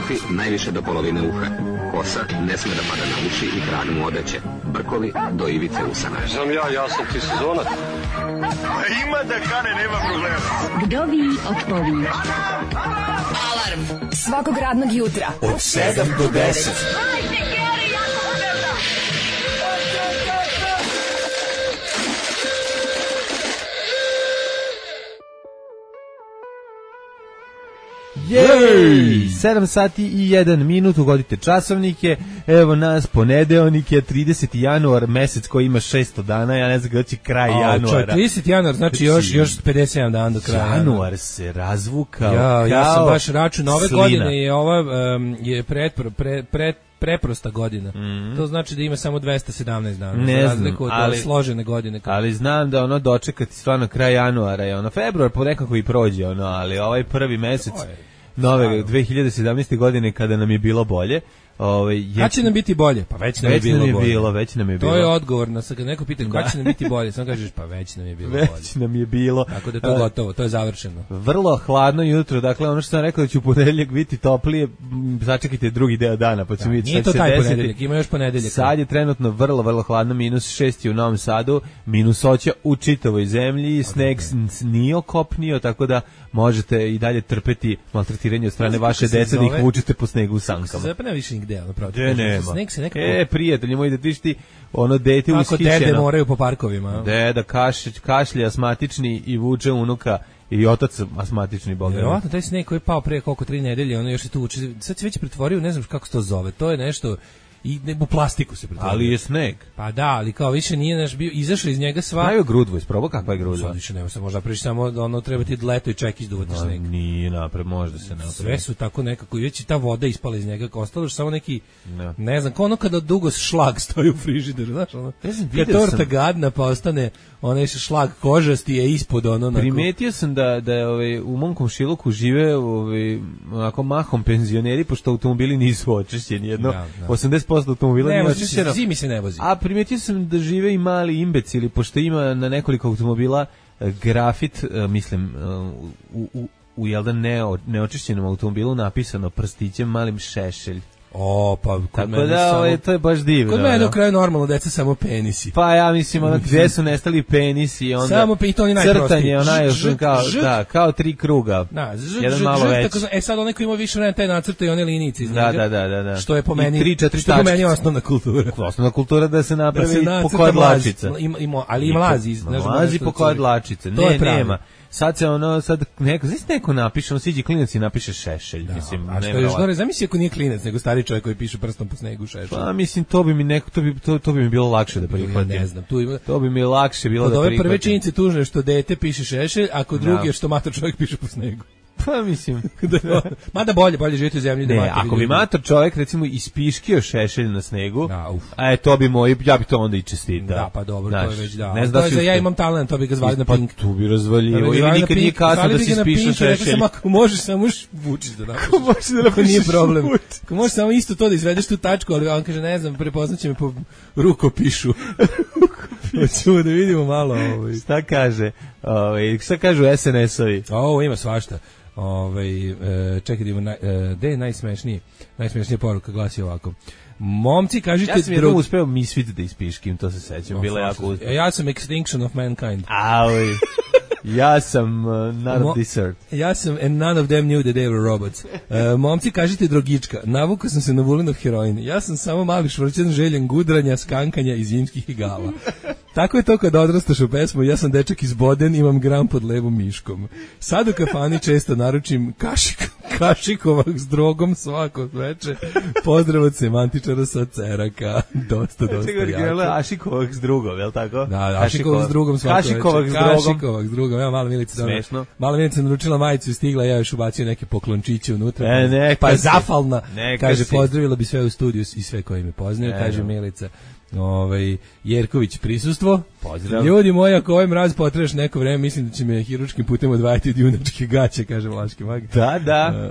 Kapi najviše do polovine uha. Kosa ne sme da pada na uši i krag mu odeće. Brkovi do ivice usana. Znam ja sam ti sezonac. Ima da kane, nema problema. Vdovi odpovi. Alarm svakog radnog jutra od 7 do 10. Jej! 7 sati i 1 minut, ugodite časovnike, evo nas, ponedeonik je 30. januar, mesec koji ima 600 dana, ja ne znam kada će kraj januara. 30. januar, znači još 57 dana do kraja. Januar se razvukao ja sam baš račun, ove slina. godine je ova je preprosta godina. To znači da ima samo 217 dana. Ne za razliku od složene godine. Ali znam da ono dočekati stvarno kraj januara je ono februar po nekako i prođe ono, ali ovaj prvi mesec nove 2017. godine kada nam je bilo bolje. Kad će nam biti bolje? Pa već nam je bilo bolje. Već nam je bilo. To je odgovor na kad neko pita kad će nam biti bolje, samo kažeš pa već nam je bilo bolje. Već nam je bilo. Tako da je to gotovo, to je završeno. Vrlo hladno jutro, dakle ono što sam rekao da će u ponedeljak biti toplije, začekajte drugi deo dana, pa ćemo vidjeti šta će se desiti. Nije to taj ponedeljak, ima još ponedeljak. Sad je trenutno vrlo hladno, -6 u Novom Sadu, -8 u čitavoj zemlji, sneg nije okopnio, tako da možete i dalje trpeti maltretiranje od strane vaše dece da ih vučete po snegu u sankama. Zapne više nigde, ono pravo. Sneg se nekako... prijatelji moji, da vidiš ti ono dete ushićeno. Kako dede moraju po parkovima. Deda kašlje asmatični i vuče unuka i otac asmatični, boga. Vjerovatno taj sneg koji je pao pre koliko 3 nedelje, ono još se tu uči. Sad se već pretvorio, ne znam kako se to zove. To je nešto i u plastiku se pretvorio. Ali je sneg. Pa da, ali kao više nije naš bio, izašao iz njega sva. Pravi grudvu, isprobao kakva je grudva. Sad više nema se, možda prići samo ono treba ti leto i ček izduvati sneg. Nije napred, možda se napravi. Sve su tako nekako, i već i ta voda ispala iz njega, ostalo je samo neki, ne znam, kao ono kada dugo šlag stoji u frižideru, znaš, ono, kad torta gadna pa ostane onaj šlag kožasti je ispod ono. Primetio sam da je u mom komšiluku žive onako mahom penzioneri, pošto automobili nisu očišćeni, jedno 80% automobila nije očišćeno. Zimi se ne vozi. A primetio sam da žive i mali imbecili, pošto ima na nekoliko automobila grafit, mislim, u jedan neočišćenom automobilu napisano prstićem malim šešelj. Pa tako da to je baš divno. Kod mene do kraja normalno deca samo penisi. Pa ja mislim ono gdje su nestali penisi, onda samo to ni najprostiji. Crtanje kao 3 kruga. Jedan malo veći. Sad onaj ko ima više vremena taj nacrta i one linijice iz njega. Da. Što je po meni osnovna kultura. Osnovna kultura da se napravi po koje dlačice. Ali i mlazi. Mlazi po koje dlačice. Ne, nema. Sad se neko napiše, on siđe klinac i napiše šešelj, mislim. A što je još gore, zamisli ako nije klinac, nego stari čovjek koji piše prstom po snegu šešelj. Pa mislim, to bi mi bilo lakše da prihvatim. Ja ne znam, to bi mi lakše bilo da prihvatim. Kod ove prve činjenice tužne što dete piše šešelj, a kod druge što mator čovjek piše po snegu. Pa mislim. Mada bolje živjeti u zemlji. Ne, ako bi mator čovjek recimo ispiškio šešelj na snegu, to bi ja bi to onda i čestitao. Da, pa dobro, to je već da. Ne znam da ja imam talent, to bi ga zvali na Pink. Tu bi razvaljivo. Ili nikad nije kasno da si ispišu šešelj. Ako možeš samo vučiš da napišeš. Ako nije problem. Ako možeš samo isto to da izvedeš tu tačku, ali on kaže ne znam, prepoznaće me po rukopišu. Hoćemo da vidimo malo. Šta kaže? Šta kažu SNS-ovi? Ima svašta. Čekaj da imamo gde je najsmešnija poruka, glasi ovako: momci, kažite... Ja sam jednom uspeo Misfit da ispiškim, to se sećam, bilo jako uspeo. Ja sam Extinction of Mankind. Ja sam None of this earth. Ja sam And none of them knew that they were robots. Momci, kažite drogička. Navukao sam se na Vulinov heroin. Ja sam samo mali švrćan željen gudranja, skankanja i zimskih igala. Tako je to kad odrastaš u pesmu. Ja sam dečak iz Boden, imam gram pod levom miškom. Sad u kafani često naručim kašikovak s drogom svako veče. Pozdrav od semantičara sa Ceraka. Dosta jako. Ašikovak s drugom, je li tako? Da, Ašikovak s drugom svako veče. Kašikovak s drugom. Ja, mala Milica naručila majicu i stigla, ja još ubacio neke poklončiće unutra. Pa je zafalna. Kaže, pozdravila bi sve u studiju i sve koji me poznaju, kaže Milica. Jerković prisustvo. Pozdrav. Ljudi moji, ako ovaj mraz potreš neko vreme, mislim da će me hiručkim putem odvajati od junačke gaće, kaže Vlaški mag. Da.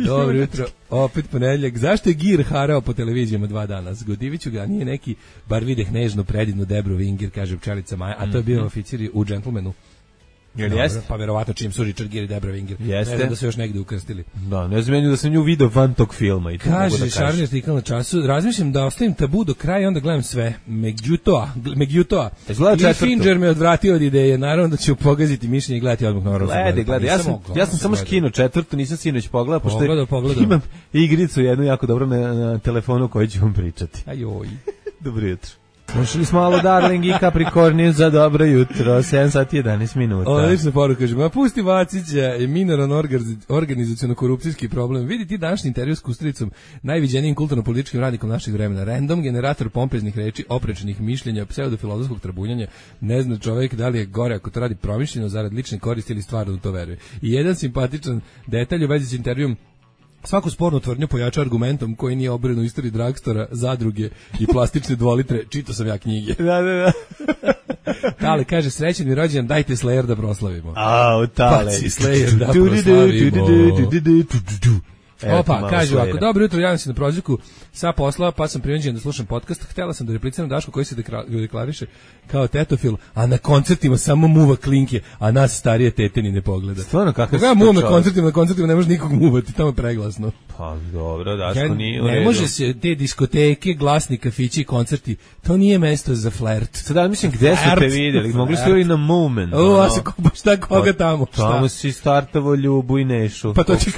Dobro jutro, opet ponedeljak. Zašto je Gir harao po televizijama 2 dana? Zgodiviću ga, nije neki, bar videh nežno predivnu Debru Vingir, kaže pčelica Maja, a to je bio oficir u Gentlemanu. Jel jeste? Pa verovatno čim su Richard Gere i Debra Winger. Jeste. Ne znam da su još negde ukrstili. Da, ne znam da sam nju video van tog filma. I to mogu da Kaže, Šarni artikal na Času, razmišljam da ostavim Tabu do kraja i onda gledam sve. Međutoa. Gleda I Fincher me odvratio od ideje, naravno da ću pogaziti mišljenje i gledati odmah na Orlov. Gledaj, ja sam samo skinuo četvrtu, nisam sinoć pogledao, pošto Pogledao. imam igricu jednu jako dobro na telefonu koju ću vam pričati. Ajoj. Dobro jutro. Slušali smo malo Darling i Capricornius za dobro jutro, 7 sati 11 minuta. Odlična poruka, kaže, ma pusti Vacića, je minoran organizacijono-korupcijski problem. Vidi ti današnji intervju s Kustricom, najviđenijim kulturno-političkim radnikom našeg vremena. Random generator pompeznih reči, oprečnih mišljenja, pseudofilozofskog trabunjanja. Ne zna čovjek da li je gore ako to radi promišljeno, zarad lične koristi ili stvarno u to veruje. I jedan simpatičan detalj u vezi s intervjum: svaku spornu tvrdnju pojača argumentom koji nije obrenu u istoriji dragstora, zadruge i plastične dvolitre. Čitao sam ja knjige. Da. Tale kaže, srećan mi rođendan, dajte Slayer da proslavimo. Tale. Baci Slayer da proslavimo. Opa, kaže ovako, dobro jutro, javim se na prozivku sa posla, pa sam prinuđen da slušam podcast. Htela sam da repliciram Dašku koji se deklariše kao tetofil, a na koncertima samo muva klinke, a nas starije tete ni ne pogleda. Stvarno, kakav ja muvam na koncertima ne može nikog muvati, tamo je preglasno. Pa dobro, Daško nije u redu. Ne može se te diskoteke, glasni kafići i koncerti, to nije mesto za flert. Sada mislim, gde su te vidjeli? Mogli ste i na Moment. A se šta koga tamo? Tamo si startavo Ljubu i Nešu. Pa to će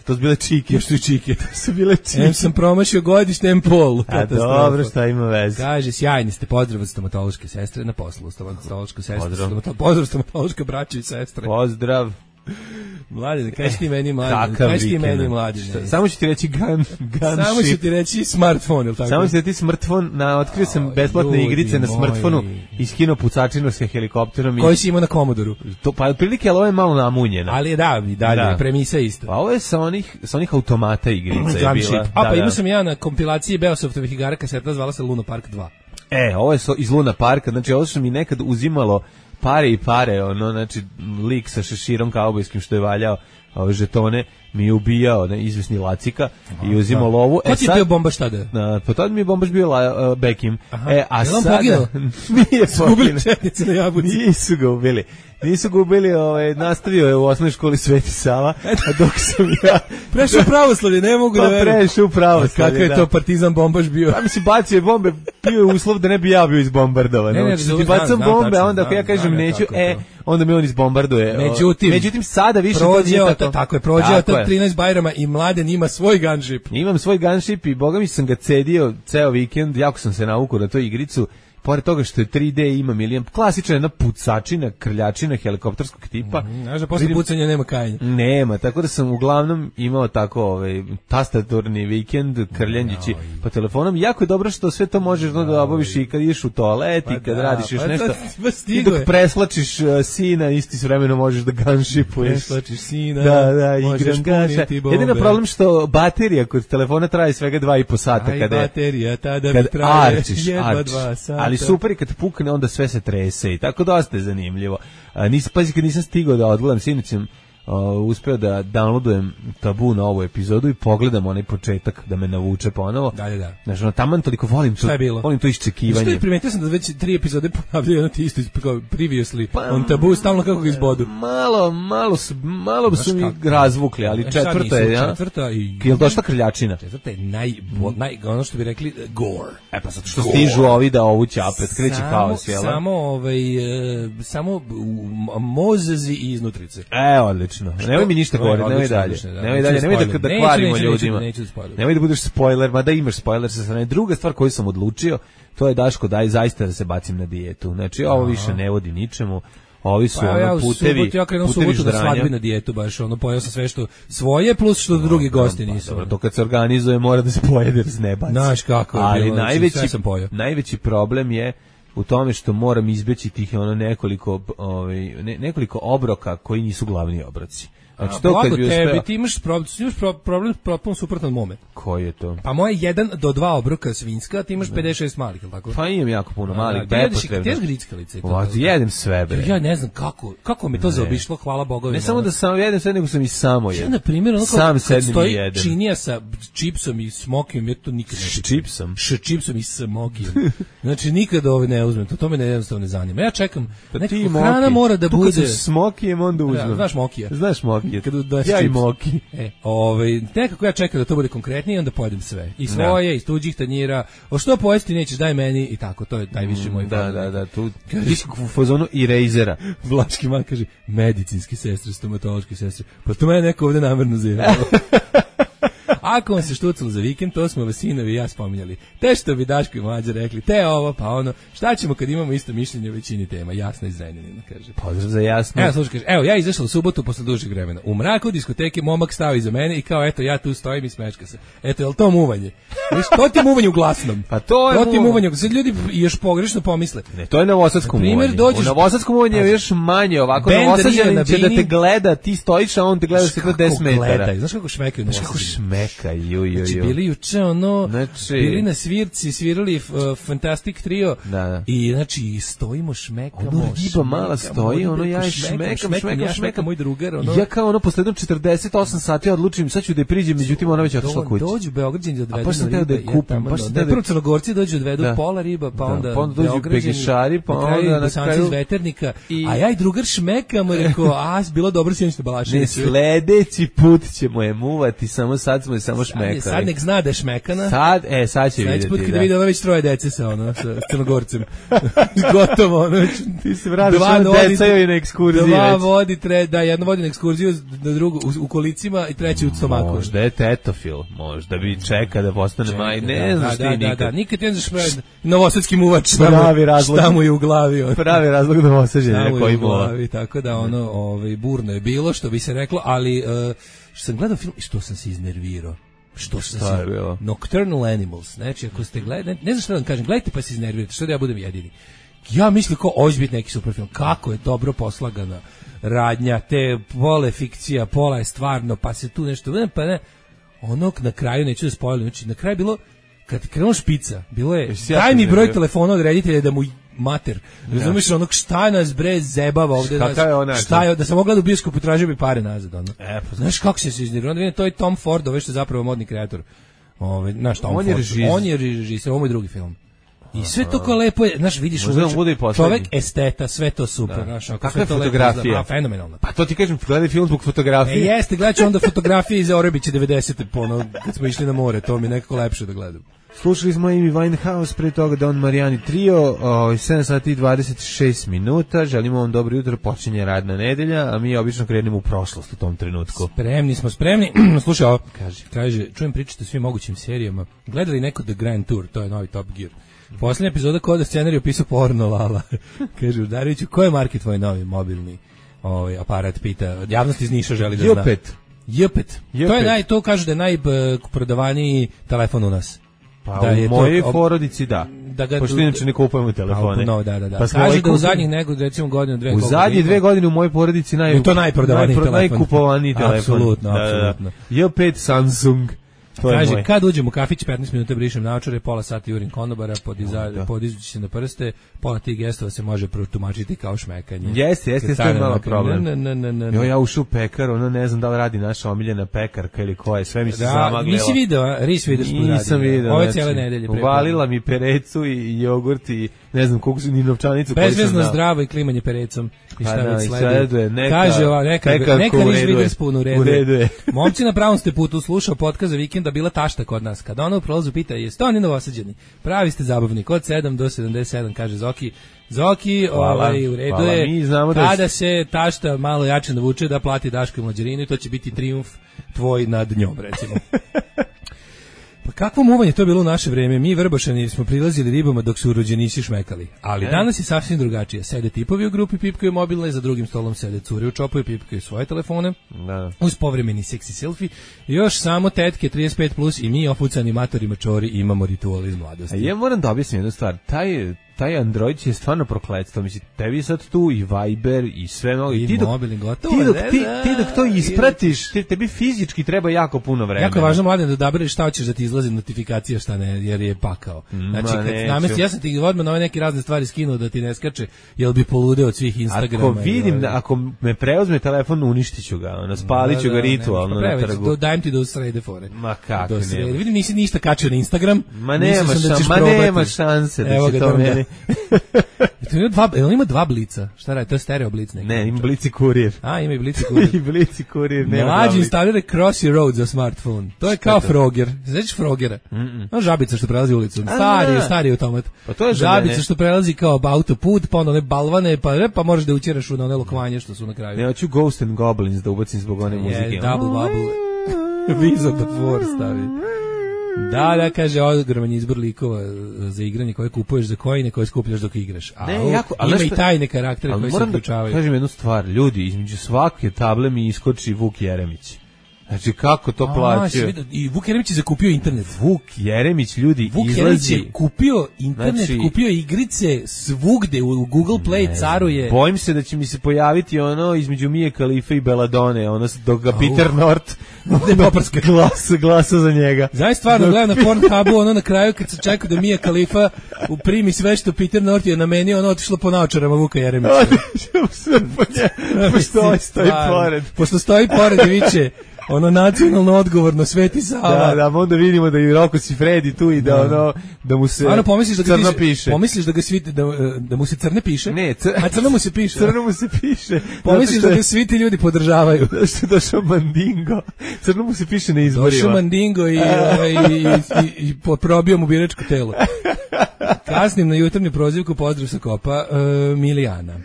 to su bile čike. Još su i čike. To su bile čike. Em sam promašio godišnjem polu. A dobro, šta ima veze? Kaže, sjajni ste, pozdrav od stomatološke sestre na poslu. Stomatološka sestra. Pozdrav stomatološka braća i sestre. Pozdrav. Mladine, kaži ti meni mladine. Samo ću ti reći gun samo ću ti reći smartfon, ili tako? Samo ću ti reći smartfon, otkrio sam besplatne igrice na smartfonu i skinuo pucačinu sa helikopterom. Koji si imao na Komodoru? Pa otprilike, ali ovo je malo namunjena. Ali da, dalje, premisa isto. Pa ovo je sa onih automata igrica je bila. Pa imao sam ja na kompilaciji Beosoftovih igara kaseta, zvala se Luna Park 2. Ovo je iz Luna Parka, znači ovo što mi nekad uzimalo pare, znači lik sa šeširom kaubojskim što je valjao ove žetone, mi je ubijao izvesni Lacika i uzimao lovu. Ko ti je bio bombaš tada? Pa tada mi je bombaš bio Bekim. A sada... Nije poginuo. Četnice na Jabuci. Nisu ga ubili, nastavio je u osnovnoj školi Sveti Sava, a dok sam ja... Prešao pravoslavlje, ne mogu da verujem. Prešao pravoslavlje, kakav je to partizan bombaš bio? Pa mislim, bacio je bombe, bio je uslov da ne bi ja bio izbombardovan. Ti bacam bombe, a onda ako ja kažem neću, onda me on izbombarduje. Međutim, sada više to nije tako. Tako je, prođeo to 13 Bajrama i Mladen ima svoj gunship. Imam svoj gunship i boga mi sam ga cedio ceo vikend, jako sam se naukao na tu igricu. Pored toga što je 3D, ima milion, klasična jedna pucačina, krljačina helikopterskog tipa. Znaš da posle pucanja nema kajanja. Nema, tako da sam uglavnom imao tako tastaturni vikend, krljanjići po telefonom. Jako je dobro što sve to možeš da obaviš i kad ideš u toalet i kad radiš još nešto. I dok preslačiš sina, isti s vremenom možeš da gunshipuješ. Preslačiš sina, igram gaša. Jedino problem što baterija kod telefona traje svega 2,5 sata. Aj, baterija tada mi traje jedva 2 sata. Ali super, kad pukne, onda sve se trese i tako dosta je zanimljivo. Pazi, kad nisam stigao da odgledam, sinoć sam uspeo da downloadujem Tabu na ovu epizodu i pogledam onaj početak da me navuče ponovo. Da. Znači, taman toliko volim to iščekivanje. Što je, primetio sam da već 3 epizode ponavljaju ono ti isto previously on Tabu, stalno kako ga izbodu. Malo su mi razvukli, ali četvrta je, ja? Je li došla krljačina? Četvrta je ono što bi rekli gore. Pa zato što stižu ovi da ovu ćapet, kreće haos, jel? Samo mozezi i iznutrice. Odlično. Nemoj mi ništa govoriti, nemoj dalje. Nemoj da kvarimo ljudima. Nemoj da budeš spoiler, mada imaš spoiler sa strane. Druga stvar koju sam odlučio, to je Daško, daj zaista da se bacim na dijetu. Znači, ovo više ne vodi ničemu. Ovi su putevi da svadbi na dijetu, baš pojeo sam sve što svoje plus što drugi gosti nisu. Dobro, to kad se organizuje mora da se pojede jer se ne baci. Znaš kako je bilo, sve sam pojeo. Najveći problem je u tome što moram izbeći tih nekoliko obroka koji nisu glavni obroci. Znači, to kad bi uspeo... Ti imaš problem potpuno suprotno od mome. Koji je to? Pa moje 1 do 2 obroka svinjska, ti imaš 56 malih, ili tako? Pa imam jako puno malih, bepotrebno. Ti jedeš grickalice? Jedem sve, bre. Ja ne znam kako mi to zaobišlo, hvala Bogovima. Ne samo da sam jedem sve, nego sam i samo jedem. Ja, na primjer, ono sam kad stoji činija sa čipsom i smokijom, ja to nikad ne čipsom. Čipsom i smokijom. Znači, nikad ne uzmem, to me jednostavno ne zanima. Ja čekam, nekako hrana mora da bude... Tu kad s mokijem, onda uzmem. Ja, znaš mokija? Znaš mokija. Ja i moki. Nekako ja čekam da to bude konkretnije i onda pojedem sve. I svoje, iz tuđih tanjira. O što pojesti nećeš, daj meni i tako. To je najviše moj problem. Da, tu u fazonu i rejzera. Vlaški man kaže, medicinski sestre, stomatološki sestre. Pa to mene neko ovde namerno zjevalo. Ako vam se štucalo za vikend, to smo vas sinovi i ja spominjali. Te što bi Daško i Mlađa rekli, te ovo, pa ono, šta ćemo kad imamo isto mišljenje o većini tema? Jasno iz Zrenjanina, kaže. Pozdrav za Jasno. Evo, slušaj, kaže, evo, ja izašla u subotu posle dužeg vremena. U mraku diskoteke momak stao iza mene i kao, eto, ja tu stojim i smečka se. Eto, je li to muvanje? To ti je muvanje u glasnom. Pa to je muvanje. Sad ljudi još pogrešno pomisle. Ne, to je novosadsko muvanje. U novosadskom muvanje je još manje ovako. Novosađanin će da te gleda, ti stojiš, a on te gleda se 10 metara. Znaš kako šmekaju? Znaš kako šmekaju, bili juče bili na svirci, svirali Fantastic Trio i znači stojimo, šmekamo. Ono riba mala stoji, ja šmekam, moj drugar. Ja kao posle 48 sati odlučim, sad ću da je priđem, međutim ona već otišla kući. Dođu Beograđani da odvedu na ribe. Da je kupim, prvo Crnogorci dođu odvedu pola riba, pa onda dođu Pegešari, pa onda na kraju iz Veternika, a ja i drugar šmekamo, rekao, bilo dobro sinoćno Balašević. Ne, sledeći put ćemo je muvati, samo sad smo je samo šmekali. Sad nek zna da je šmekana. Sad će vidjeti. Put kada vidi ona već 3 dece sa Crnogorcem. Gotovo, ti se vratiš deca joj na ekskurziji. 2 vodi, jedna vodi na ekskurziju, drugu u kolicima i treći u stomaku. Možda je tetofil, možda bi čeka da postane maj, ne znaš ti nikad. Da, nikad ne znaš novosadski muvač, šta mu je u glavi. Pravi razlog novosađenja koji muva. Tako da burno je bilo, što bi se reklo, ali što sam gledao film i što sam se iznervirao. Šta je bilo? Nocturnal Animals. Znači, ako ste gledali, ne znam šta da vam kažem, gledajte pa se iznervirate, što da ja budem jedini. Ja mislim kao ovo će biti neki super film. Kako je dobro poslagana radnja, te pola fikcija, pola je stvarno, pa se tu nešto, pa ne. Na kraju, neću da spojlim, znači na kraju bilo, kad krenuo špica, bilo je, daj mi broj telefona od reditelja da mu mater. Razumiješ šta nas bre zebava ovde. Šta je, da sam mogla da u bioskopu tražio bi pare nazad. Znaš kako se iznervirao? To je Tom Ford, što je zapravo modni kreator. Znaš, Tom Ford. On je režisir, ovo je drugi film. I sve to kao lepo je, znaš, vidiš, čovek esteta, sve to super. Kakva je fotografija? Fenomenalna. Pa to ti kažem, gledaj film zbog fotografije. Jeste, gledat ću onda fotografije iz Orebića 90. Kad smo išli na more, to mi je nekako lepše da gledam. Slušali smo Amy Winehouse, pre toga Don Mariani Trio, 7 sati i 26 minuta, želimo vam dobro jutro, počinje radna nedelja, a mi obično krenemo u prošlost u tom trenutku. Spremni. Slušaj, ovo, kaže, čujem pričati o svim mogućim serijama, gledali neko The Grand Tour, to je novi Top Gear. Posljednja epizoda koda scenariju pisao porno Lala. Kaže, Udareviću, ko je market tvoj novi mobilni aparat, pita, javnost iz Niša želi da zna. Jepet. To kaže da je najprodavaniji telefon u nas. Pa u mojej porodici pošto inače ne kupujemo telefone. Da. Pa kaže da u zadnjih recimo godinu, 2 godine. U zadnjih 2 godine u mojoj porodici to najkupovaniji telefon. Apsolutno. J5 Samsung. Kaže, kad uđem u kafić, 15 minuta brišem naočare, pola sata jurim konobara, podizući se na prste, pola tih gestova se može protumačiti kao šmekanje. Jeste, to je malo problem. Ja ušao u pekar, ne znam da li radi naša omiljena pekarka ili koja je, sve mi se zamagljela. Nisi video, Ris vidiš što radi. Nisam video. Ove cijele nedelje. Uvalila mi perecu i jogurt i ne znam koliko su ni novčanicu. Bezvezno zdravo i klimanje perecom. I šta već sleduje. Kaže ova, neka Ris Witherspoon u redu. Momci na pravom ste putu, slušao podcast za vikenda, bila tašta kod nas. Kada ona u prolazu pita, jeste oni novosađeni? Pravi ste zabavnik, od 7 do 77, kaže Zoki. Zoki, u redu je, kada se tašta malo jače navuče da plati Daško i Mlađarinu i to će biti trijumf tvoj nad njom, recimo. Pa kakvo muvanje to je bilo u naše vreme, mi Vrbašani smo prilazili ribama dok su rođenici šmekali, ali danas je sasvim drugačije, sede tipovi u grupi, pipkaju mobilne, za drugim stolom sede cure u čopu i pipkaju svoje telefone, uz povremeni seksi selfie, još samo tetke 35 plus i mi opucani matori mačori imamo ritual iz mladosti. Ja moram da objasnim jednu stvar, taj Android je stvarno prokletstvo. Mislim, tebi sad tu i Viber i sve mnogo. I mobilni gotovo. Ti dok to ispratiš, tebi fizički treba jako puno vremena. Jako je važno, mladen, da odabereš šta hoćeš da ti izlazi notifikacija, šta ne, jer je pakao. Znači, kad namesti, ja sam ti odmah na ove neke razne stvari skinuo da ti ne skače, jel bi poludeo od svih Instagrama. Ako vidim, ako me preuzme telefon, uništiću ga, spalit ću ga ritualno na trgu. Dajem ti do srede fore. Ma kako ne. Vidim, nisi ništa kačio na Instagram. Ma nema šanse da će to meni. Ima dva blica. Šta radi? To je stereo blic neki. Ne, ima blic i kurir. Ima i blic i kurir. I blic i kurir. Mlađi instalira Crossy Road za smartphone. To je kao Frogger. Znaš Frogera? Žabica što prelazi ulicom. Stari automat. Pa to je žabica što prelazi kao autoput, pa onda one balvane, pa možeš da učeraš u one lokvanje što su na kraju. Ne, hoću Ghost and Goblins da ubacim zbog one muzike. Double bubble. Viz of the Four stavi. Da, kaže, ogroman izbor likova za igranje koje kupuješ za kojine koje skupljaš dok igraš. Ima i tajne karaktere koji se uključavaju. Kažem jednu stvar, ljudi, između svake table mi iskoči Vuk Jeremić. Znači, kako to plaćaju? I Vuk Jeremić je zakupio internet. Vuk Jeremić, ljudi, Vuk Jeremić je kupio internet, znači, kupio igrice svugde, u Google Play caruje. Bojim se da će mi se pojaviti ono između Mije Khalife i Belladone, ono dok ga Peter North glasa za njega. Zaista stvarno gledam na Pornhubu, ono na kraju kad se čeka da Mija Khalifa uprimi sve što Peter North je namenio, ono otišlo po naočarama Vuka Jeremića. Pošto stoji pored i viče ono nacionalno odgovorno Sveti Sava. Da, onda vidimo da i Roko Sifredi tu i da mu se crno piše. Pomisliš da ga svi da mu se crne piše? Ne, a crno mu se piše. Crno mu se piše. Pomisliš da ga svi ti ljudi podržavaju? Što je došao Mandingo. Crno mu se piše na izborima. Došao Mandingo i probio mu biračko telo. Kasnim na jutarnju prozivku, pozdrav sa Kopa, Milijana.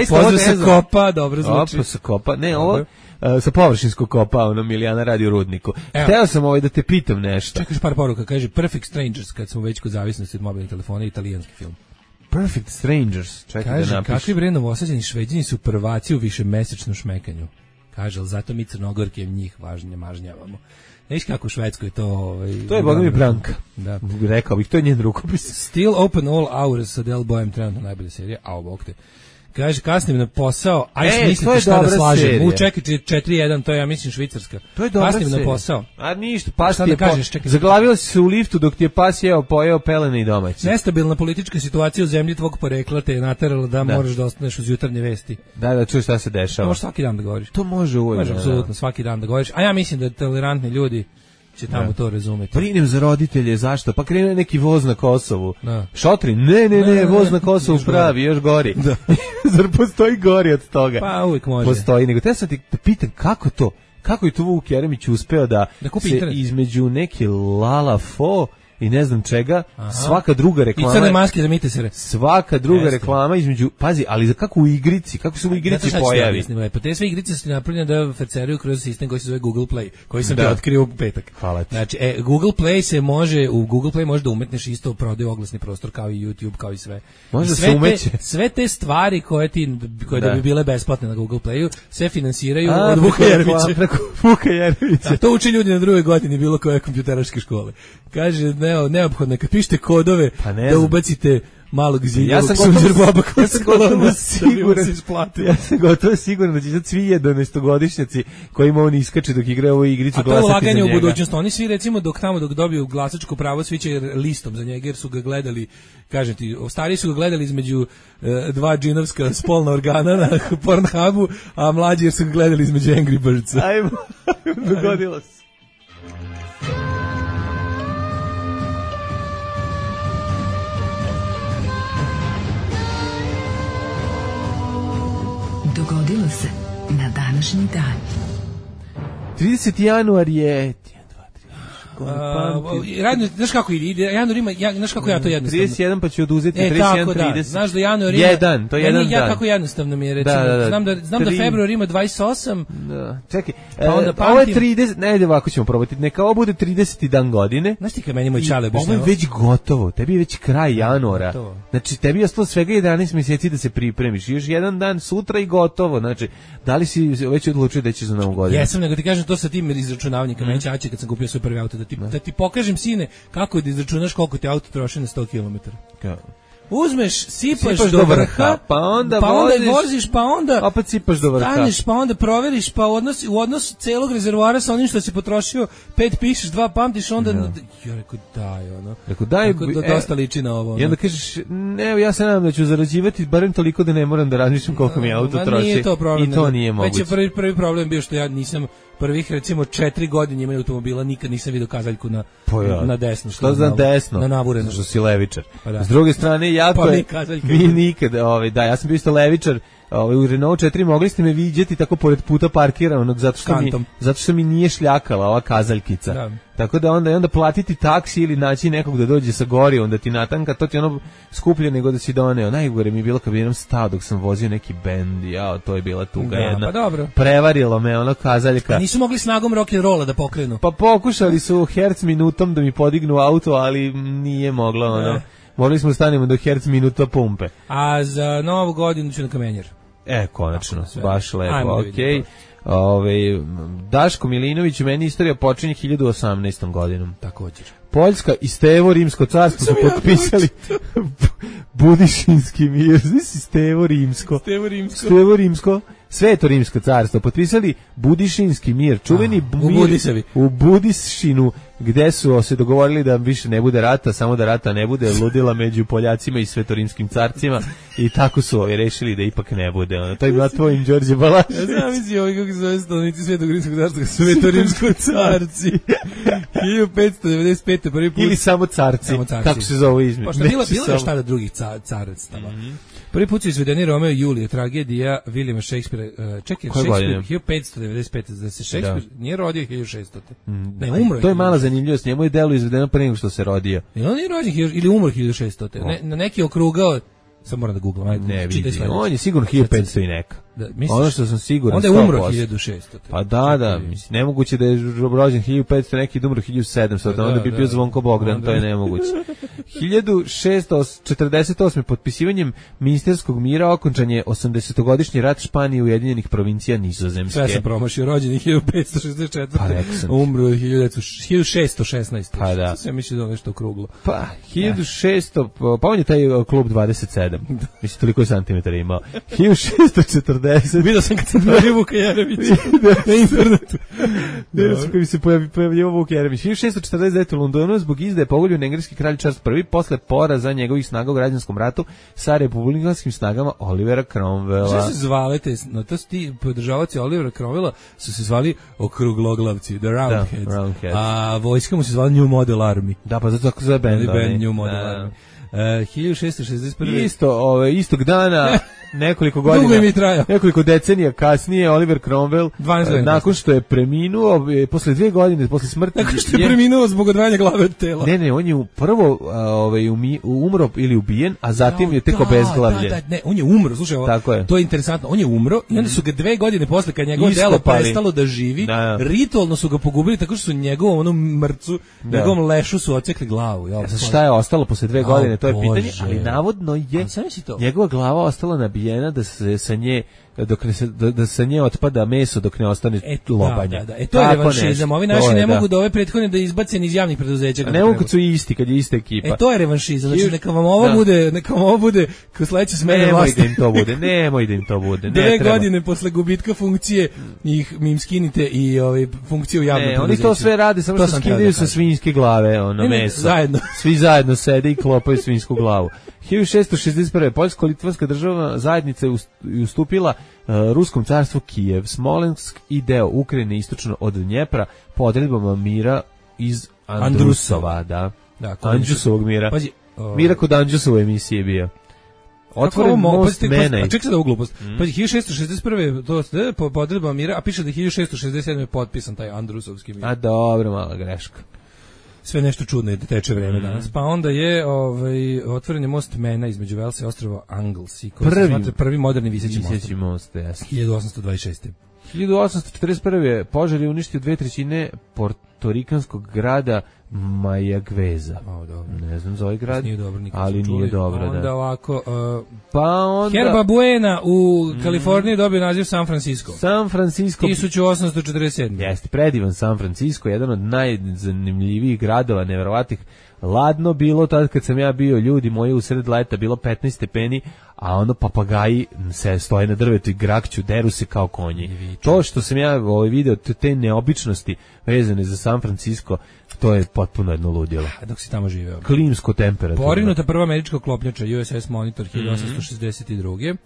Pozdrav sa Kopa, dobro zvuči. Sa Kopa, ne, ovo sa površinskog kopa, Milijana radi u Rudniku. Hteo sam da te pitam nešto. Čekaš par poruka, kaže Perfect Strangers, kad smo već kod zavisnosti od mobilnih telefona, italijanski film. Perfect Strangers, čekaj kaže, da napiš. Kakvi vredno osađeni Šveđani su prvaci u višemesečnom šmekanju. Kaže, ali zato mi Crnogorke njih mažnjavamo. Neš kako u Švedskoj to... to je Boga mi Branka. Da. Rekao bih, to je njen rukopis. Still Open All Hours sa Del Boyem, trenutno najbolja serija, bog te. Kaže, kasnim na posao, mislite šta da slažem. Čekaj, 4-1, to je, ja mislim, Švicarska. To je dobra kasnim na posao. A ništa, pas ti je zaglavila si se u liftu dok ti je pas pojeo pelene i domaći. Nestabilna politička situacija u zemlji tvog porekla te je naterala da moraš da ostaneš uz jutarnje vesti. Da, čuješ šta se dešava. To možeš svaki dan da govoriš. To može uvijek. Može apsolutno svaki dan da govoriš. A ja mislim da tolerantni ljudi će tamo to razumeti. Brinem za roditelje, zašto? Pa krene neki voz na Kosovu. Šotri, ne, voz na Kosovu pravi, još gori. Zar postoji gori od toga? Pa uvijek može. Postoji, nego te sad ti pitam kako to? Kako je tu Vuk Jeremić uspeo da se internet između neke Lala Fo i ne znam čega, svaka druga reklama. I crne maske za mitesere. Svaka druga reklama između, pazi, ali za kako u igrici, kako se u igrici pojavi. Pa te sve igrice su napravljene da ferceruju kroz sistem koji se zove Google Play, koji sam ti otkrio u petak. Hvala ti. Znači, Google Play se može, u Google Play može da umetneš isto prodaju oglasni prostor kao i YouTube, kao i sve. Može se umeće. Sve te stvari koje da bi bile besplatne na Google Playu, sve finansiraju od Vuka Jeremića. Preko Vuka Jeremića. To uče ljudi na drugoj godini bilo koje kompjuteraške škole. Kaže, neophodno, kad pišete kodove, da ubacite malog ziljevog sunđer boba koji se kolona ja sam gotovo siguran da će sad svi 11-godišnjaci kojima on iskače dok igra ovu igricu glasati za njega. A to je ulaganje u budućnost. Oni svi recimo dok dobiju glasačko pravo svi će listom za njega jer su ga gledali, kažem ti, stariji su ga gledali između dva džinovska spolna organa na Pornhubu, a mlađi jer su ga gledali između Angry Birdsa. Ajmo, dogodilo se. Dogodilo se na današnji dan. 30. januar je... Znaš kako ide? Januar ima, znaš kako ja to jednostavno. 31 pa ću oduzeti 31, tako 30. Da. Znaš da januar ima... Jedan, to je jedan dan. Ja kako jednostavno mi je, recimo. Znam da februar ima 28. Da. Čekaj, ovo je 30, ne, ovako ćemo probati. Neka ovo bude 30. dan godine. Znaš ti kad meni moj čale objašnjava? Ovo je već gotovo, tebi je već kraj januara. Znači, tebi je ostalo svega 11 mjeseci da se pripremiš. Još jedan dan sutra i gotovo. Znači, da li si već odlučio da ćeš za novu godinu? Jesam, nego ti kažem to sa tim izračunavanjem. Meni ćaće kad sam kupio svoj prvi auto, da ti pokažem, sine, kako da izračunaš koliko ti auto troši na 100 km. uzmeš, sipaš do vrha, pa onda voziš, pa onda opet sipaš do vrha. Staneš, pa onda proveriš, pa u odnos celog rezervoara sa onim što si potrošio, 5 pišeš, 2 pamtiš, onda ja rekao daj, ono. Rekao daj, dosta liči na ovo. I onda kažeš, ne, ja se nadam da ću zarađivati barem toliko da ne moram da razmišljam koliko mi auto troši. Nije to problem. I to nije moguće. Već je prvi problem bio što ja nisam prvih recimo 4 godine imao automobila, nikad nisam vidio kazaljku na desno. Što za desno? Na nabureno. Što si levičar. Pa da. S druge strane, jako pa je... Mi nikad, da, ja sam bio isto levičar, u Renault 4 mogli ste me viđati tako pored puta parkiranog zato što mi nije šljakala ova kazaljkica. Da. Tako da onda platiti taksi ili naći nekog da dođe sa gori, onda ti natanka, to ti ono skuplje nego da si doneo. Najgore mi je bilo kad bi jednom stao dok sam vozio neki bend, to je bila tuga jedna. Pa dobro. Prevarilo me ono kazaljka. A nisu mogli snagom rock'n'rolla da pokrenu? Pa pokušali su herc minutom da mi podignu auto, ali nije moglo ono. Morali smo stanemo do herc minuta pumpe. A za novu godinu ću na Kamenjer. Konačno, baš lepo, okej. Daško Milinović, meni istorija počinje 1018. godinom. Također. Poljska i Stevo Rimsko carstvo su potpisali Budišinski mir. Znači Stevo Rimsko. Sveto Rimsko carstvo potpisali Budišinski mir, čuveni mir u Budišinu, gde su se dogovorili da više ne bude rata, samo da rata ne bude, ludila među Poljacima i svetorimskim carcima, i tako su rešili da ipak ne bude. To je bila tvojim Đorđe Balašević. Ja znam misli kako se zove stanovnici Svetog Rimskog carstva, Svetorimsko carci. 1595. prvi put. Ili samo carci, kako se zove između. Pošto bilo je šta da drugih caractava. Prvi put su izvedeni Romeo i Julije, tragedija Williama Shakespearea. Čekaj, Shakespeare 1595. Da se Shakespeare nije rodio 1600. Ne, umro. To je mala zanimljivost, njemu je delo izvedeno pre nego što se rodio. On nije rođen ili umro 1600. Na neki okrugao, sad moram da googlam. Ne vidi, on je sigurno 1500 i neka. Ono što sam siguran, onda je umro 1600. Pa da, mislim, nemoguće da je rođen 1500, neki umro 1700, onda bi bio Zvonko Bogdan, to je nemoguće. 1648. potpisivanjem Minsterskog mira okončan je 80-godišnji rat Španije i Ujedinjenih provincija Nizozemske. Sve sam promašio, rođen je 1564. Umro je 1616. Pa da. Sve misli da je nešto okruglo. Pa 1600, pa on je taj klub 27. Mislim, toliko je santimetara imao. 1640. Vidio sam kad sam pojavio Vuka Jeremića na internetu. Kad se pojavio Vuk Jeremić. 1649. u Londonu zbog izdaje pogoljen engleski kralj Charles I posle poraza njegovih snaga u građanskom ratu sa republikanskim snagama Olivera Cromwella. Što se zvali to su ti podržavaoci Olivera Cromwella, su se zvali okrugloglavci, the Roundheads. A vojska mu se zvala New Model Army. Da, pa zato tako zove band. New Model Army. 1661. Istog dana, nekoliko godina, nekoliko decenija kasnije, Oliver Cromwell, nakon što je preminuo, posle 2 godine, posle smrti... Nakon što je preminuo zbog odvajanja glave od tela. Ne, on je prvo umro ili ubijen, a zatim je tek obezglavljen. Ne, on je umro, slušaj, to je interesantno, on je umro i onda su ga 2 godine posle, kad njegovo delo prestalo da živi, ritualno su ga pogubili tako što su njegovom onom mrcu, njegovom lešu su ocekli glavu. Šta je ostalo posle 2 godine? To je pitanje, ali navodno je njegova glava ostala nabijena da se sa nje da sa nje otpada meso dok ne ostane lobanja. To je revanšizam. Ovi naši ne mogu da ove prethodne da izbace iz javnih preduzeća. A ne mogu kad su isti, kad je ista ekipa. To je revanšizam. Znači neka vam ovo bude kao sledeće smene vlasti. Nemoj da im to bude. 2 godine posle gubitka funkcije im skinite i funkciju javnog preduzeća. Oni to sve rade, samo što skidaju sa svinjske glave meso. Svi zajedno sede i klopaju svinsku glavu. 1661. Poljsko-litvanska državna zajednica je ustupila Ruskom carstvu Kijev, Smolensk i deo Ukrajine istočno od Dnjepra po odredbama mira iz Andrusova, Andžusovog mira. Mira kod Andžusove emisije bio. Otvoren most Menaj. Čekaj sad ovu glupost. 1661. to po odredbama mira, a piše da je 1667. je potpisan taj Andrusovski mir. A dobro, mala greška. Sve nešto čudno je da teče vreme danas. Pa onda je otvoren je most Mena između Velsa i ostrva Anglesey, koji se smatra prvi moderni viseći most. 1826. 1841. požar je uništio 2/3 portorikanskog grada Mayagüeza. Ne znam za ovaj grad, ali nije dobro. Onda ovako, Herba Buena u Kaliforniji dobio naziv San Francisco. 1847. Jeste, predivan San Francisco, jedan od najzanimljivijih gradova, neverovatnih ladno bilo tad kad sam ja bio, ljudi moji, u sred leta bilo 15 stepeni, a ono papagaji se stoje na drvetu i grakću, deru se kao konji. To što sam ja video, te neobičnosti vezane za San Francisco, to je potpuno jedno ludilo. Dok si tamo živeo. Klimsko temperatura. Porinuta prva američka klopnjača USS Monitor 1862.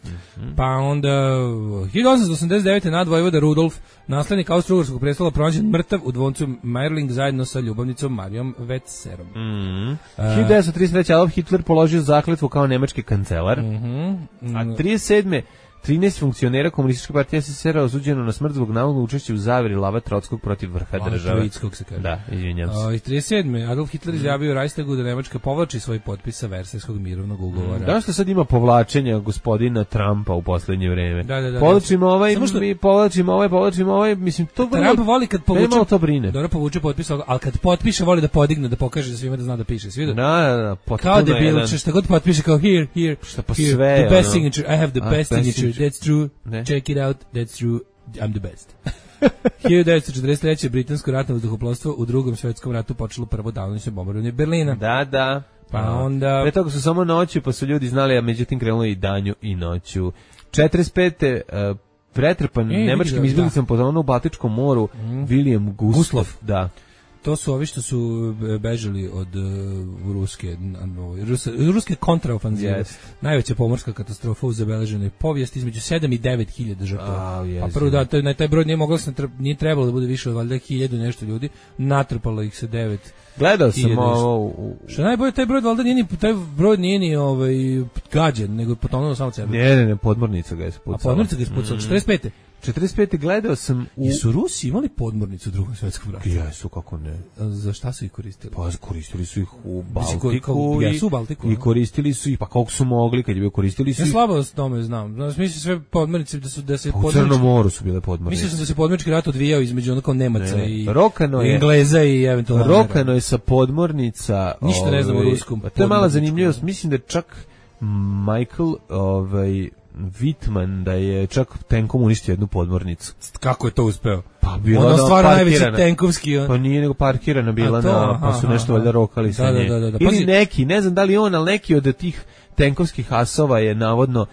Pa onda 1889. nadvojvoda Rudolf, naslednik Austro-Ugarskog prestola, pronađen mrtav u dvoncu Mayerling zajedno sa ljubavnicom Marijom Wetzerom. 1933. Adolf Hitler položio zakletvu kao nemački kancelar. A 37. 13 funkcionera komunističke partije SSSR osuđeno na smrt zbog navodnog učešća u zaveri Lava Trotskog protiv vrha države. Troitskog se kaže. Da, izvinjam se. 37. Adolf Hitler izjavio u Reichstagu da Nemačka povlači svoj potpis sa Versajskog mirovnog ugovora. Da što sad ima povlačenja gospodina Trumpa u poslednje vreme? Da. Povlačimo ovaj, mi povlačimo ovaj, mislim, to vrlo... Trump voli kad povuče... Malo to brine. Dobro povuče potpis, ali kad potpiše voli da podigne, da pokaže da svima da zna da piše. Svi Da, kao debil, šta god potpiše kao here, sve, the best signature, I have the best signature. That's true. Check it out. That's true. I'm the best. 1943. britansko ratno vazduhoplovstvo u Drugom svjetskom ratu počelo prvo danonoćno bombardovanje Berlina. Da. Pa onda... Pre toga su samo noću, pa su ljudi znali, a međutim krenulo i danju i noću. 45. Pretrpan nemačkim izbjeglicama po u Baltičkom moru, William Gustloff. Da. To su ovi što su bežali od ruske kontraofanzive. Yes. Najveća pomorska katastrofa u zabeleženoj povijesti, između 7 i 9.000 žrtava. Yes. A prvo taj broj nije trebalo da bude više od valjda 1.000 nešto ljudi, natrpalo ih se 9. Gledao sam ovo. Što najbolje, taj broj valjda nije ni gađen, nego je potonuo samo sebe. Ne, podmornica ga je spucala. A podmornica ga je spucala, 45. 45. gledao sam I su Rusi imali podmornicu u Drugom svjetskom ratu? Jesu, kako ne. Za šta su ih koristili? Pa koristili su ih u Baltiku. Jesu u Baltiku. I koristili su ih, pa koliko su mogli, kad je bio koristili su ih. Ja slabo s tome znam. Mislim sve podmornice da se u Crnom moru su bile podmornice. Mislio sam da se podmornički rat odvijao između onako Nemaca i Engleza i eventualno Rokano je sa podmornica. Ništa ne znam o ruskom. To je mala zanimljivost. Mislim da čak Michael Wittman da je čak tenkom uništio jednu podmornicu. Kako je to uspeo? Pa bila ono stvarno najveći tenkovski. Pa nije nego parkirana bila pa su nešto valjda rokali sa nje. Ili neki, ne znam da li on, ali neki od tih tenkovskih asova je navodno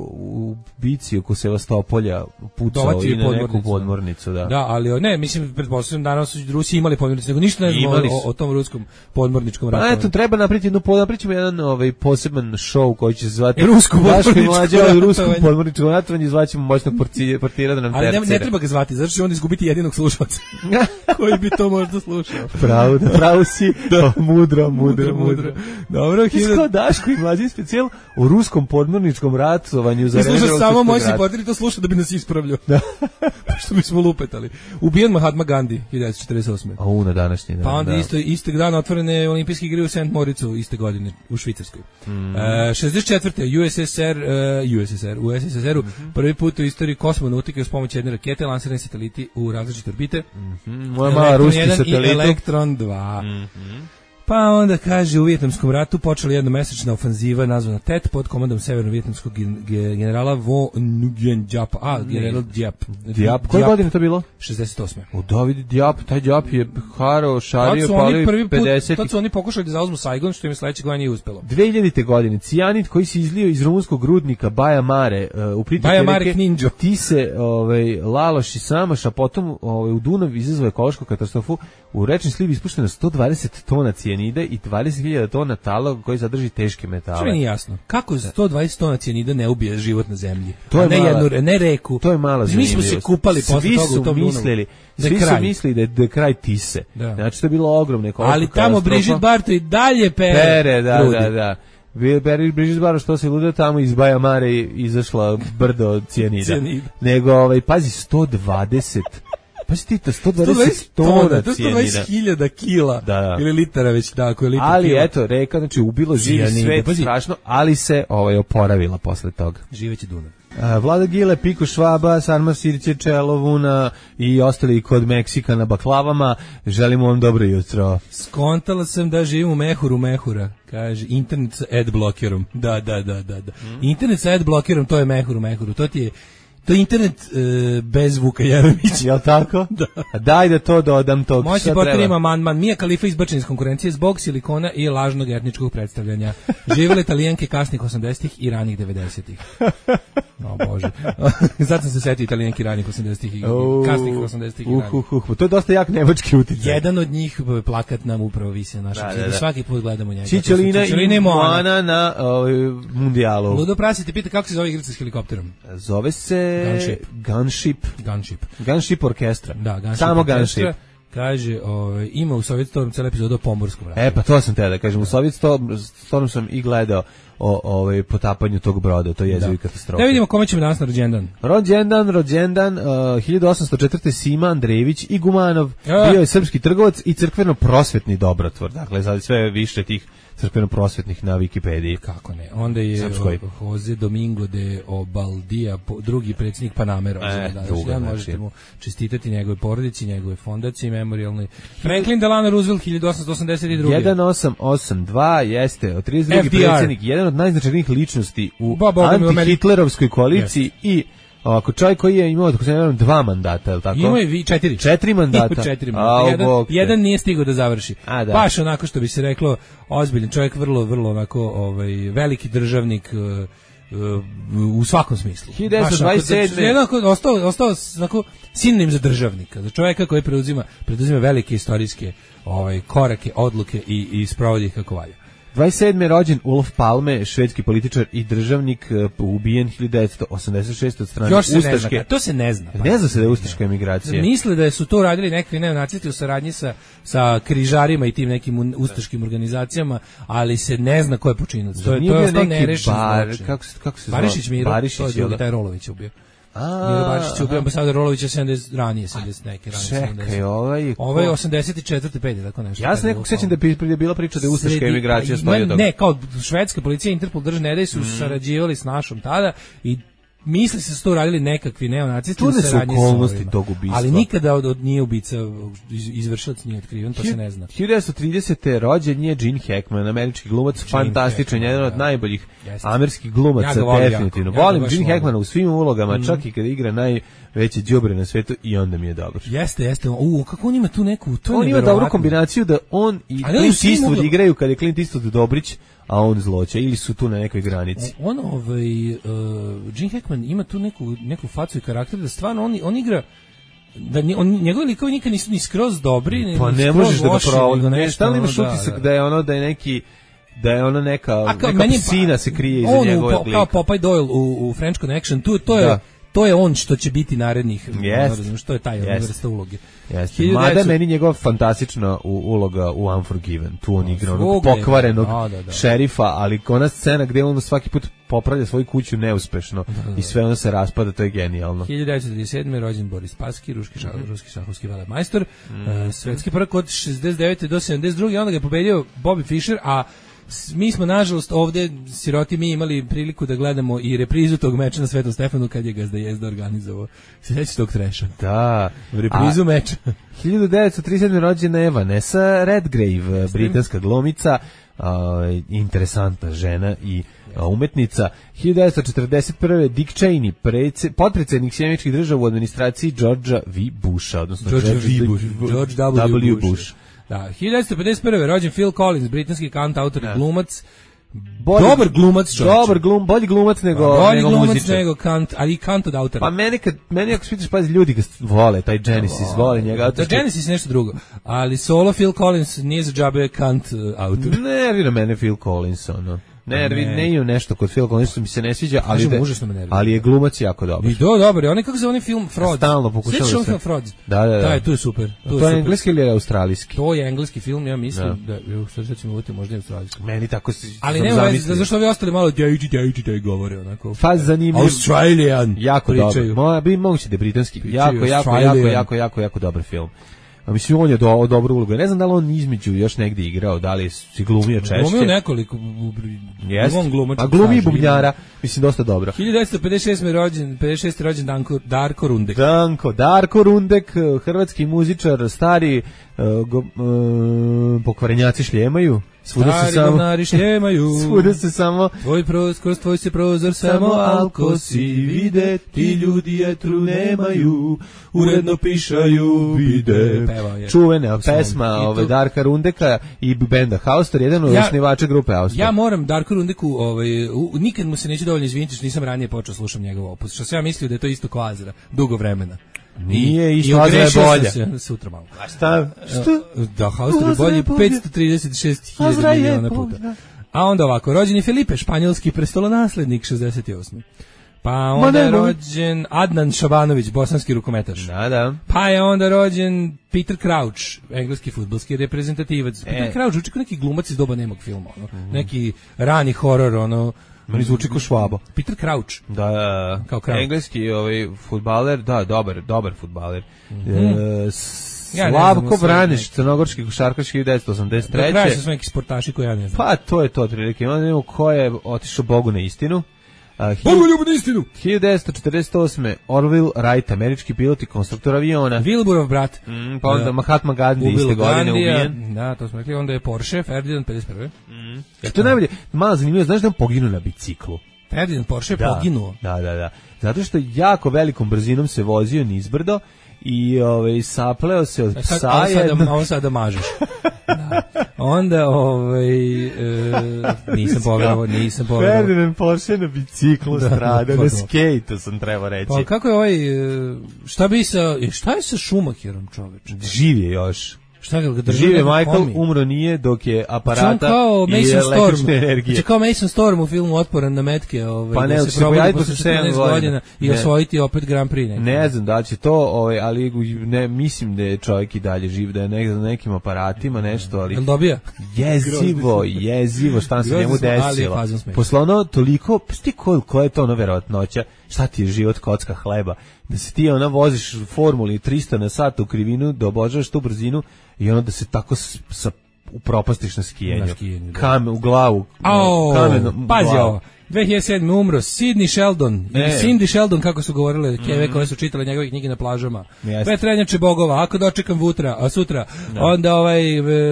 u bici oko Sevastopolja pucao i na neku podmornicu. Da, ali ne, mislim, pretpostavljam danas su Rusi imali podmornicu, nego ništa ne znam o tom ruskom podmorničkom ratu. Pa eto, treba napričamo jedan poseban show koji će se zvati Rusko podmorničko ratovanje, zvaćemo moćnog portira da nam tercira. Ali ne treba ga zvati, zato što će on izgubiti jedinog slušalca koji bi to možda slušao. Pravo si, mudro. Dobro, Daško i mlađi specijal o ruskom podmorničkom ratovanju za vreme Drugog samo moćni portir to sluša da bi nas ispravljao. Što bismo lupetali. Ubijen Mahatma Gandhi 1948. Na današnji dan. Pa onda istog dana otvorene olimpijske igre u St. Moritzu iste godine u Švicarskoj. 64. u SSSR-u prvi put u istoriji kosmonautike uz pomoć jedne rakete lansirani sateliti u različite orbite. Moja mala ruski satelit. Elektron 2. Pa onda kaže u Vijetnamskom ratu počela jednomesečna ofanziva nazvana Tet pod komandom severno-vijetnamskog generala Vo Nguyen Diap. General Diap. Koje godine to bilo? 68. David Diap, taj Diap je šario, palio 50. Tad su oni pokušali da zauzmu Saigon, što im sledeće godine nije uspelo. 2000. godine cijanid koji se izlio iz rumunskog rudnika Baja Mare u pritoke reke Tise, Laloš i Samaš, a potom u Dunav izazvao ekološku katastrofu. U rečni sliv ispušteno 120 tona cijanida i 20.000 tona tala koji sadrži teške metale. Što mi nije jasno? Kako 120 tona cijanida ne ubije život na zemlji? To je ne reku. To je mala zanimljivost. Mi smo se kupali posle toga u tom Dunavu. Svi su mislili da je kraj Tise. Da. Znači to je bilo ogromne ekološko ali tamo Brigitte Barto i dalje pere. Da. Brigitte Barto što se luda tamo iz Baja Mare izašla brdo cijanida. Nego, pazi, 120 Pa si ti to 120 tona cijanida. 120.000 kila ili litara već tako je litar. Ali eto, reka, znači ubilo živi svet strašno, ali se oporavila posle toga. Živeće Dunav. Vlada Gile, Piko Švaba, Sarma Siriće, Čelovuna i ostali kod Meksika na baklavama. Želimo vam dobro jutro. Skontala sam da živim u mehuru mehura. Kaže, internet sa ad blokerom. Da. Internet sa ad blokerom, to je mehuru. To ti je To je internet bez Vuka Jeremića. Jel tako? Da. Daj da to dodam tog. Moćni portir ima amandman. Mija Khalifa izbačen iz konkurencije zbog silikona i lažnog etničkog predstavljanja. Živele Italijanke kasnih 80-ih i ranih 90-ih. O Bože. Zato sam se setio Italijanki ranih 80-ih i kasnih 80-ih i ranih. To je dosta jak nemački uticaj. Jedan od njih, plakat nam upravo visi na našem zidu. Svaki put gledamo njega. Čičelina i Moana na mundijalu. Ludo Prasi te pita kako se zove igrica s helikopterom. Zove se Gunship orkestra. Da, Gunship samo orkestra. Gunship. Kaže, ima u Sovjet Storm cijela epizoda o pomorskom ratu. Pa to sam te da kažem, u Sovjet Storm sam i gledao o potapanju tog broda, to je jezivi katastrofa. Da vidimo kome ćemo danas na rođendan. Rođendan, 1804. Sima Andrejević i Gumanov, bio je srpski trgovac i crkveno-prosvetni dobrotvor. Dakle, sad sve više tih crkveno-prosvetnih na Wikipediji. Kako ne? Onda je Jose Domingo de Obaldía, drugi predsjednik Panamera. Možete mu čestitati njegove porodici, njegove fondaciji memorialnoj. Franklin Delano Roosevelt, 1882. 1882 jeste 32. predsjednik, jedan od najznačajnijih ličnosti u anti-hitlerovskoj koaliciji i ovako, čovjek koji je imao, tako se ne vjerujem, 2 mandata, je li tako? Imao je 4. 4 mandata. 4 mandata. Jedan nije stigao da završi. Baš onako što bi se reklo, ozbiljan čovjek, vrlo onako veliki državnik u svakom smislu. 1927. Ostao onako sinonim za državnika, za čovjeka koji preduzima velike istorijske korake, odluke i sprovodi ih kako valja. 27. rođen Olof Palme, švedski političar i državnik, ubijen 1986. od strane ustaške. To se ne zna. Ne zna se da je ustaška emigracija. Misle da su to radili neki neonacisti u saradnji sa križarima i tim nekim ustaškim organizacijama, ali se ne zna ko je počinilac. To je ostao nerešen zločin. Kako se Barišić Miro, Barišić, to je taj Rolović ubio. Miro Barišić ubio ambasador Rolovića 70 ranije. Čekaj, Ovo je 84. 5. tako nešto. Ja se nekog sećam da je bila priča da je ustaška emigracija stoji od toga. Ne, kao švedska policija, Interpol, državne ne su sarađivali s našom tada i misli se to radili nekakvi neonacisti u saradnji s ovima. Ali nikada od nije ubica, izvršilac nije otkriven, to se ne zna. 1930. rođen je Gene Hackman, američki glumac, fantastičan, jedan od najboljih američkih glumaca, definitivno. Volim Gene Hackmana u svim ulogama, čak i kada igra najveće đubre na svetu i onda mi je dobro. Jeste. Kako on ima tu neku, on ima dobru kombinaciju da on i Clint Eastwood igraju kada je Clint Eastwood Dobrić, a on zloće, ili su tu na nekoj granici. Gene Hackman ima tu neku facu i karakter da stvarno on igra da njegovi likovi nikad nisu ni skroz dobri, pa ne možeš da ga provodi. Stalno imaš utisak da je ono neka psina se krije iza njegove lika. Kao Popeye Doyle u French Connection, to je on što će biti narednih, što je taj vrsta uloge. Mada meni njegova fantastična uloga u Unforgiven, tu on igra onog pokvarenog šerifa, ali ona scena gde on svaki put popravlja svoju kuću neuspešno i sve ono se raspada, to je genijalno. 1937. rođen Boris Spassky, ruski šahovski velemajstor, svetski prvak od 69. do 72. Onda ga je pobedio Bobby Fischer, a mi smo, nažalost, ovde siroti mi imali priliku da gledamo i reprizu tog meča na Svetom Stefanu kad je Gazda Jezda organizovao. Sjećaš tog treša? Da. Reprizu meča. 1937. rođena je Vanessa Redgrave, britanska glumica, interesantna žena i umetnica. 1941. Dick Cheney, potpredsjednik Sjedinjenih Država u administraciji Georgea V. Busha, odnosno George W. Bush. Da, 1951. rođen Phil Collins, britanski kant, autor i glumac. Dobar glumac, bolji glumac nego nego kant, ali i kant od autora. Pa meni ako spitaš, pazi, ljudi ga vole, taj Genesis, vole njega. Da, Genesis je nešto drugo, ali solo Phil Collins nije za džabe kant autor. Nervira mene Phil Collins, ono. Ne imam nešto kod Phil Collins, mi se ne sviđa, ali je glumac jako dobar. I dobar, on je kako se onaj film Fraud. Stalno pokušao da se. Fraud. Da, to je super. To je engleski ili australijski? To je engleski film, ja mislim da ćemo uvati možda i australijski. Meni tako se. Ali nema veze, zašto ovi ostali malo djajči govore onako. Faz zanimljiv. Australian. Jako dobar. Bi moguće da je britanski. Jako dobar film. A mislim, on je dobro ulogu. Ne znam da li on između još negdje igrao, da li si glumio češće. Glumio nekoliko. A glumi bubnjara, mislim, dosta dobro. 1956. rođen Darko Rundek. Darko Rundek, hrvatski muzičar, stari pokvarenjaci šljemaju. Stari govnari šljemaju. Svuda se samo Kroz tvoj se prozor samo alkosi vide, ti ljudi etru nemaju, uredno pišaju bide. Čuvena pesma Darka Rundeka i benda Haustor, jedan od osnivača grupe Haustor. Ja moram Darku Rundeku, nikad mu se neće dovoljno izviniti što nisam ranije počeo slušam njegov opus, što sam ja mislio da je to isto ko Azra, dugo vremena. Nije, isto Azra je bolja. Sutra malo. A šta? Da, Haustor je bolji 536.000 miliona puta. A onda ovako, rođen je Felipe, španjolski prestolonaslednik, 68. Pa onda je rođen Adnan Šabanović, bosanski rukometaš. Da. Pa je onda rođen Peter Crouch, engleski fudbalski reprezentativac. Peter Crouch zvuči kao neki glumac iz doba nemog filma, neki rani horor, meni zvuči kao Švabo. Peter Crouch. Da, kao Crouch. Engleski fudbaler, da, dobar fudbaler. Slavko Branić, crnogorski košarkaš 1983. Do kraja su neki sportaši koji ja ne znam. Pa to je to otprilike. Ono ko je otišao Bogu na istinu. Bogu ljubu na istinu! 1948. Orville Wright, američki pilot i konstruktor aviona. Wilburov brat. Pa onda Mahatma Gandhi iste godine ubijen. Da, to smo rekli. Onda je Porsche, Ferdinand 51. To je najbolje. Malo zanimljivo, znaš da on poginuo na biciklu? Ferdinand Porsche je poginuo. Da. Zato što jako velikom brzinom se vozio nizbrdo i sapleo se od psa. On sada mažeš. Da. Onda nisam povjerovao. Ferdinand Porsche na biciklu strada, na skejtu sam trebao reći. Pa kako je šta je sa Schumacherom, čoveče? Živ je još. Šta ga drži? Žive Michael, umro nije dok je aparata i električne energije. Znači kao Mason Storm u filmu Otporan na metke, pa ne, se probudi posle 14 godina i osvojiti opet Grand Prix. Ne znam da će to, ali ne mislim da je čovjek i dalje živ, da je na nekim aparatima nešto, ali... Jel dobija? Jezivo, šta se njemu desilo. Posle ono toliko, sti koja je to ono verovatnoća, šta ti je život kocka hleba, da se ti voziš formuli 300 na sat u krivinu, da obožavaš tu brzinu i ono da se tako upropastiš na skijenju. Kamen u glavu. Pazi ovo. 2007. umro Sidney Sheldon, Cindy Sheldon, kako su govorile keve koje su čitale njegove knjige na plažama. Petrenjače bogova, ako dočekam sutra, onda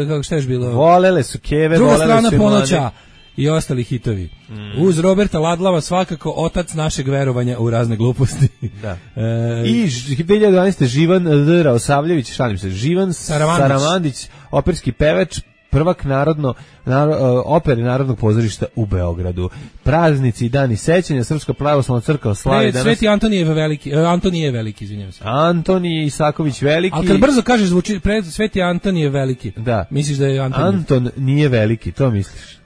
kako šta je bilo? Volele su keve, Druga strana ponoća i ostali hitovi. Uz Roberta Ladlava svakako otac našeg verovanja u razne gluposti. Da. I 2012. Živan D. Raosavljević, Živan Saramandić, operski pevač, prvak opere Narodnog pozorišta u Beogradu. Praznici i dani sećanja, Srpska pravoslavna crkva slavi danas. Sveti Antonije Veliki, izvinjavam se. Antonije Isaković Veliki. Ali kad brzo kažeš zvuči Sveti Antonije Veliki. Da. Misliš da je Anton nije veliki, to misliš?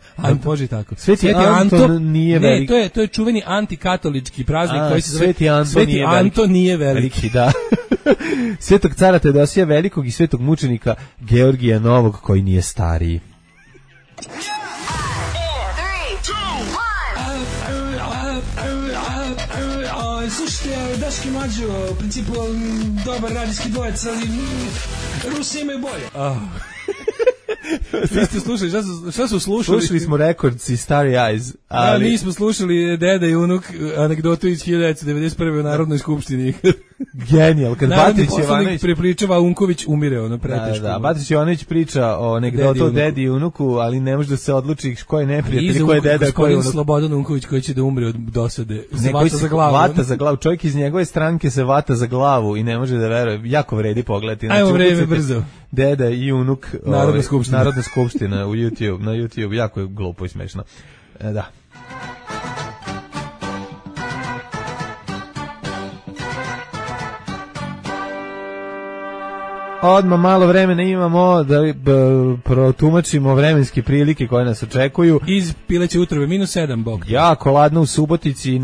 Može tako. Sveti Anton nije veliki. Ne, to je čuveni antikatolički praznik koji se zove Sveti Anton nije veliki. Da. Svetog cara Teodosija Velikog i svetog mučenika Georgija Novog koji nije stariji. Slušajte, Daški Mađo, u principu dobar radijski dvojec, ali Rusi imaju bolje. Vi ste slušali, šta su slušali? Slušali smo Records i Starry Eyes. Ali... nismo slušali Deda i unuk anegdotu iz 1991. u Narodnoj skupštini. Genijal, kad Batrić Jovanović prepričava, Unković umire, preteško. Da, Batrić Jovanović priča o anegdotu o dedi i unuku, ali ne može da se odluči ko je neprijatelj, ko je deda, ko je unuk. Slobodan Unković koji će da umre od dosade. Vata za glavu. Vata za glavu. Čovjek iz njegove stranke se vata za glavu i ne može da veruje. Jako vredi pogledati. Ajmo vreme brzo. Deda i unuk. Narodna skupština na YouTube, jako je glupo i smešno. Da. Odmah malo vremena imamo da protumačimo vremenske prilike koje nas očekuju. Iz pileće utrove, -7, bog. Jako ladno u Subotici,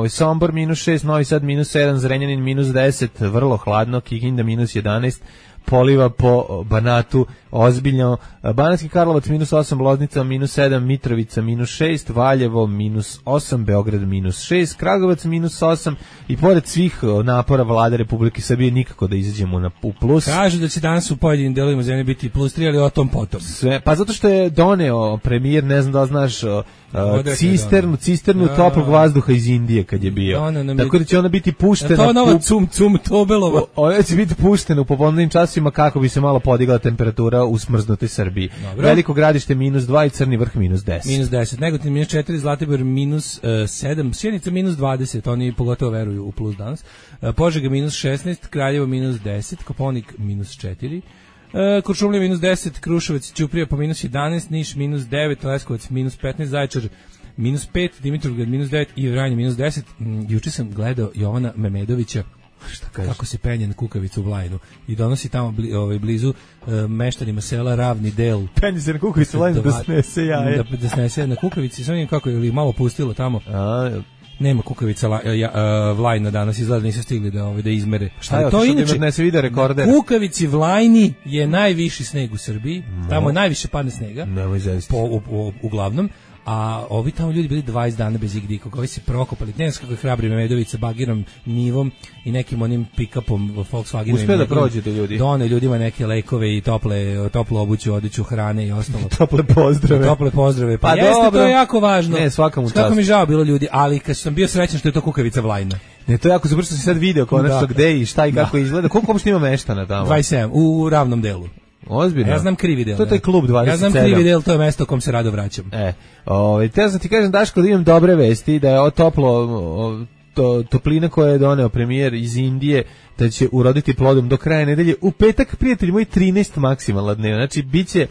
Sombor -6, Novi Sad -7, Zrenjanin -10, vrlo hladno, Kikinda -11, poliva po Banatu ozbiljno, Banatski Karlovac -8, Loznica -7, Mitrovica -6, Valjevo -8, Beograd -6, Kragujevac -8 i pored svih napora vlade Republike Srbije nikako da izađemo u plus. Kažu da će danas u pojedinim delovima zemlje biti +3, ali o tom potom. Pa zato što je doneo premijer, ne znam da znaš, cisternu toplog vazduha iz Indije kad je bio. Tako da će ona biti puštena. To nova cum Tobelova. Ona će biti puštena u popodnevnim časovima časima kako bi se malo podigla temperatura u smrznutoj Srbiji. Dobro. Veliko Gradište -2 i Crni vrh -10. -10, Negotin -4, Zlatibor -7, Sjenica -20, oni pogotovo veruju u plus danas. Požega -16, Kraljevo -10, Koponik -4. Kuršumlija -10, Kruševac, Ćuprija pa -11, Niš -9, Leskovac -15, Zaječar -5, Dimitrovgrad -9 i Vranje -10. Juče sam gledao Jovana Memedovića kako se penje na kukavicu u Vlajnu i donosi tamo blizu meštanima sela Ravni del. Penje se na kukavicu u Vlajnu da snese jaje. Da snese na kukavici, sam vidim kako je malo pustilo tamo. Nema kukavica Vlajna danas, izgleda nisu stigli da izmere. Šta je to inače? Ne se vide rekorder. Kukavici Vlajni je najviši sneg u Srbiji. Tamo je najviše padne snega. Uglavnom. A ovi tamo ljudi bili 20 dana bez igdika, koji se prokopali, ne znam kako je hrabri Memedović sa bagirom, nivom i nekim onim pick-upom Volkswagenom. Uspije da prođete ljudi. Done ljudima neke lekove i toplu obuću, odeću, hrane i ostalo. Tople pozdrave. Tople pozdrave. Pa jeste, dobro. To je jako važno. Ne, svaka mu čast. Kako mi žao bilo ljudi, ali kad sam bio srećan što je to kukavica Vlajna. Ne, to je jako super što si sad video konačno gde i šta i kako izgleda. Koliko uopšte ima meštana tamo? 27, u Ravnom delu. Ozbiljno. Ja znam krivi del. To je taj klub 27. Ja znam krivi del, to je mesto u kom se rado vraćam. Te sam ti kažem, Daško, da imam dobre vesti, da je toplina koja je doneo premijer iz Indije, da će uroditi plodom do kraja nedelje. U petak, prijatelji moji, 13 maksimalna dnevna. Znači,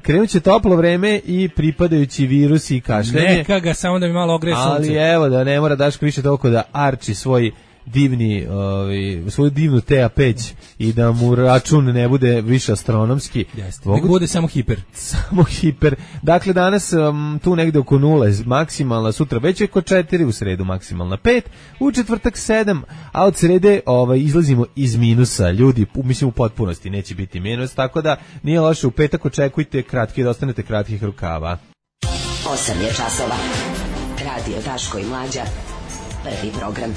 krenut će toplo vreme i pripadajući virusi i kašljanje. Neka ga, samo da mi malo ogreje sunce. Ali evo, da ne mora Daško više toliko da arči svoju divnu tea peć i da mu račun ne bude više astronomski. Nego bude samo hiper. Samo hiper. Dakle, danas tu negde oko 0 maksimalna, sutra već je oko 4, u sredu maksimalna 5, u četvrtak 7, a od srede izlazimo iz minusa. Ljudi, mislim u potpunosti neće biti minus, tako da nije loše, u petak očekujte da ostanete kratkih rukava. 8 je časova. Radio Daško i Mlađa. Prvi program.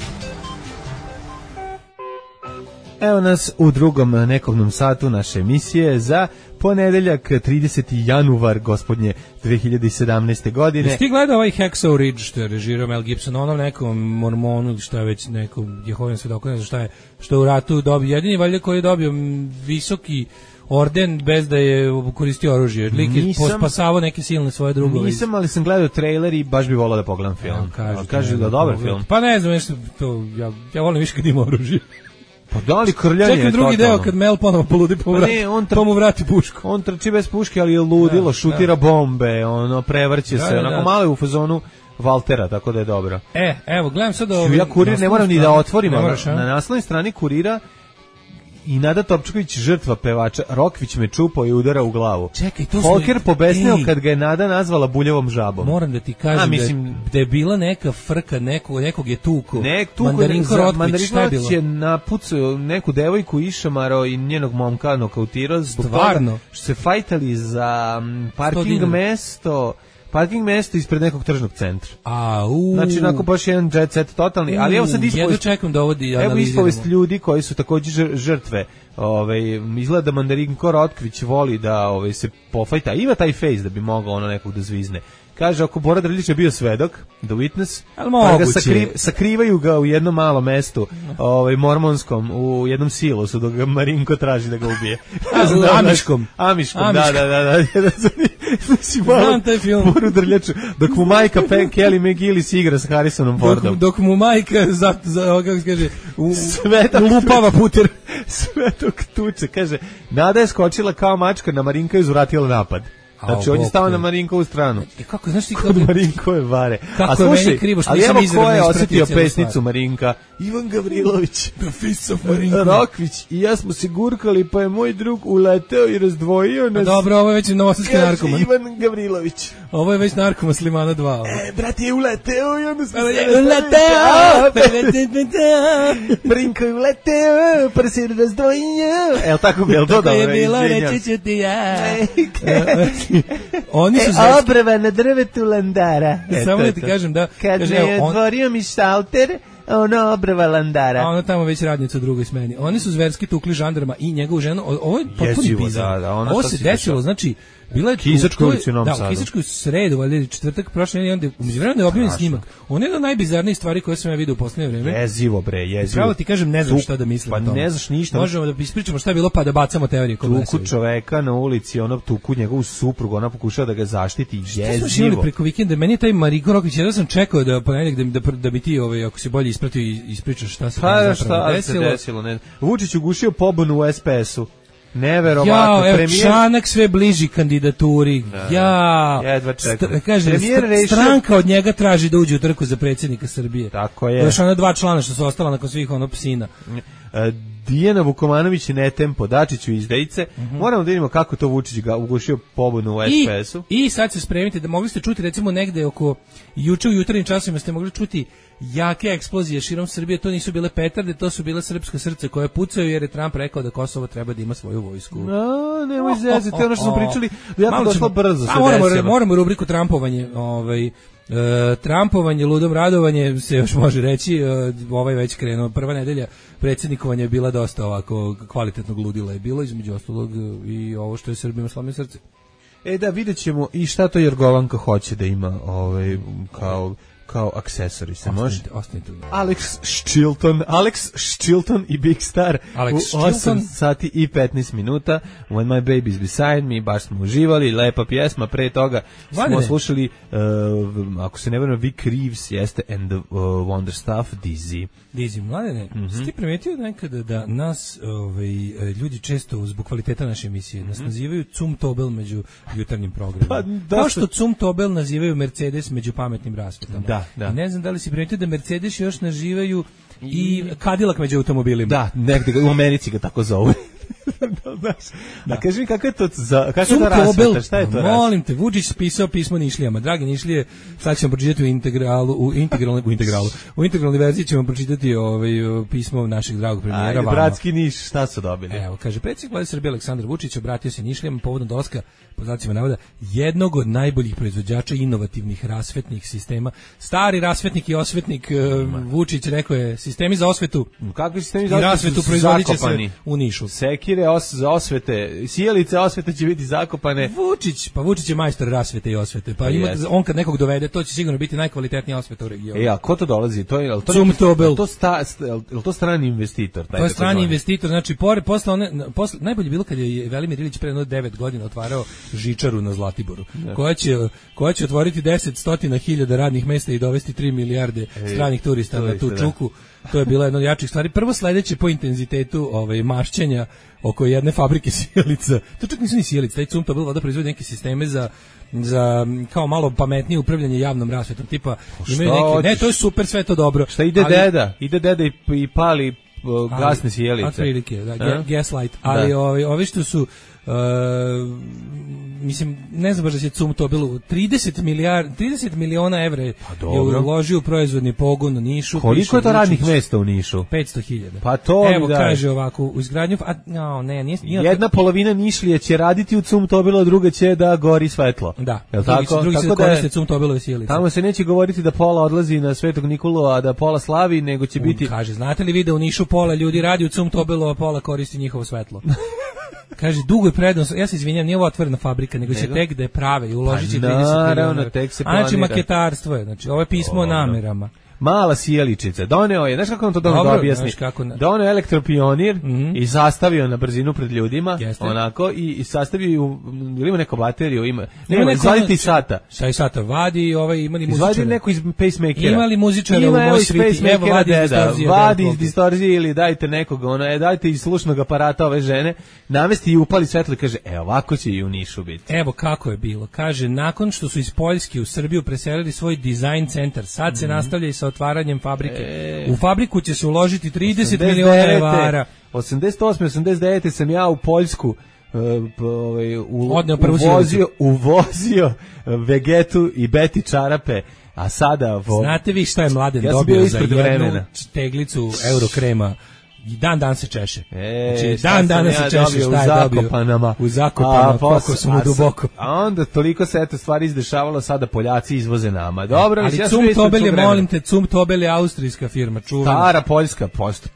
Evo nas u drugom nekovnom satu naše emisije za ponedeljak 30. januar gospodnje 2017. godine. Jesi ti gledao ovaj Hacksaw Ridge što je režirao Mel Gibson, onom nekom mormonu, što je već nekom Jehovin svedok, ne znam šta je, što je u ratu dobio, jedini valjda koji je dobio visoki orden bez da je koristio oružje. Lik je pospasavao neke silne svoje drugove. Nisam, ali sam gledao trailer i baš bi volao da pogledam film. Kažu da dobar film. Pa ne znam, ja volim više kad ima oružje. Pa da li krljanje? Čekam drugi deo kad Mel ponovo poludi pa mu vrati pušku. On trči bez puške, ali je ludilo, šutira bombe, prevrće se, onako malo je u fazonu Valtera, tako da je dobro. Evo, gledam sad ja Kurir ne moram ni da otvorim, na naslovnoj strani Kurira i Nada Topčković, žrtva pevača. Rokvić me čupao i udara u glavu. Čekaj, to Folker pobesneo kad ga je Nada nazvala buljevom žabom. Moram da ti kažem da je bila neka frka, nekog je tuko. Mandarinko Rotković je napucao neku devojku, išamarao i njenog momka nokautirao. Stvarno? Što se fajtali za parking mesto ispred nekog tržnog centra. Znači, onako baš jedan jet set totalni, ali evo sad ispovest ljudi koji su također žrtve. Izgleda da Mandarinko Rotkvić voli da se pofajta. Ima taj face da bi mogao nekog da zvizne. Kaže, ako Bora Drljić je bio svedok, the witness, pa ga sakrivaju ga u jednom malom mestu, mormonskom, u jednom silosu, dok ga Marinko traži da ga ubije. Amiškom, da. Znam taj film. Boru Drljaču, dok mu majka Kelly McGillis igra sa Harrisonom Fordom. Dok mu majka, kako se kaže, lupava puter. Svetog tuče, kaže, Nada je skočila kao mačka na Marinka i uzvratila napad. Znači, on je stao na Marinkovu stranu. Kako, znaš ti kod Marinkove vare. Kako je meni krivo što nisam izravno ko je osjetio pesnicu Marinka? Ivan Gavrilović. The Fist of Marinka. Rokvić i ja smo se gurkali, pa je moj drug uleteo i razdvojio nas. Dobro, ovo je već novosadski narkoman. Ivan Gavrilović. Ovo je već narkoman Slimana 2. Brat je uleteo i onda smo se Marinko je uleteo, pa se razdvojio. Evo tako bi, jel to dobro? Tako je bilo, reći ću ti ja. Oni su obrva na drvetu landara. Samo da ti kažem da kad je otvorio mi šalter, ono obrva landara. A ono tamo već radnica u drugoj smeni. Oni su zverski tukli žandarma i njegovu ženu. Ovo je potpuno bizarno. Ovo se desilo, znači Bila je Kisačkoj ulici u Novom Sadu. Da, u Kisačkoj sredu, valjda četvrtak prošle nedelje, onda umeđuvremenu je objavljen snimak. On je jedna od najbizarnijih stvari koje sam ja vidio u poslednje vreme. Jezivo bre, jezivo. Pravo ti kažem, ne znam šta da mislim o tome. Pa ne znaš ništa. Možemo da ispričamo šta je bilo pa da bacamo teorije kod tuku čoveka na ulici, ono tuku njegovu suprugu, ona pokušava da ga zaštiti, jezivo. Šta smo šili preko vikenda? Meni je taj Mariko Rokić, ja sam čekao da ponedeljak da mi ti ako se bolje ispratio i ispričaš šta se tamo zapravo desilo. Ne. Vučić ugušio pobunu u SPS-u. Neverovatno. Ja, evo, Čanak sve bliži kandidaturi. Jedva čekam. Kaže, stranka od njega traži da uđe u trku za predsjednika Srbije. Tako je. Još ona 2 člana što su ostala nakon svih psina. Dijana Vukomanović ne tempo, Dačiću izdejice. Moramo da vidimo kako to Vučić ga ugušio pobunu u SPS-u. I sad se spremite da mogli ste čuti recimo negde oko juče u jutarnjim časovima ste mogli čuti jake eksplozije širom Srbije, to nisu bile petarde, to su bile srpska srca koje pucaju jer je Trump rekao da Kosovo treba da ima svoju vojsku. No, nemoj zezati, ono što smo pričali, jako došlo brzo se desilo. Moramo rubriku Trumpovanje, Trumpovanje, ludom radovanje se još može reći, ovaj već krenuo, prva nedelja predsjednikovanja je bila dosta ovako kvalitetnog ludila je bilo, između ostalog i ovo što je Srbima slomio srce. Da, vidjet ćemo i šta to Jorgovanka hoće da ima kao aksesori se može. Ostanite. Alex Chilton i Big Star u 8 sati i 15 minuta. When My Baby's Beside Me, baš smo uživali, lepa pjesma, pre toga smo slušali, ako se ne vrame, Vic Reeves jeste And the Wonder Stuff, Dizzy. Mladene, si ti primetio nekada da nas ljudi često zbog kvaliteta naše emisije nas nazivaju cum tobel među jutarnjim programima. Kao što cum tobel nazivaju Mercedes među pametnim rasvetama. Da. Ne znam da li si primetio da Mercedes još nazivaju i Cadillac među automobilima. Da, negde u Americi ga tako zove. Da, kaži mi kako je to rasveta, šta je to rasveta? Molim te, Vučić pisao pismo Nišlijama. Dragi Nišlije, sad ćemo pročitati u integralnoj verziji ćemo pročitati pismo našeg dragog premijera. Bratski Niš, šta su dobili? Evo, kaže, predsjednik Vlade Srbije Aleksandar Vučić obratio se Nišlijama povodom dolaska, po znacima navoda, jednog od najboljih proizvođača inovativnih rasvetnih sistema. Stari rasvetnik i osvetnik Vučić rekao je, sistemi za osvetu kakvi sistemi za osvetu proizvodit će se u Nišu. Sekire za osvete, sjelice osvete će biti zakopane. Vučić je majstor rasvete i osvete. Pa on kad nekog dovede, to će sigurno biti najkvalitetnija osveta u regionu. A ko to dolazi? To strani investitor. To je strani investitor, znači posle najbolje bilo kad je Velimir Ilić pre 9 godina otvarao žičaru na Zlatiboru, koja će otvoriti 10.000 radnih mesta i dovesti 3 milijarde stranih turista na tu čuku. To je bila jedna od jačih stvari. Prvo sledeće po intenzitetu mašćenja oko jedne fabrike sjelica. To čak nisu ni sjelice, taj cum to bilo da proizvodi neke sisteme za kao malo pametnije upravljanje javnom rasvetom. Tipa imaju neke, ne, to je super, sve to dobro. Šta ide deda i pali gasne sjelice. Otprilike, gaslight. Ali ovi što su mislim, ne znam baš da će cum to bilo 30 miliona evra je uložio u proizvodni pogon u Nišu. Koliko je to radnih mesta u Nišu? 500.000. Pa to evo, kaže ovako, u izgradnju jedna polovina Nišlije će raditi u cum tobilo, druga će da gori svetlo. Da, drugi se koriste cum tobilove sjelice. Tamo se neće govoriti da pola odlazi na Svetog Nikolu, a da pola slavi, nego će biti... Kaže, znate li vi da u Nišu pola ljudi radi u cum tobilo, a pola koristi njihovo svetlo? Kaže, dugo je prednost, ja se izvinjam, nije ovo otvorena fabrika, nego će tek da je prave i uložit će 30 miliona. Znači, maketarstvo je, znači, ovo je pismo o namerama. Mala sjeličica, doneo je, znaš kako on to da objasni? Doneo elektropionir i sastavio na brzinu pred ljudima, onako, i sastavio, ili ima neko bateriju, nema izvaditi sata. Šta je sata? Vadi, imali muzičara. Izvadi neko iz pacemakera. Imali muzičara u moj sviti, evo vadi iz distorzije ili dajte nekog, dajte iz slušnog aparata ove žene, namesti i upali svetlo i kaže, ovako će i u Nišu biti. Evo kako je bilo, kaže, nakon što su iz Poljske u Srbiju preselili svoj dizajn centar, sad se nastavlja i sa otvaranjem fabrike. U fabriku će se uložiti 30 miliona evra. 88. 89. sam ja u Poljsku uvozio Vegetu i Beti čarape, a sada... Znate vi šta je Mladen dobio za jednu teglicu Eurokrema? Dan se češe. Znači, dan se češe, šta je dobio? U Zakopanama, koliko su mu duboko. A onda toliko se stvari izdešavalo, sada Poljaci izvoze nama. Dobro, ali Cum Tobel je, molim te, Cum Tobel je austrijska firma, čuvena. Stara poljska,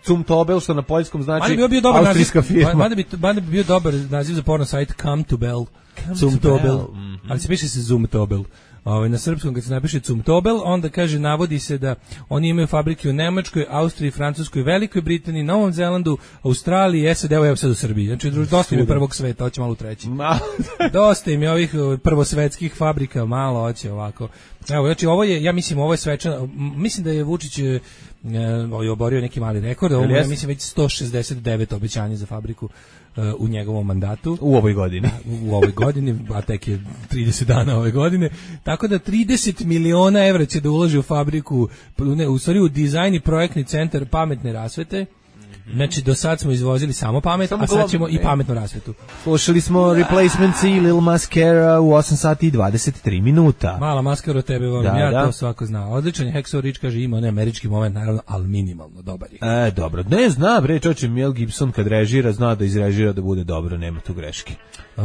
Cum Tobel, što na poljskom znači austrijska firma. Mada bi bio dobar naziv za porno sajt Come to Bell. Zumtobel. Ali se piše se Zumtobel. Na srpskom kad se napiše Zumtobel, onda kaže, navodi se da oni imaju fabrike u Nemačkoj, Austriji, Francuskoj, Velikoj Britaniji, Novom Zelandu, Australiji, SAD, evo sad u Srbiji. Znači, dosta im je prvog sveta, hoće malo u treći. Dosta im je ovih prvosvetskih fabrika, malo hoće ovako. Evo, znači, ovo je, ja mislim, ovo je svečano, mislim da je Vučić oborio neki mali rekord, ovo je, mislim, već 169 obećanja za fabriku u njegovom mandatu. U ovoj godini. U ovoj godini, a tek je 30 dana ove godine. Tako da 30 miliona evra će da uloži u fabriku, u stvari u dizajn i projektni centar pametne rasvete. Znači, do sad smo izvozili samo pamet, a sad ćemo i pametnu rasvetu. Slušali smo Replacements i Lil Mascara u 8 sati i 23 minuta. Mala maskara od tebe, volim, to svako zna. Odličan je, Hacksaw Ridge kaže, ima onaj američki moment, naravno, ali minimalno, dobar je. Dobro, ne zna, bre, čoče, Mel Gibson kad režira, zna da izrežira da bude dobro, nema tu greške.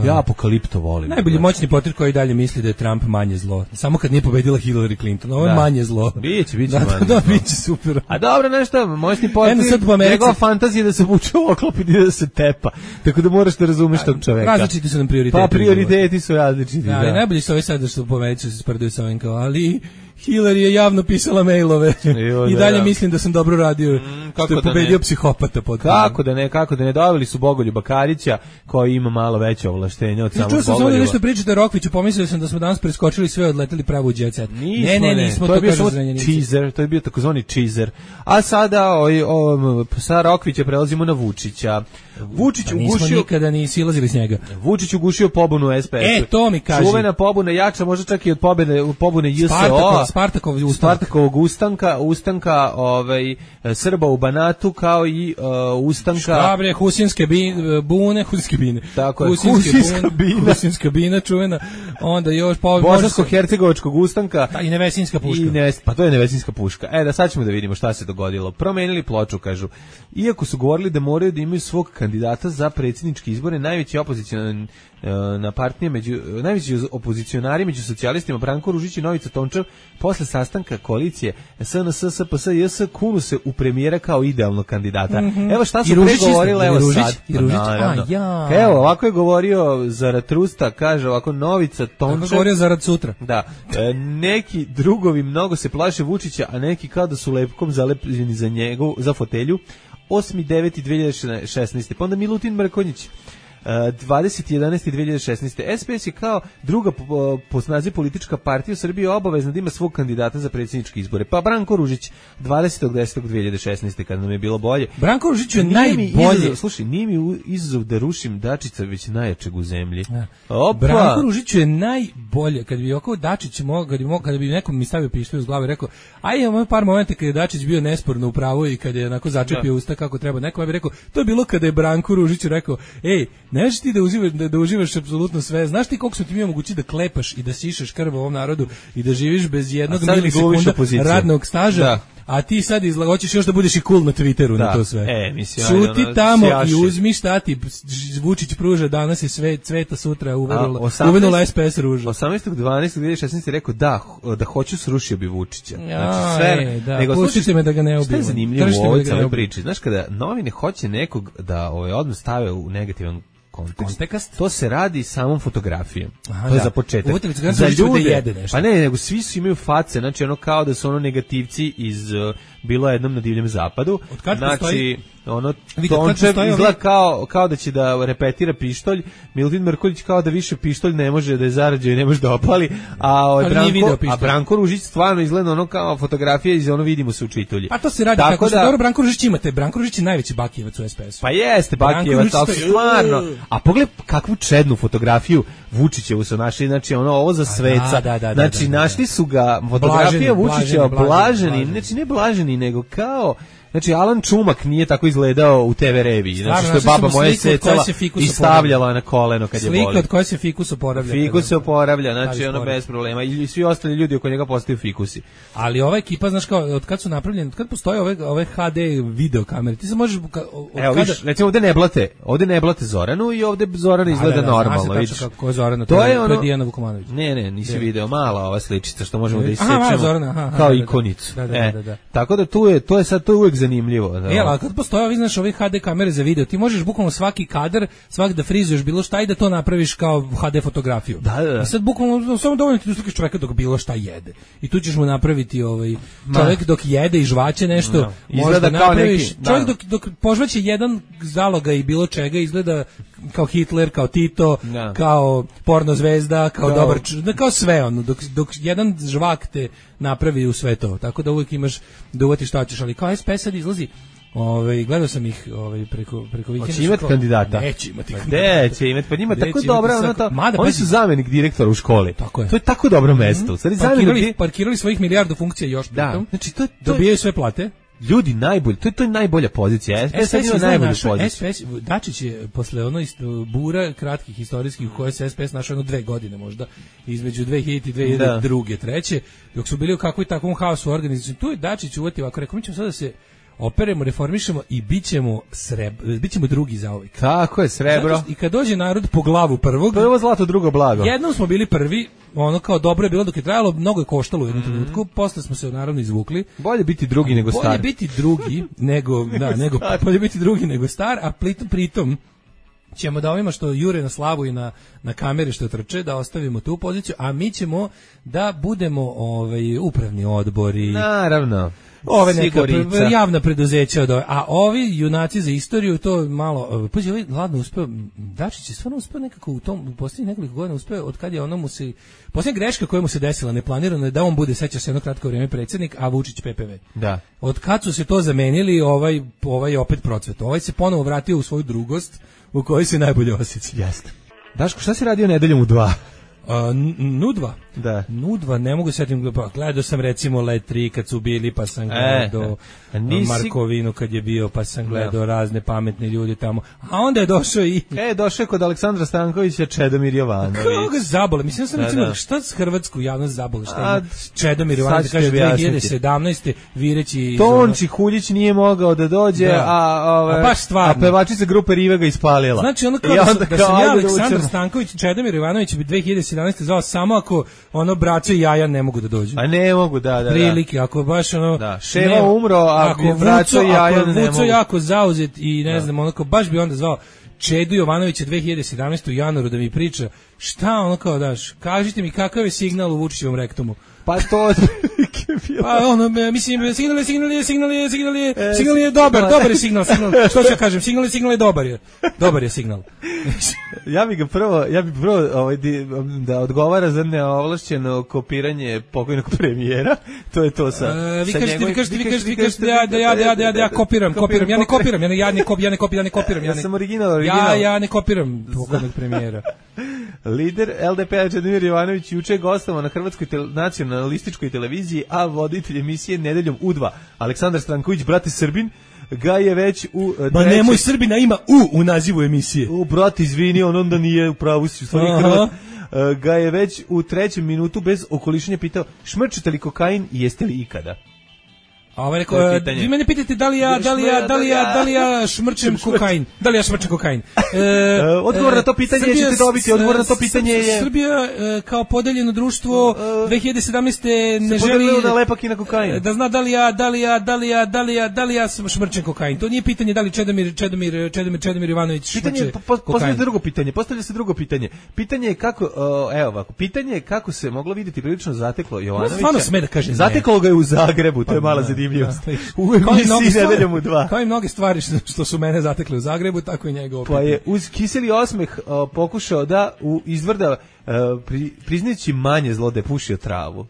Ja Apokalipto volim. Najbolji moćni portir koji dalje misli da je Trump manje zlo. Samo kad nije pobedila Hillary Clinton, ovo je manje zlo. Biće manje zlo. Da, biće super. A dobro, nešto, moćni portir, njegova fantazija da se vuče u oklop i da se tepa. Tako da moraš da razumeš tog čoveka. Različiti su nam prioriteti. Pa prioriteti su različiti, da. Ali najbolji su ovi sad što po Americi se sprdaju sa ovim kao, ali Hillary je javno pisala mailove i dalje mislim da sam dobro radio, što je pobedio psihopata. Kako da ne, doveli su Bogoljuba Karića koji ima malo veće ovlaštenja od samog Bogoljuba. Čuo sam nešto pričate o Rokviću, pomislio sam da smo danas preskočili sve, odleteli pravo u jet set. Nismo, to je bio teaser, to je bio takozvani teaser. A sada sa Rokvića prelazimo na Vučića. Vučić ugušio... Nismo nikada ni silazili s njega. Vučić ugušio pobunu SPS. To mi kaži. Čuvena pobuna, jača možda čak i od pobune JSO. Spartakovog ustanka Srba u Banatu, kao i ustanka... Šta bre, Husinske bune. Tako je, Husinska bina čuvena. Onda još... Bosansko-hercegovačkog ustanka. I Nevesinska puška. Pa to je Nevesinska puška. Da sad ćemo da vidimo šta se dogodilo. Promenili ploču, kažu. Iako su govorili da moraju da imaju svog kandidata za predsjedničke izbore, najveći opozicionari među socijalistima Branko Ružić i Novica Tončev posle sastanka koalicije SNS, SPS i JS kunu se u premijera kao idealnog kandidata. Evo šta su pregovorile, evo sad. Evo, ovako je govorio Zaratrusta, kaže ovako Novica Tončev. Kako govorio Zarad sutra. Da. Neki drugovi mnogo se plaše Vučića, a neki kao da su lepkom zalepljeni za fotelju. 8.9.2016. Pa onda Milutin Mrkonjić 20.11.2016. SPS je kao druga po snazi politička partija u Srbiji obavezna da ima svog kandidata za predsjedničke izbore. Pa Branko Ružić 20.10.2016. kada nam je bilo bolje. Branko Ružić je najbolje. Slušaj, nije mi izazov da rušim Dačića, već najjačeg u zemlji. Branko Ružić je najbolje. Kad bi oko Dačić kada bi nekom mi stavio pištolj uz glavu i rekao, imamo par momenta kada je Dačić bio nesporno u pravu i kada je onako začepio usta kako treba. Nekom bi rekao, to je bilo kada je Branko Ružić rekao, znaš ti da uživaš apsolutno sve, znaš ti koliko su ti mi omogući da klepaš i da sišaš krv ovom narodu i da živiš bez jednog milisekunda radnog staža, a ti sad hoćeš još da budeš i cool na Twitteru na to sve. Šuti tamo i uzmi šta ti Vučić pruža, danas je sve cveta, sutra uvenula SPS ruža. 18.12.2016 je rekao da hoću srušio bi Vučića. Znači sve, pustite me da ga ne ubijem. Šta je zanimljivo u ovoj celoj priči? Znaš, kada novine hoće nekog da odmah stave u negativan kontekst, to se radi samom fotografijom. To je za početak. Za ljude, pa ne, nego svi su imaju face, znači ono kao da su negativci iz Bilo jednom na divljem zapadu. Znači, Tončev izgleda kao da će da repetira pištolj, Milutin Mrkonjić kao da više pištolj ne može da je zarađao i ne može da opali, a Branko Ružić stvarno izgleda kao fotografija iz vidimo se u čitulji. A to se radi tako da... Dobro, Branko Ružić imate, Branko Ružić je najveći Bakijevac u SPS-u. Pa jeste Bakijevac, ali stvarno. A pogledaj kakvu čednu fotografiju Vučićevu su našli, znači ovo za sveca. Znači našli su ga, fotografija Vučića blaženi, znači ne blaženi, nego kao... Znači, Alan Čumak nije tako izgledao u TV reviji. Znači, što je baba moja secala i stavljala na koleno kad je boli. Slika od koje se fikus oporavlja. Fikus se oporavlja, znači bez problema. I svi ostali ljudi oko njega postaju fikusi. Ali ova ekipa, znaš kao, od kad su napravljeni, od kad postoje ove HD video kamere, ti se možeš... Evo, viš, recimo ovde ne blate Zoranu i ovde Zorana izgleda normalno, vidiš. Kako je Zorana, to je ono, Dijana Vukomanović. Ne, nisi video, mala ova sličica što možemo da isečemo kao ikonicu. Da. Tako da to je uvek zanimljivo. Da. Ali kad postoje ovi, znaš, ove HD kamere za video, ti možeš bukvalno svaki kadar, svaki da frizuješ bilo šta i da to napraviš kao HD fotografiju. Da. I sad bukvalno samo dovoljno ti uslikaš čoveka dok bilo šta jede. I tu ćeš mu napraviti čovjek dok jede i žvaće nešto, izgleda kao neki. Čovjek dok požvaće jedan zaloga i bilo čega, izgleda kao Hitler, kao Tito, kao porno zvezda, kao dobar, kao sve ono, dok jedan žvak te napravi u sve to. Tako da uvijek imaš da uvatiš šta ćeš, ali kao SPS sad izlazi. Gledao sam ih preko vikenda. Hoće imati kandidata? Neće imati kandidata. Neće imati, pa njima tako dobra, oni su zamenik direktora u školi. To je tako dobro mesto. Parkirali svojih milijardu funkcija još pritom. Znači, dobijaju sve plate. Ljudi najbolji, to je najbolja pozicija. SPS ima najbolju poziciju. Dačić je posle bura kratkih istorijskih u kojoj se SPS našao 2 godine možda, između 2000 i 2002. 2003. Dok su bili u kakvom takvom haosu organizaciju, tu je Dačić uvatio ovako, rekao, mi ćemo sada da se operemo, reformišemo i bićemo drugi zauvijek. Tako je, srebro. I kad dođe narod po glavu prvog... Prvo zlato, drugo blago. Jednom smo bili prvi, ono kao dobro je bilo dok je trajalo, mnogo je koštalo u jednom trenutku, posle smo se naravno izvukli. Bolje biti drugi nego star. Bolje biti drugi bolje biti drugi nego star, a pritom ćemo da ovima što jure na slavu i na kamere što trče, da ostavimo tu poziciju, a mi ćemo da budemo upravni odbori. Naravno. Ove neka javna preduzeća, a ovi junaci za istoriju to malo, pazi, ovaj ladno uspeo, Dačić je stvarno uspeo nekako u posljednjih nekoliko godina uspeo, od kad je ono mu se, posljednja greška koja mu se desila neplanirano je da on bude, seća se jedno kratko vrijeme predsjednik, a Vučić PPV. Da. Od kad su se to zamenili, ovaj je opet procvet, ovaj se ponovo vratio u svoju drugost u kojoj se najbolje osjeća. Jeste. Daško, šta si radio nedeljom u 2? Nudva. Da. Nudva, ne mogu setim, gledao sam recimo Let 3 kad su bili, pa sam gledao Markovinu kad je bio, pa sam gledao razne pametne ljudi tamo. A onda je došao došao je kod Aleksandra Stankovića Čedomir Jovanović. Kako ga zabole? Mislim sam recimo, šta s hrvatsku javnost zabole? Šta ima Čedomir Jovanović, kaže 2017. vireći... Tonči Huljić nije mogao da dođe, a pevačica grupe Rive ga ispalila. Znači ono kao da sam ja Aleksandar Stanković, Čedomir Jovanović bi 2017. zvao samo ako braća i jaja ne mogu da dođu. A ne mogu, da. Prilike, ako baš Ševa umro, ako braća i jaja ne mogu. Ako Vuco jako zauzet i ne znam, baš bi onda zvao Čedu Jovanovića 2017. u januaru da mi priča šta daš, kažite mi kakav je signal u Vučićevom rektumu. Pa to mislim, signal je dobar je signal, što ću ja kažem, signal je dobar je signal. Ja bi prvo da odgovara za neovlašćeno kopiranje pokojnog premijera, to je to sa vi kažete da ja kopiram, ja sam original. Ja ne kopiram pokojnog premijera. Lider LDP-a Čedomir Jovanović juče je gostovao na Hrvatskoj nacionalističkoj televiziji, a voditelj emisije Nedeljom U2 Aleksandar Stanković, brate Srbin, ga je već u nemoj Srbina ima u nazivu emisije. Brate, izvini, on onda nije u pravu si, u stvari Hrvat. Ga je već u 3. minutu bez okolišanja pitao: šmrčite li kokain i jeste li ikada? A ovaj rekao, vi mene pitate da li ja šmrčem kokain. Da li ja šmrčem kokain? Odgovor na to pitanje ćete dobiti. Odgovor na to pitanje je... Srbija kao podeljeno društvo 2017. ne želi da lepak i na kokain. Da zna da li ja šmrčem kokain. To nije pitanje da li Čedomir Jovanović šmrče kokain. Postavlja se drugo pitanje. Pitanje je kako, pitanje je kako se moglo vidjeti prilično zateklo Jovanovića. Stvarno sme da kaže ne. Zateklo ga je u Zagrebu, to je mala zadivljivost. U emisiji Nedeljom u 2. Kao i mnoge stvari što su mene zatekle u Zagrebu, tako i njega opet. Pa je uz kiseli osmeh pokušao da izvrda priznajući manje zlo da je pušio travu.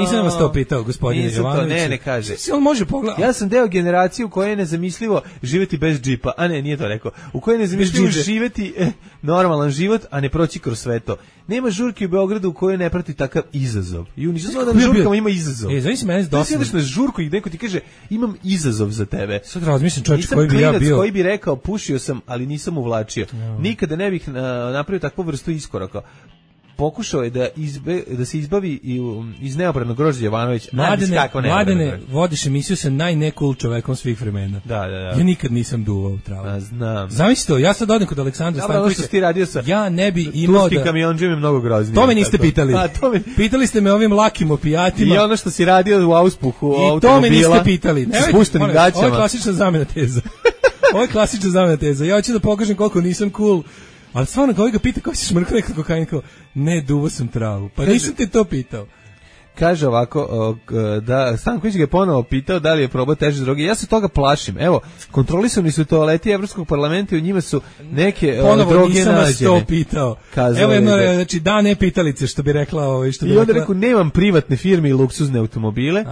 Nisam vas to pitao, gospodine Jovanović. Ne kaže. On može pogledati. Ja sam deo generacije u kojoj je nezamislivo živjeti bez džipa. A ne, nije to rekao. U kojoj je nezamislivo živjeti normalan život, a ne proći kroz sve to. Nema žurke u Beogradu u kojoj ne prati takav izazov. I nisam znao da na žurkama ima izazov. Zavisi mene dosta. Ti ideš na žurku i neko ti kaže imam izazov za tebe. Sad razmislim čovječ koji bi ja bio. Koji bi rekao pušio sam, ali nisam uvlačio. Nikada ne bih napravio takvu vrstu iskoraka. pokušao je da se izbavi iz neopravnog grožđa Jovanović. Mladene, vodiš emisiju sa najnekul čovekom svih vremena. Da. Ja nikad nisam duvao travu. Znam. Zamisli to, ja sad odem kod Aleksandra Stankovića. Što ti radio sa ja ne bi imao turski kamionđem je mnogo groznije. To me niste pitali. Pitali ste me ovim lakim opijatima. I ono što si radio u auspuhu automobila. I to me niste pitali. S spuštenim gaćama. Ovo je klasična zamena teza. Ja hoću da pokažem koliko nisam cool. Ali stvarno, kao ga pita, kao si šmrkao nekako kokain, kao, ne, duvo sam travu. Pa nisam te to pitao. Kaže ovako, da Stanković ga je ponovo pitao da li je probao teže droge. Ja se toga plašim. Evo, kontrolisani su toaleti Evropskog parlamenta i u njima su neke droge nađene. Ponovo nisam vas to pitao. Evo jedno, znači, da ne pitalice, što bi rekla. I onda rekao, nemam privatne firme i luksuzne automobile.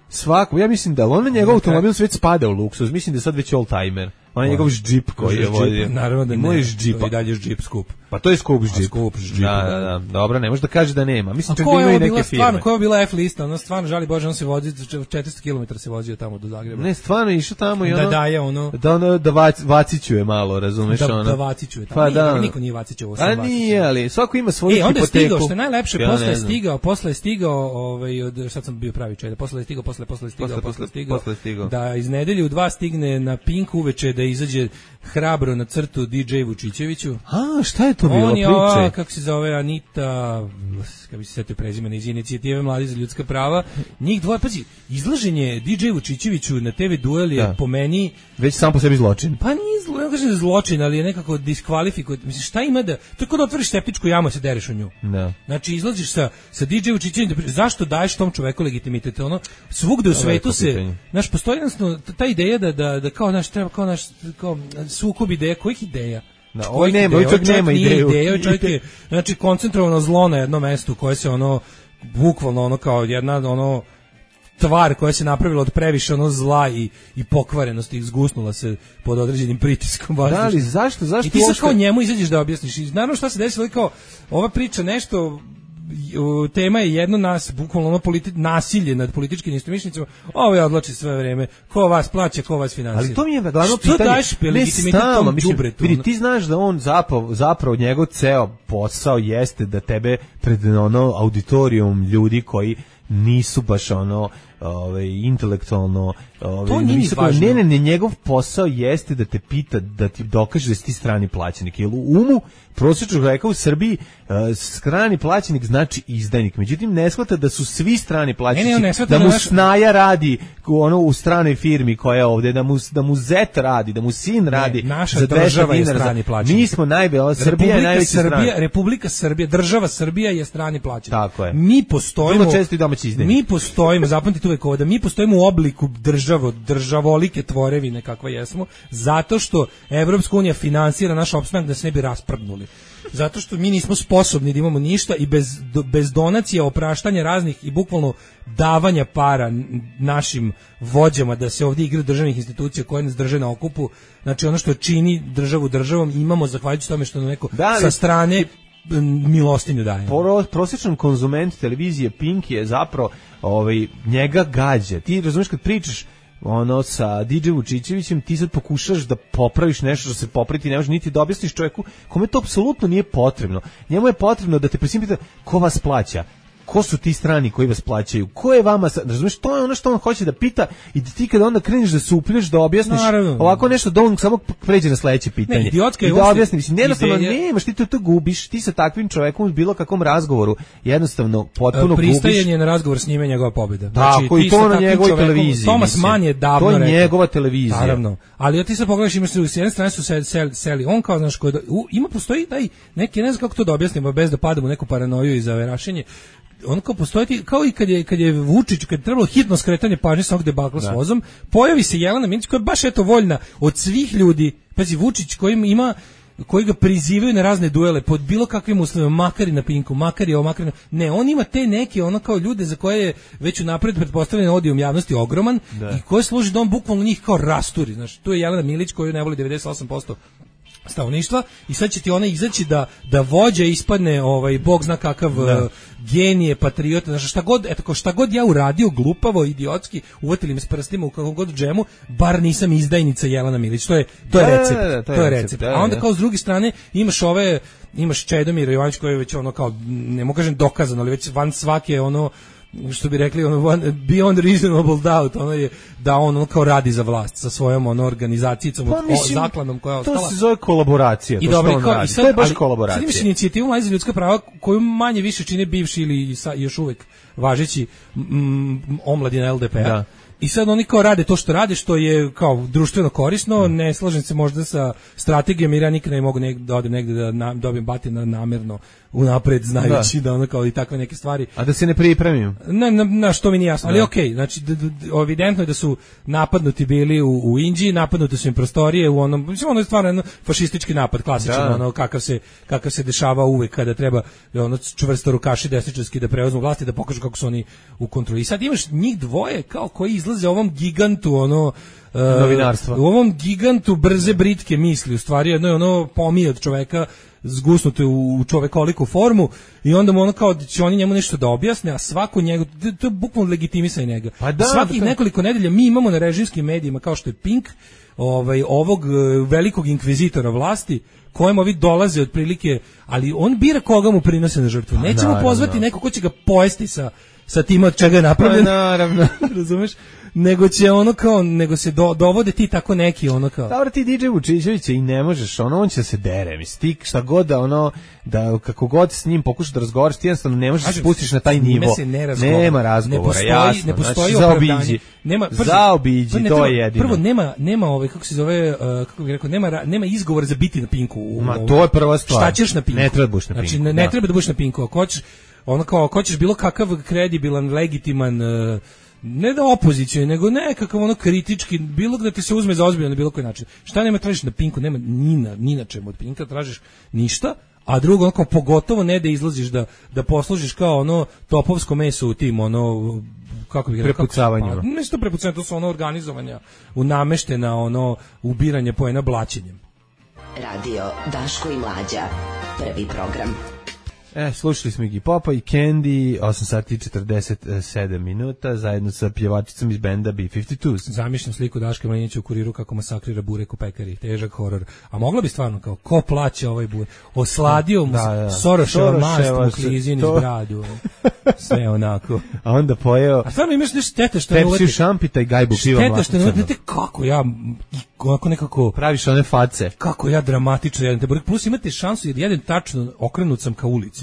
Svako, ja mislim da on njegov automobil već spada u luksuz. Mislim da je sad već all timer. On je njegov džip koji je vodio. Naravno da ne. To i dalje džip skup. Pa to je skup džip. Da. Dobro, ne može da kaže da nema. Mislim čak da ima i neke firme. Koja je bila F lista? Ono stvarno žali Bože, on se vozi 400 km se vozio tamo do Zagreba. Ne, stvarno išao tamo i ono. Da daje ono. Da vacićuje malo, razumeš ono. Da vacićuje. Pa da. Niko nije vacićuje. A nije, ali svako ima svoju hipoteku. Onda je stigao, što je najlepše, posle je stigao, sad sam bio pravi čovjek, posle je stigao, da iz nedelje u 2 stigne na Pink uveče da izađe hrabro na crtu DJ Vučićeviću. A, šta je to bilo priče? On je, kako se zove, Anita, kako bi se setio prezimena, iz inicijative Mladi za ljudska prava. Njih dvoje, pazi, izlaženje DJ Vučićeviću na TV duel je po meni... Već sam po sebi zločin. Pa nije ne kažem zločin, ali je nekako diskvalifikuje. Mislim, šta ima da... To je kao da otvoriš septičku jamu, se dereš u nju. Da. Znači, izlaziš sa DJ Vučićevićem, zašto daješ tom čoveku legitimitet? Ono, svugde u svetu se... Znaš, postoji jednostavno ta ideja da kao naš treba, kao naš sukob ideja, kojih ideja? Da, ovaj nema ideju. Čovjek je, znači, koncentrovano zlo na jednom mestu koje se ono, bukvalno ono kao jedna ono tvar koja se napravila od previše ono zla i pokvarenosti, zgusnula se pod određenim pritiskom. Da, ali zašto? I ti sad kao njemu izađeš da objasniš. I naravno šta se desilo, kao ova priča nešto... tema je jedno bukvalno ono nasilje nad političkim istomišljenicima. Ovo je odlači sve vreme. Ko vas plaća, ko vas finansira. Ali to mi je glavno pitanje. Što daješ legitimitet tom đubretu? Vidi, ti znaš da on zapravo njegov ceo posao jeste da tebe pred ono auditorijum ljudi koji nisu baš ono intelektualno to nije važno. Ne, njegov posao jeste da te pita, da ti dokaže da si ti strani plaćenik. Jer u umu prosječnog čoveka u Srbiji strani plaćenik znači izdajnik. Međutim, ne shvata da su svi strani plaćenici, da mu snaja radi ono u stranoj firmi koja je ovdje, da mu zet radi, da mu sin radi. Naša država je strani plaćenik. Mi smo Srbija je najveći strani. Republika Srbija, država Srbija je strani plaćenik. Tako je. Mi postojimo. Vrlo često i domaći izdajnik. Mi postojimo, zapamtite uvek ovo, da mi postojimo u obliku državolike tvorevine kakva jesmo, zato što Evropska unija finansira naš opstanak da se ne bi rasprdnuli. Zato što mi nismo sposobni da imamo ništa i bez donacija, opraštanja raznih i bukvalno davanja para našim vođama da se ovdje igra državnih institucija koje nas drže na okupu, znači ono što čini državu državom imamo zahvaljujući tome što neko sa strane milostinju daje. Prosječan konzument televizije Pink je zapravo njega gađa. Ti razumiješ kad pričaš ono sa DJ Vučićevićem, ti sad pokušaš da popraviš nešto što se popraviti ne može, niti da objasniš čovjeku kome to apsolutno nije potrebno. Njemu je potrebno da te presim pita ko vas plaća, ko su ti strani koji vas plaćaju, ko je vama, razumiješ, to je ono što on hoće da pita i da ti kada onda kreneš da se uplješ, da objasniš ovako nešto, da on samo pređe na sledeće pitanje. I da objasni, mislim, jednostavno nemaš, ti to gubiš, ti sa takvim čovekom u bilo kakvom razgovoru jednostavno potpuno gubiš. Pristajanje na razgovor s njime je njegova pobjeda. Tako, i to na njegovoj televiziji. Thomas Mann je davno rekao. To je njegova televizija. Naravno. Ali ti sad pogledaš, imaš s jedne strane su seli, on kao, znaš, postoji neki, ne znam kako to da objasnimo, bez da padamo u neku paranoju i zaverašenje. On kao postoji, kao i kad je Vučić, kad je trebalo hitno skretanje pažnje sa ovog debakla s vozom, pojavi se Jelena Milić koja je baš voljna od svih ljudi. Pazi, Vučić koji ga prizivaju na razne duele pod bilo kakvim uslovima, makar i na Pinku, makar i ovo, makar i ne, on ima te neke ono kao ljude za koje je već unapred pretpostavljen odijom javnosti ogroman i koje služi da on bukvalno njih kao rasturi. Znaš, tu je Jelena Milić koju ne voli 98% stanovništva i sad će ti ona izaći da vođa ispadne bog zna kakav genije, patriota, znači šta god ja uradio glupavo, idiotski, uvatili me s prstima u kakvom god džemu, bar nisam izdajnica Jelena Milić. To je recept. To je recept. A onda kao s druge strane imaš Čedomira Jovanović koji je već ono kao, ne mogu kažem dokazano, ali već van svake ono, što bi rekli, beyond reasonable doubt, ono je da on kao radi za vlast sa svojom organizacijom, zakladom koja je ostala. To se zove kolaboracija, to što on radi. To je baš kolaboracija. Sad imaš inicijativu Mladi za ljudska prava koju manje više čine bivši ili još uvek važeći omladina LDP-a. Da. I sad oni kao rade to što rade, što je kao društveno korisno, ne slažem se možda sa strategijom, jer ja nikada ne mogu da odem negde da dobijem batina namerno unapred, znajući da ono kao i takve neke stvari. A da se ne pripremim? Na što mi nije jasno, ali okej, znači evidentno je da su napadnuti bili u Indiji, napadnute su im prostorije u onom, mislim ono je stvarno jedan fašistički napad, klasičan, ono kakav se dešava uvek kada treba ono čvrsto rukaši desničarski da preuzmu vlast i da pokažu kako su oni u kontroli. I sad imaš njih dvoje kao koji izlaze ovom gigantu novinarstva. U ovom gigantu brze britke misli, u stvari jedno je ono pomije od čoveka zgusnute u čovekoliku formu i onda mu ono kao da će oni njemu nešto da objasne, a svako njegov, to je bukvalno legitimisanje njega. Pa da, svakih nekoliko nedelja mi imamo na režimskim medijima kao što je Pink, ovog velikog inkvizitora vlasti, kojem ovi dolaze otprilike, ali on bira koga mu prinose na žrtvu. Nećemo pozvati neko ko će ga pojesti sa tim od čega je napravljen. Pa naravno. Razumeš? Nego se dovode ti tako neki ono kao. Dobro, ti DJ Vučićević i ne možeš, on će se dere, misli, šta god da kako god s njim pokušaš da razgovaraš, ti jednostavno ne možeš se spustiš na taj nivo. Nema razgovora, jasno. Ne postoji opravdanje. Zaobiđi, to je jedino. Prvo nema kako se zove, kako bih rekao, nema izgovora za biti na Pinku. To je prva stvar. Šta ćeš na Pinku? Ne treba da budeš na Pinku. Znači ne treba da budeš na Pinku, ako hoćeš bilo kakav kredibilan, legitiman, ne da opoziciju, nego nekakav ono kritički, bilo da ti se uzme za ozbiljno na bilo koji način. Šta nema tražiš na Pinku? Nema ni na čemu od Pinka tražiš ništa, a drugo, ono kao pogotovo ne da izlaziš da poslužiš kao ono topovsko meso u tim, ono, kako bih rekao, prepucavanjima. Ne su to prepucavanja, to su ono organizovanja, unameštena ono ubiranje poena blaćenjem. Radio Daško i Mlađa, prvi program. Slušali smo Iggy Popa i Candy, 8 sati 47 minuta, zajedno sa pjevačicom iz benda B-52. Zamišljam sliku Daška Mladinića u Kuriru kako masakrira burek u pekari, težak horor. A mogla bi stvarno kao, ko plaće ovaj burek? Osladio mu Soroševa mast u klizini iz bradu. Sve onako. A onda pojeo... A stvarno imaš nešto štete što Pepsi šampita i gajbu piva mlasto. Štete što ne kako ja onako nekako... Praviš one face. Kako ja dramatično jedem te burek. Plus imate šansu jer jedan tačno okrenut sam ka ulici.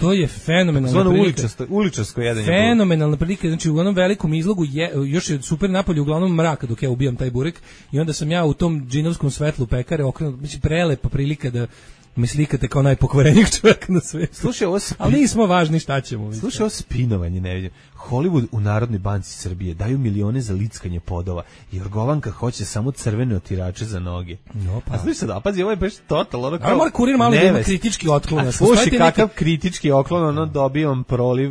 To je fenomenalna prilika. Uličarsko jedenje. Fenomenalna prilika, znači u onom velikom izlogu još je super napolje, uglavnom mraka dok ja ubijam taj burek i onda sam ja u tom džinovskom svetlu pekare okrenut, mislim prelepa prilika da me slikate kao najpokvarenijeg čovjeka na svijetu. Slušaj, ali nismo važni, šta ćemo. Slušaj, ovo spinovanje ne vidim. Hollywood u Narodnoj banci Srbije daju milione za lickanje podova. Jorgovanka hoće samo crvene otirače za noge. No, pa. A slušaj sad, pazi, ovo je baš total. Ono ali mora Kurir malo da ima kritički otklon. A slušaj, kakav kritički otklon, dobijam proliv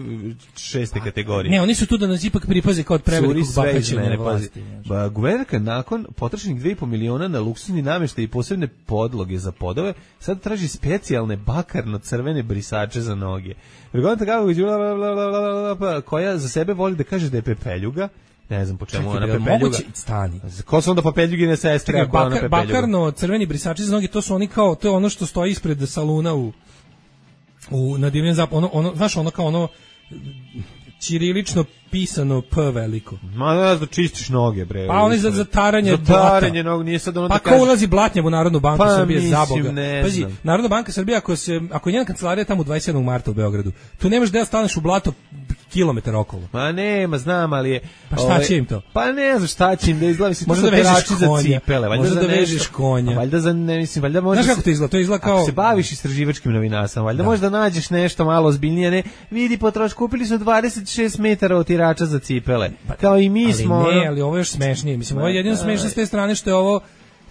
6. kategorije. Ne, oni su tu da nas ipak pripaze kao od prevelikog bahaćenja vlasti. Guvernerka nakon potrošenih 2,5 miliona na luksuzni namještaj i posebne podloge za podove, sad traži specijalne bakarno-crvene brisače za noge. Jorgovanka koja za sebe voli da kaže da je pepeljuga, ne znam po čemu ona pepeljuga. Moguće i stani. Ko su onda papeljugine sestre ako ona pepeljuga? Bakarno crveni brisači za noge, to su oni kao, to je ono što stoji ispred saluna na Divljem zapadu, znaš, ono kao ono ćirilično pisano P veliko. Ma ne znam, čistiš noge, bre. Pa oni za taranje nogu, nije sad ono da kaže. Pa ko ulazi blatnjav u Narodnu banku Srbije, za Boga. Pazi, Narodna banka Srbije, ako je njena kancelarija tamo 27. marta u Beogradu, tu nemaš da staneš u blato kilometar okolo. Ma nema, znam, ali je... Pa šta će im to? Pa ne znam šta će im da izgleda, mislim, možda da vežeš konja. Možda da vežeš konja. Valjda za, ne mislim, valjda možeš... Znaš kako to izgleda? To izgleda kao... Ako se baviš istraživačkim novinarstvom, valjda možda nađeš nešto malo ozbiljnije, ne? Vidi, potroš, kupili su 26 metara otirača za cipele. Kao i mi smo... Ali ne, ali ovo je još smešnije. Mislim, ovo je jedino smešno s te strane što je ovo,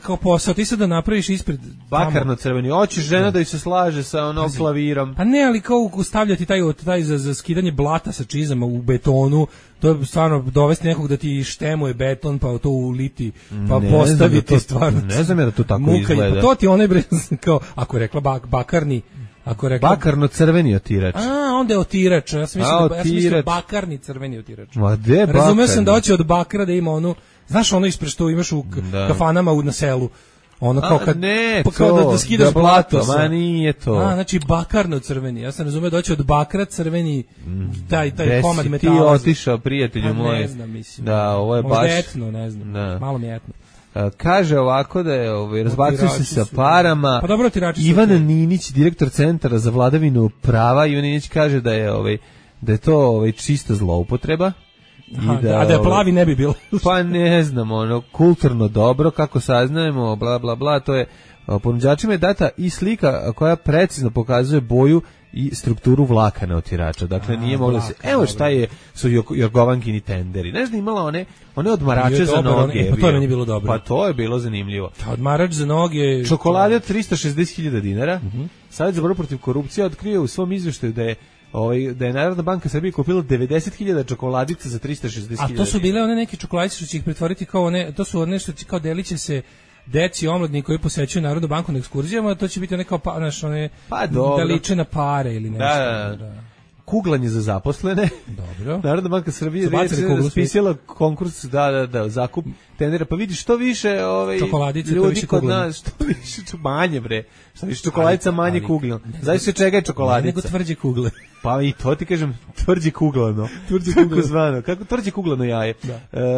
kao posao, ti sad da napraviš ispred bakarno crveni. Hoćeš žena da joj se slaže sa onom klavirom. Pa ne, ali kao stavljati taj za skidanje blata sa čizama u betonu, to je stvarno dovesti nekog da ti štemuje beton, pa to uliti, pa ne postaviti stvarno. Ne znam ja da to tako izgleda. Pa to ti onaj bre, kao, ako je rekla bakarni, ako je rekla bakarno crveni otirač. Onda je otirač. Ja sam mislio bakarni crveni otirač. Ma de bakarni. Razumeo sam da hoće od bakra da ima onu, znaš ono ispred što imaš u kafanama na selu. Ono kao kad ne, kao da skidaš blato, ma nije to. Znači bakarno crveni. Ja sam razumeo da hoće od bakra crveni taj komad metala. Ti otišao, prijatelju moj. Ne znam, mislim. Da, ovo je možda baš etno, ne znam. Da. Malo mi je etno. Kaže ovako da je razbacuju se sa parama. Pa dobro, Ivan Ninić, direktor Centra za vladavinu prava, Ivan Ninić kaže da je to čista zloupotreba. A da je plavi ne bi bilo. Pa ne znam, kulturno dobro, kako saznajemo, bla bla bla, to je ponuđačima je data i slika koja precizno pokazuje boju i strukturu vlakana otirača. Dakle, nije moglo se... Evo šta su Jorgovankini tenderi. Znaš da imala one odmarače za noge. Pa to je meni bilo dobro. Pa to je bilo zanimljivo. Odmarač za noge... Čokolade od 360.000 dinara. Savjet za borbu protiv korupcije otkrio u svom izveštaju da je Narodna banka Srbije kupila 90.000 čokoladica za 360.000. A to su bile one neke čokoladice što će ih pretvoriti kao one, to su one što će kao deliće se deci omladni koji posećuju Narodnu banku na ekskurzijama, to će biti one kao da liče na pare ili nešto. Da. Kuglanje za zaposlene. Dobro. Narodna banka Srbije raspisala konkurs za zakup tendera, pa vidi što više čokoladice, ljudi kod nas, što više manje bre. Što više čokoladica manje kuglano. Znaš se čega je čokoladica? Nego tvrđe kugle. Pa i to ti kažem, tvrđe kuglano. Kako zvano? Kako tvrđe kuglano jaje?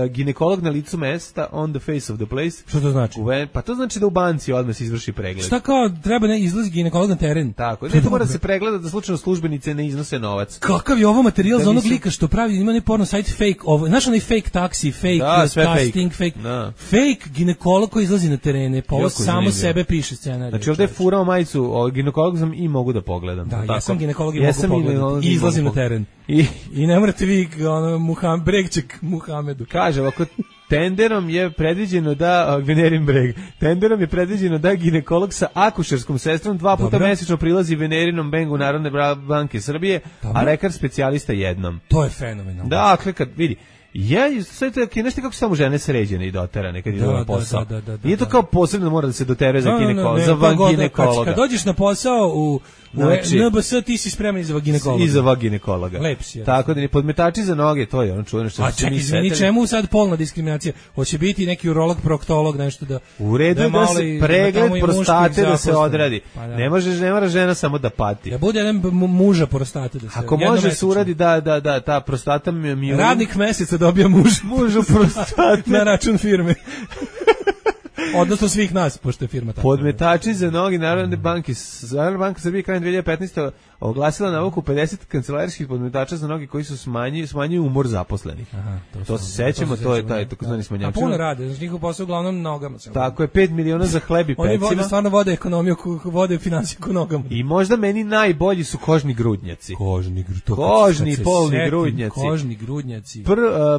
Ginekolog na licu mesta, on the face of the place. Što to znači? Pa to znači da u banci odmah se izvrši pregled. Šta kao treba ne izlazi ginekolog na teren? Tako, ne mora se pregleda da slučajno službenice ne iznose novac. Kakav je ovo materijal za onog lika što pravi, ima porno sajt fake, znaš onaj fake taksi, fake casting, fake ginekolog koji izlazi na terene, pa ovo samo sebe piše scenarij. Znači ovdje je furao majicu, ginekolog sam i mogu da pogledam. Da, ja sam ginekolog i mogu pogledati. I izlazim na teren. I ne morate vi Bregček Muhamedu. Kaže, ovako, tenderom je predviđeno da ginekolog sa akušerskom sestrom 2 puta mesečno prilazi Venerinom Bengu Narodne banke Srbije, a lekar specijalista jednom. To je fenomenalno. Dakle, kad vidi, sve to je nešto kako su samo žene sređene i doterane kad idu na posao. Nije to kao posebno mora da se dotere za ginekologa. Kad dođeš na posao u NBS ti si spreman i za ginekologa. I za ginekologa. Lep si. Tako da ni podmetači za noge, to je ono čuveno što se mi setili. A čemu sad polna diskriminacija? Hoće biti neki urolog, proktolog, nešto da... U redu je da se pregled prostate da se odradi. Ne mora žena samo da pati. Da bude jedan muža prostate da se... Ako može se uradi da ta prostata mi... Radnik meseca dobija mužu prostate na račun firme. Odnosno svih nas, pošto je firma tako. Podmetači za noge Narodne banke. Narodna banka Srbije krajem 2015. oglasila nabavku 50 kancelarijskih podmetača za noge koji su smanjuju umor zaposlenih. Aha, to se sećamo, to je taj takozvani smanjač. A puno rade, znači njihov posao uglavnom nogama. Tako je, 5 miliona za hleb i pecima. Oni stvarno vode ekonomiju, vode finansiju nogama. I možda meni najbolji su kožni grudnjaci. Kožni polni grudnjaci. Kožni grudnjaci.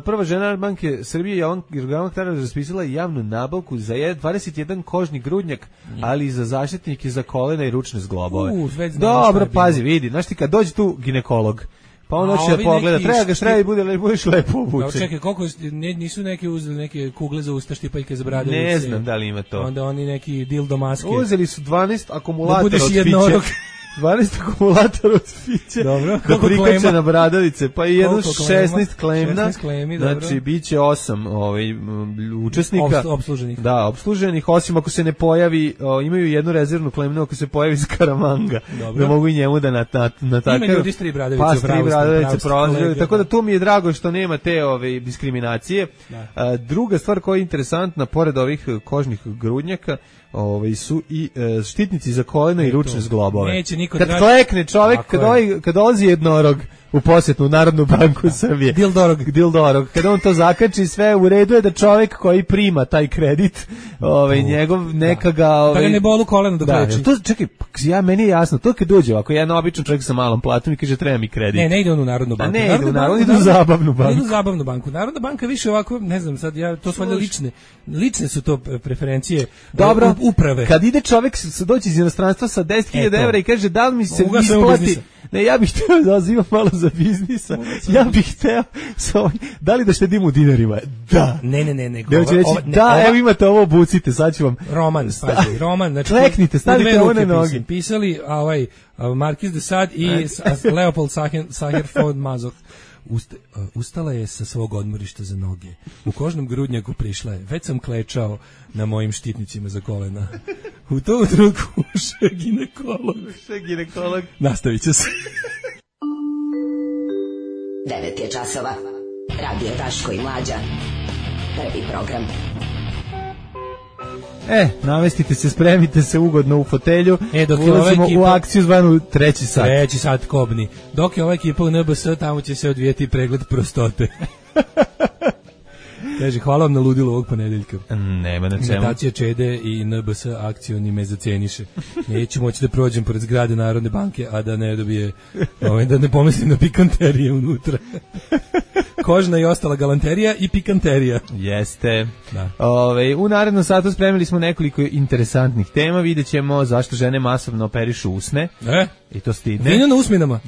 Prva žena banke Srbije Jorgovanka Taras raspisala javnu nabavku za 21 kožni grudnjak, ali i za zaštitnike za kolena i ručne zglobove. Dobro, pazi, vidi, znaš ti kad dođe tu ginekolog, pa on hoće da pogleda, treba i budeš lepo obučen. Da, čekaj, koliko nisu neki uzeli neke kugle za usta, štipaljke za bradavice? Ne znam da li ima to. Onda oni neki dildo maske. Uzeli su 12 akumulatora od pića. 12 akumulatora od pića. Dobro. Da prikače na bradavice, pa i jedno 16 klemna. 16 klemi, dobro. Znači, bit će 8 učesnika. Obsluženih. Da, obsluženih, osim ako se ne pojavi, imaju jednu rezervnu klemnu ako se pojavi Skaramanga. Dobro. Da mogu i njemu da natakaju. Ima ljudi s 3 bradavice. Pa, s 3 bradavice prolaze. Tako da tu mi je drago što nema te diskriminacije. Druga stvar koja je interesantna, pored ovih kožnih grudnjaka, su i štitnici za kolena i ručne zglobove. Neće niko kad klekne čovjek, kad dolazi jednorog, u posjetu u Narodnu banku Srbije. Dildorog. Kada on to zakači, sve u redu je da čovjek koji prima taj kredit, njegov neka ga... Da ga ne bolu koleno dok leči. To, čekaj, meni je jasno, to kad dođe ovako, jedan običan čovjek sa malom platom i kaže treba mi kredit. Ne ide on u Narodnu banku. Ne ide u Narodnu, ide u Zabavnu banku. Ide u Zabavnu banku. Narodna banka više ovako, ne znam, sad to su valjda lične su to preferencije uprave. Kad ide čovjek doći iz inostranstva sa 10.000 evra i kaže da li mi se isplati, ne, ja bih hteo da uzimam malo za biznisa, ja bih hteo, da li da štedim u dinarima? Da. Ne. Evo imate ovo, obucite, sad ću vam... Roman. Znači, kleknite, stavite ovo na noge. Pisali Marquis de Sade i Leopold Sacher von Mazoch. Ustala je sa svog odmorišta za noge. U kožnom grudnjaku prišla je. Već sam klečao na mojim štitnicima za kolena. U tom trenutku ušao ginekolog. Nastavit će se. 9 je časova. Radio Daško i Mlađa. Prvi program. Namestite se, spremite se ugodno u fotelju. Ulazimo u akciju zvanu treći sat. Treći sat kobni. Dok je ova ekipa u NBS, tamo će se odvijeti pregled prostote. Kaže, hvala vam na ludilu ovog ponedeljka. Nema na čemu. Imitacija Čede i NBS akciju ni me zaceniše. Neću moći da prođem pored zgrade Narodne banke, a da ne dobije, da ne pomislim na pikanterije unutra. Kožna i ostala galanterija i pikanterija. Jeste. Da. U narednom satu spremili smo nekoliko interesantnih tema. Vidjet ćemo zašto žene masovno operišu usne. I to stidne. Vino na usminama.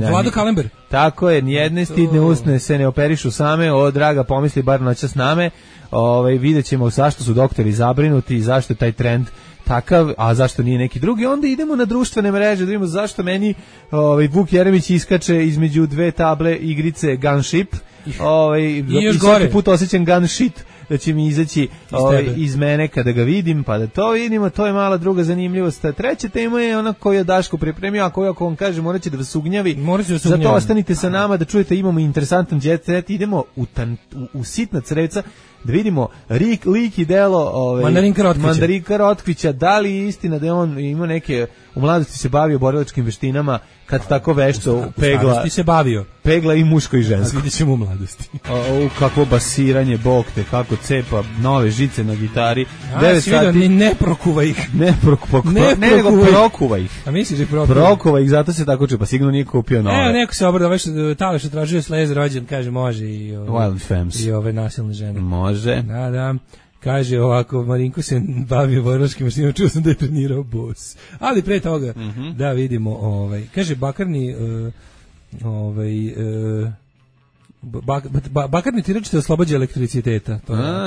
Vlado Kalember. Tako je, nijedne stidne usne se ne operišu same. Draga, pomisli bar noćas name. Vidjet ćemo zašto su doktori zabrinuti i zašto je taj trend takav, a zašto nije neki drugi. Onda idemo na društvene mreže da vidimo zašto meni Vuk Jeremić iskače između dve table igrice Gunship. I još gore. Svaki put osjećam Gunshit da će mi izaći iz mene kada ga vidim, pa da to vidimo. To je mala druga zanimljivost. Treća tema je ona koju je Daško pripremio, a koju ako vam kaže morat će da vas ugnjavi. Zato ostanite sa nama da čujete, imamo interesantan jet set. Idemo u sitna crevca da vidimo lik i delo Mandarinka Rotkvića. Da li je istina da je on imao neke, u mladosti se bavio borilačkim veštinama, kad tako vešto pegla i muško i žensko. Vidjet ćemo u mladosti. Kakvo basiranje, bog te, kako cepa nove žice na gitari. 9 sati. Ne prokuva ih. Ne prokuva ih. A misliš da ih prokuva ih, zato se tako čuje, pa sigurno nije kupio nove. Neko se obrada, već Taleš tražio slez rođen, kaže može i ove nasilne žene. Može. Da. Kaže ovako, Marinko se bavio borilačkim veštinama, čuo sam da je trenirao bos. Ali pre toga, da vidimo, kaže Bakarni, bakarni tirač te oslobađa elektriciteta.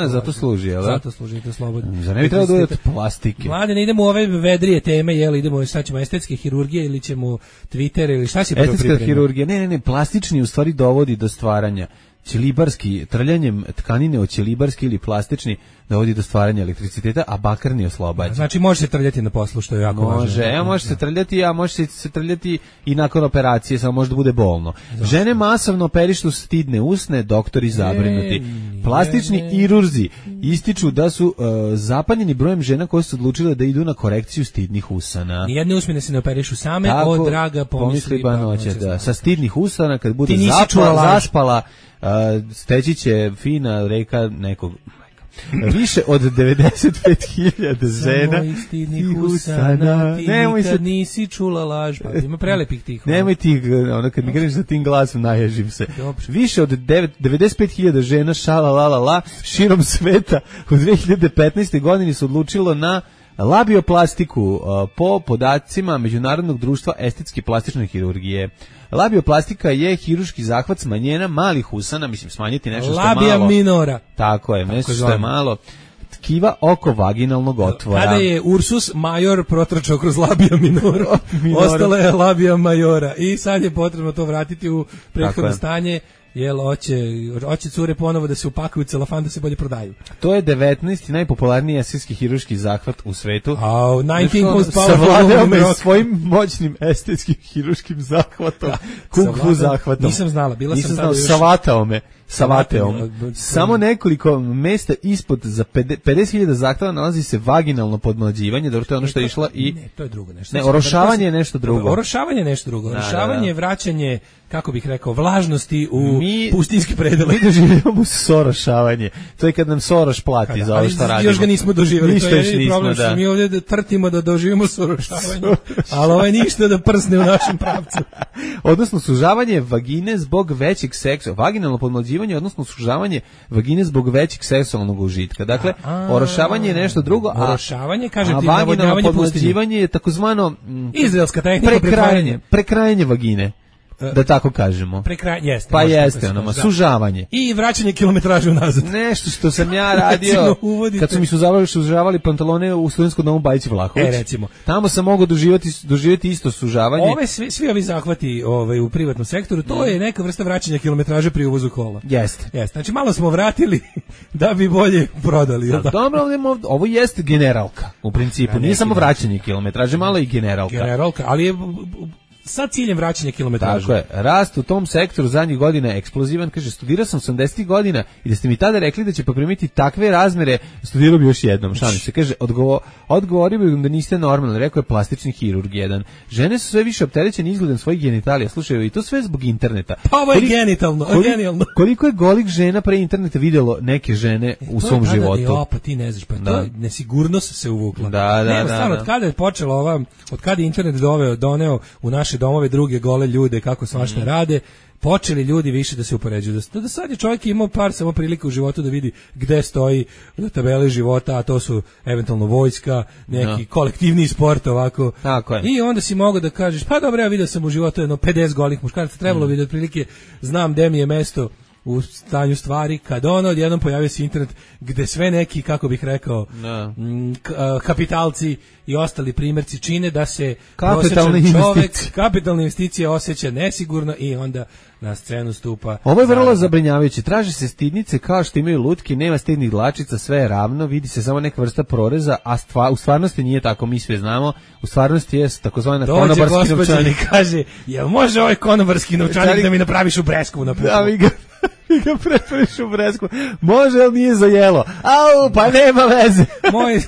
Zato služi, jel? Zato služi, te oslobađa. Za ne bi trebalo da uvijek plastike. Mlade, ne idemo u ove vedrije teme, jel? Idemo, šta ćemo, estetske hirurgije ili ćemo Twitter ili šta si prvo pripremio? Estetska hirurgija, ne, plastični u stvari dovodi do stvaranja. Ćelibarski, trljanjem tkanine od ćelibarski ili plastični dovodi do stvaranja elektriciteta, a bakarni oslobađa. Znači može se trljati na poslu, što je jako važno. Može se trljati, a može se trljati i nakon operacije, samo može da bude bolno. Žene masovno operišu stidne usne, doktori zabrinuti. Plastični kirurzi ističu da su zapanjeni brojem žena koje su odlučile da idu na korekciju stidnih usana. Nijedne usmine se ne operišu same, tako, draga pomisli banoće, da. Sa stidnih usana, kad bude zaspala, steći će fina reka nekog. Više od 95.000 žena stidnih usana, ti nikad nisi čula laž. Ima prelepih tih. Nemoj ti, kad mi kreneš sa tim glasom, naježim se. Više od 95.000 žena širom sveta u 2015. godini su odlučilo na labioplastiku po podacima Međunarodnog društva estetske plastične hirurgije. Labioplastika je hirurški zahvat smanjenja malih usana, mislim smanjiti nešto što je malo. Labia minora. Tako je, nešto što je malo. Tkiva oko vaginalnog otvora. Kada je Ursus major protračao kroz labia minora, ostala je labia majora i sad je potrebno to vratiti u prethodno stanje. Jel, hoće cure ponovo da se upakuju u celofan da se bolje prodaju. To je 19. najpopularniji estetski hirurški zahvat u svetu. Savladao me svojim moćnim estetskim hirurškim zahvatom. Kung fu zahvatom. Nisam znala, savatao me. Samo nekoliko mesta ispod za 50.000 zahteva nalazi se vaginalno podmlađivanje, dobro, to je ono što je išla i... Ne, to je drugo nešto. Ne, orošavanje je nešto drugo. Orošavanje je nešto drugo. Orošavanje je vraćanje, kako bih rekao, vlažnosti u pustinski predele. Mi doživljamo sorošavanje. To je kad nam Soroš plati za ovo što radimo. Još ga nismo doživjeli. Ništa to još je nismo, problem, da. Mi ovdje trtimo da doživimo sorošavanje, ali ovo je ništa da prsne u našem pravcu. Odnosno sužavanje vagine zbog većeg seksa, vaginalno podmlađivanje, odnosno sužavanje vagine zbog većeg seksualnog užitka. Dakle, orošavanje je nešto drugo, a orošavanje, kažem ti, vaginalno navodnjavanje podmlađivanje je takozvano izraelska tehnika prekrajanje vagine. Da tako kažemo. Jeste. Pa jeste, sužavanje. I vraćanje kilometraže unazad. Nešto što sam ja radio kad su mi sužavali pantalone u studentskom domu Bajić Vlahović. Recimo. Tamo sam mogao doživjeti isto sužavanje. Svi ovi zahvati u privatnom sektoru, to je neka vrsta vraćanja kilometraže pri uvozu kola. Jeste. Znači malo smo vratili da bi bolje prodali. Dobro, ovo jeste generalka u principu. Nije samo vraćanje kilometraže, malo i generalka. Generalka, ali je sa ciljem vraćanja kilometraža. Tako je. Rast u tom sektoru zadnjih godina je eksplozivan. Kaže, studirao sam 80 godina i da ste mi tada rekli da će poprimiti takve razmere, studirao bi još jednom. Šalim se. Kaže, odgovorio bi da niste normalni. Rekao je plastični hirurg jedan. Žene su sve više opterećene izgledom svojih genitalija. Slušaj, i to sve zbog interneta. Pa ovo je genitalno. Koliko je golih žena pre interneta vidjelo neke žene u svom životu? Pa ti ne znaš, pa to nesigurnost se uvukla. Da. Od kada je počela od kada je internet doneo u naše domove druge gole ljude kako svašta rade, počeli ljudi više da se upoređuju. Da sad je čovjek imao samo prilike u životu da vidi gde stoji tabele života, a to su eventualno vojska, neki kolektivni sport ovako. Tako je. I onda si mogao da kažeš, pa dobro, ja vidio sam u životu jedno 50 golih muškaraca, trebalo bi da otprilike znam gde mi je mesto u stanju stvari, kad odjednom pojavio se internet gde sve neki, kako bih rekao, kapitalci i ostali primjerci čine da se prosječan čovek kapitalne investicije osjeća nesigurno i onda na scenu stupa. Ovo je vrlo zabrinjavajuće. Traže se stidnice kao što imaju lutke, nema stidnih dlačica, sve je ravno, vidi se samo neka vrsta proreza, a u stvarnosti nije tako, mi sve znamo. U stvarnosti je takozvana konobarski novčanik. Kaže, jel može ovaj konobarski novčanik da mi napraviš u Breskovu na putu? Da, mi ga pretvoriš u Bresku. Može, ali nije za jelo. Au, pa nema veze. Moj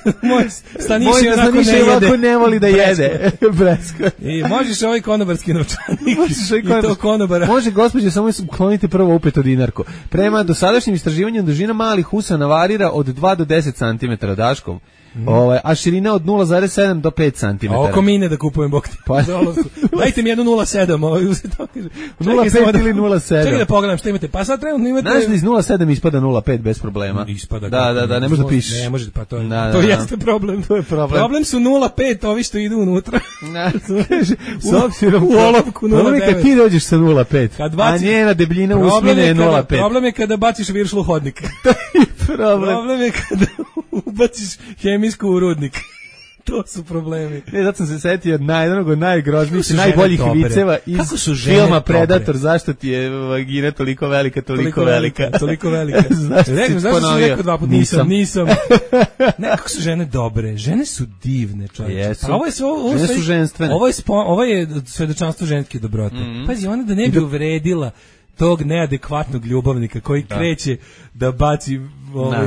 Staniš je onako ne voli da jede Bresku. I možeš ovaj konobarski novčanik i to konobara. Može, gospođe, samo uklonite prvo upeto dinarku. Prema dosadašnjim istraživanjem dužina malih usana varira od 2 do 10 cm Daškov. A širina od 0,7 do 5 cm. A oko mine da kupujem bok ti. Dajte mi jednu 0,7. 0,5 ili 0,7. Čekaj da pogledam što imate. Pa sad trenutno imate... Znaš da iz 0,7 ispada 0,5 bez problema. Ispada. Da, ne može da pišeš. Ne može, pa to jeste problem. To je problem. Problem su 0,5, ovi što idu unutra. S obzirom u olovku 0,9. Problem je kad ti dođeš sa 0,5, a njena debljina usmine je 0,5. Problem je kada baciš viršlu hodnik. Problem je kada ubaciš hemijsku u rudnik. To su problemi. Zato sam se setio od jednog od najgroznijih, najboljih viceva iz filma Predator. Zašto ti je vagina toliko velika, toliko velika? Zašto si rekao 2 puta? Nisam. Nekako su žene dobre. Žene su divne, čovječe. Žene su ženstvene. Ovo je svedočanstvo ženske dobrote. Pazi, ona da ne bi uvredila tog neadekvatnog ljubavnika koji kreće da baci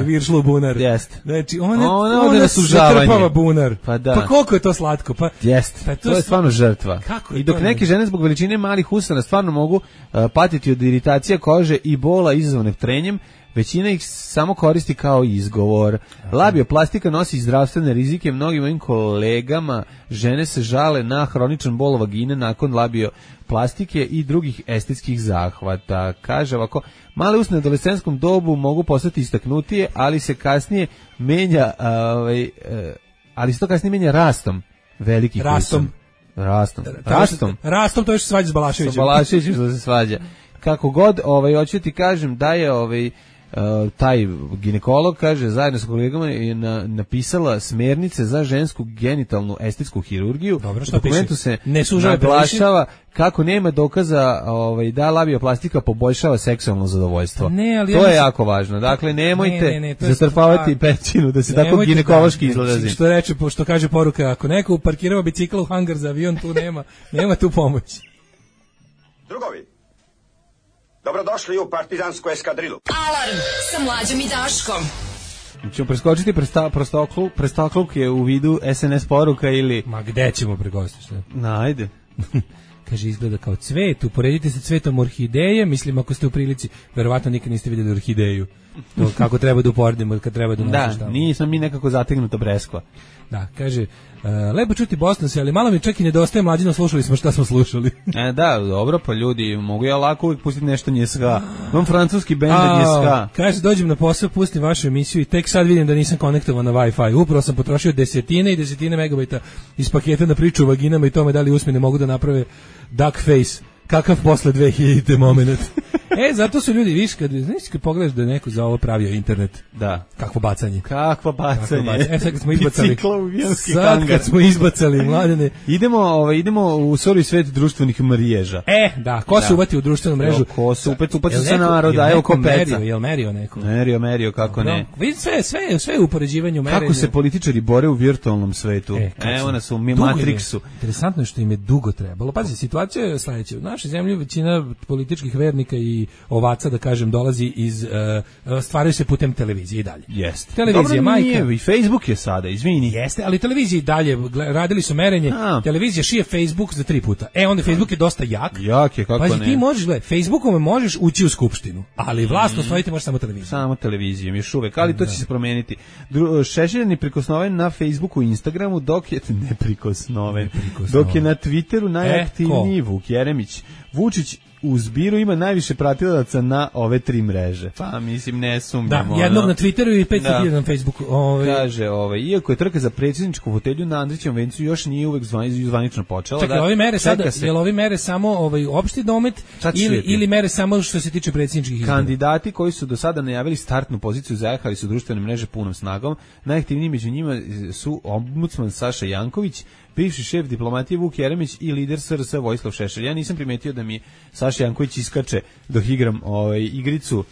viršlu u bunar. Znači, ona zatrpava bunar. Pa koliko je to slatko? Jeste, to je stvarno žrtva. I dok neke žene zbog veličine malih usana stvarno mogu patiti od iritacija kože i bola izazvane trenjem, većina ih samo koristi kao izgovor. Labioplastika nosi zdravstvene rizike mnogim mojim kolegama. Žene se žale na hroničan bol vagine nakon labioplastike i drugih estetskih zahvata. Kaže ovako, male usne u adolescentskom dobu mogu postati istaknutije, ali se kasnije menja rastom velikih usana. Rastom, to je što se svađa s Balaševićem. Sa Balaševićem što se svađa. Kako god, hoću ti kažem da je taj ginekolog, kaže, zajedno sa kolegama je napisala smernice za žensku genitalnu estetsku hirurgiju. Dobro, u dokumentu se naglašava kako nema dokaza da labioplastika poboljšava seksualno zadovoljstvo. To je jako važno. Dakle, nemojte zatrpavati pećinu da se tako ginekološki izlazi. Što kaže poruka, ako neko parkirao bicikl u hangar za avion, tu nema tu pomoći. Drugovi, dobrodošli u partizansku eskadrilu. Alarm sa Mlađom i Daškom. Ćemo preskočiti prestakluk je u vidu SNS poruka ili... Ma gde ćemo preskočiti? Ajde. kaže, izgleda kao cvet, uporedite se cvetom orhideje, mislim, ako ste u prilici, verovatno nikad niste vidjeli orhideju. To kako treba da uporedimo kad treba da nosiš tamo. Da, nismo mi nekako zategnuta breskva. Da, kaže, lepo čuti Bostonse, ali malo mi čak i nedostaje Mlađino, slušali smo šta smo slušali. Da, dobro, pa ljudi, mogu ja lako uvijek pustiti nešto njeska. Imam francuski bend njeska. Kaže, dođem na posao, pustim vašu emisiju i tek sad vidim da nisam konektovan na Wi-Fi. Upravo sam potrošio desetine i desetine megabajta iz paketa na priču o vaginama i tome da li usmene mogu da naprave duck face. Kakav posle 2000 moment. Zato su ljudi, viš, kad pogledaš da je neko za ovo pravio internet. Da. Kakvo bacanje. Kakvo bacanje. Sad kad smo izbacali. Kad smo izbacali, Mladene. Idemo u sori svet društvenih mreža. Da, ko se uvati u društvenu mrežu? Ko se upaca sa naroda, evo ko peca. Jel merio neko? Merio, kako ne. Vidi sve u upoređivanju merenja. Kako se političari bore u virtualnom svetu. Evo nas u Matrixu. Interesantno je što im je dugo trebalo. Pazi, situacija je sledeća. U našoj zemlji većina političkih vernika i ovaca, da kažem, dolazi iz stvaraju se putem televizije i dalje. Jeste. Televizija, majka. Nije, i Facebook je sada, izvini. Jeste, ali televizija i dalje, radili su merenje, televizija šije Facebook za 3 puta. Onda Facebook je dosta jak. Jak je, kako ne. Ti možeš, Facebookom možeš ući u skupštinu, ali vlast osvojiti može samo televiziju. Samo televizijom, još uvek, ali to će se promeniti. Šešelj je neprikosnoven na Facebooku i Instagramu, dok je neprikosnoven. Dok je na Twitteru najaktivniji Vuk Jeremić. Vučić u zbiru ima najviše pratilaca na ove 3 mreže. Pa mislim, ne sumnjamo. Da, jednog na Twitteru i 500.000 na Facebooku. Kaže, iako je trka za predsjedničku fotelju na Andrićevom vencu još nije uvek zvanično počela. Čekaj, ove mere sada, jel ove mere samo opšti domet ili mere samo što se tiče predsjedničkih izbora? Kandidati koji su do sada najavili startnu poziciju zajahali su društvene mreže punom snagom. Najaktivniji među njima su ombudsman Saša Janković, bivši šef diplomatije Vuk Jeremić i lider SRS Vojislav Šešelj. Ja nisam primetio da mi Saša Janković iskače dok igram igricu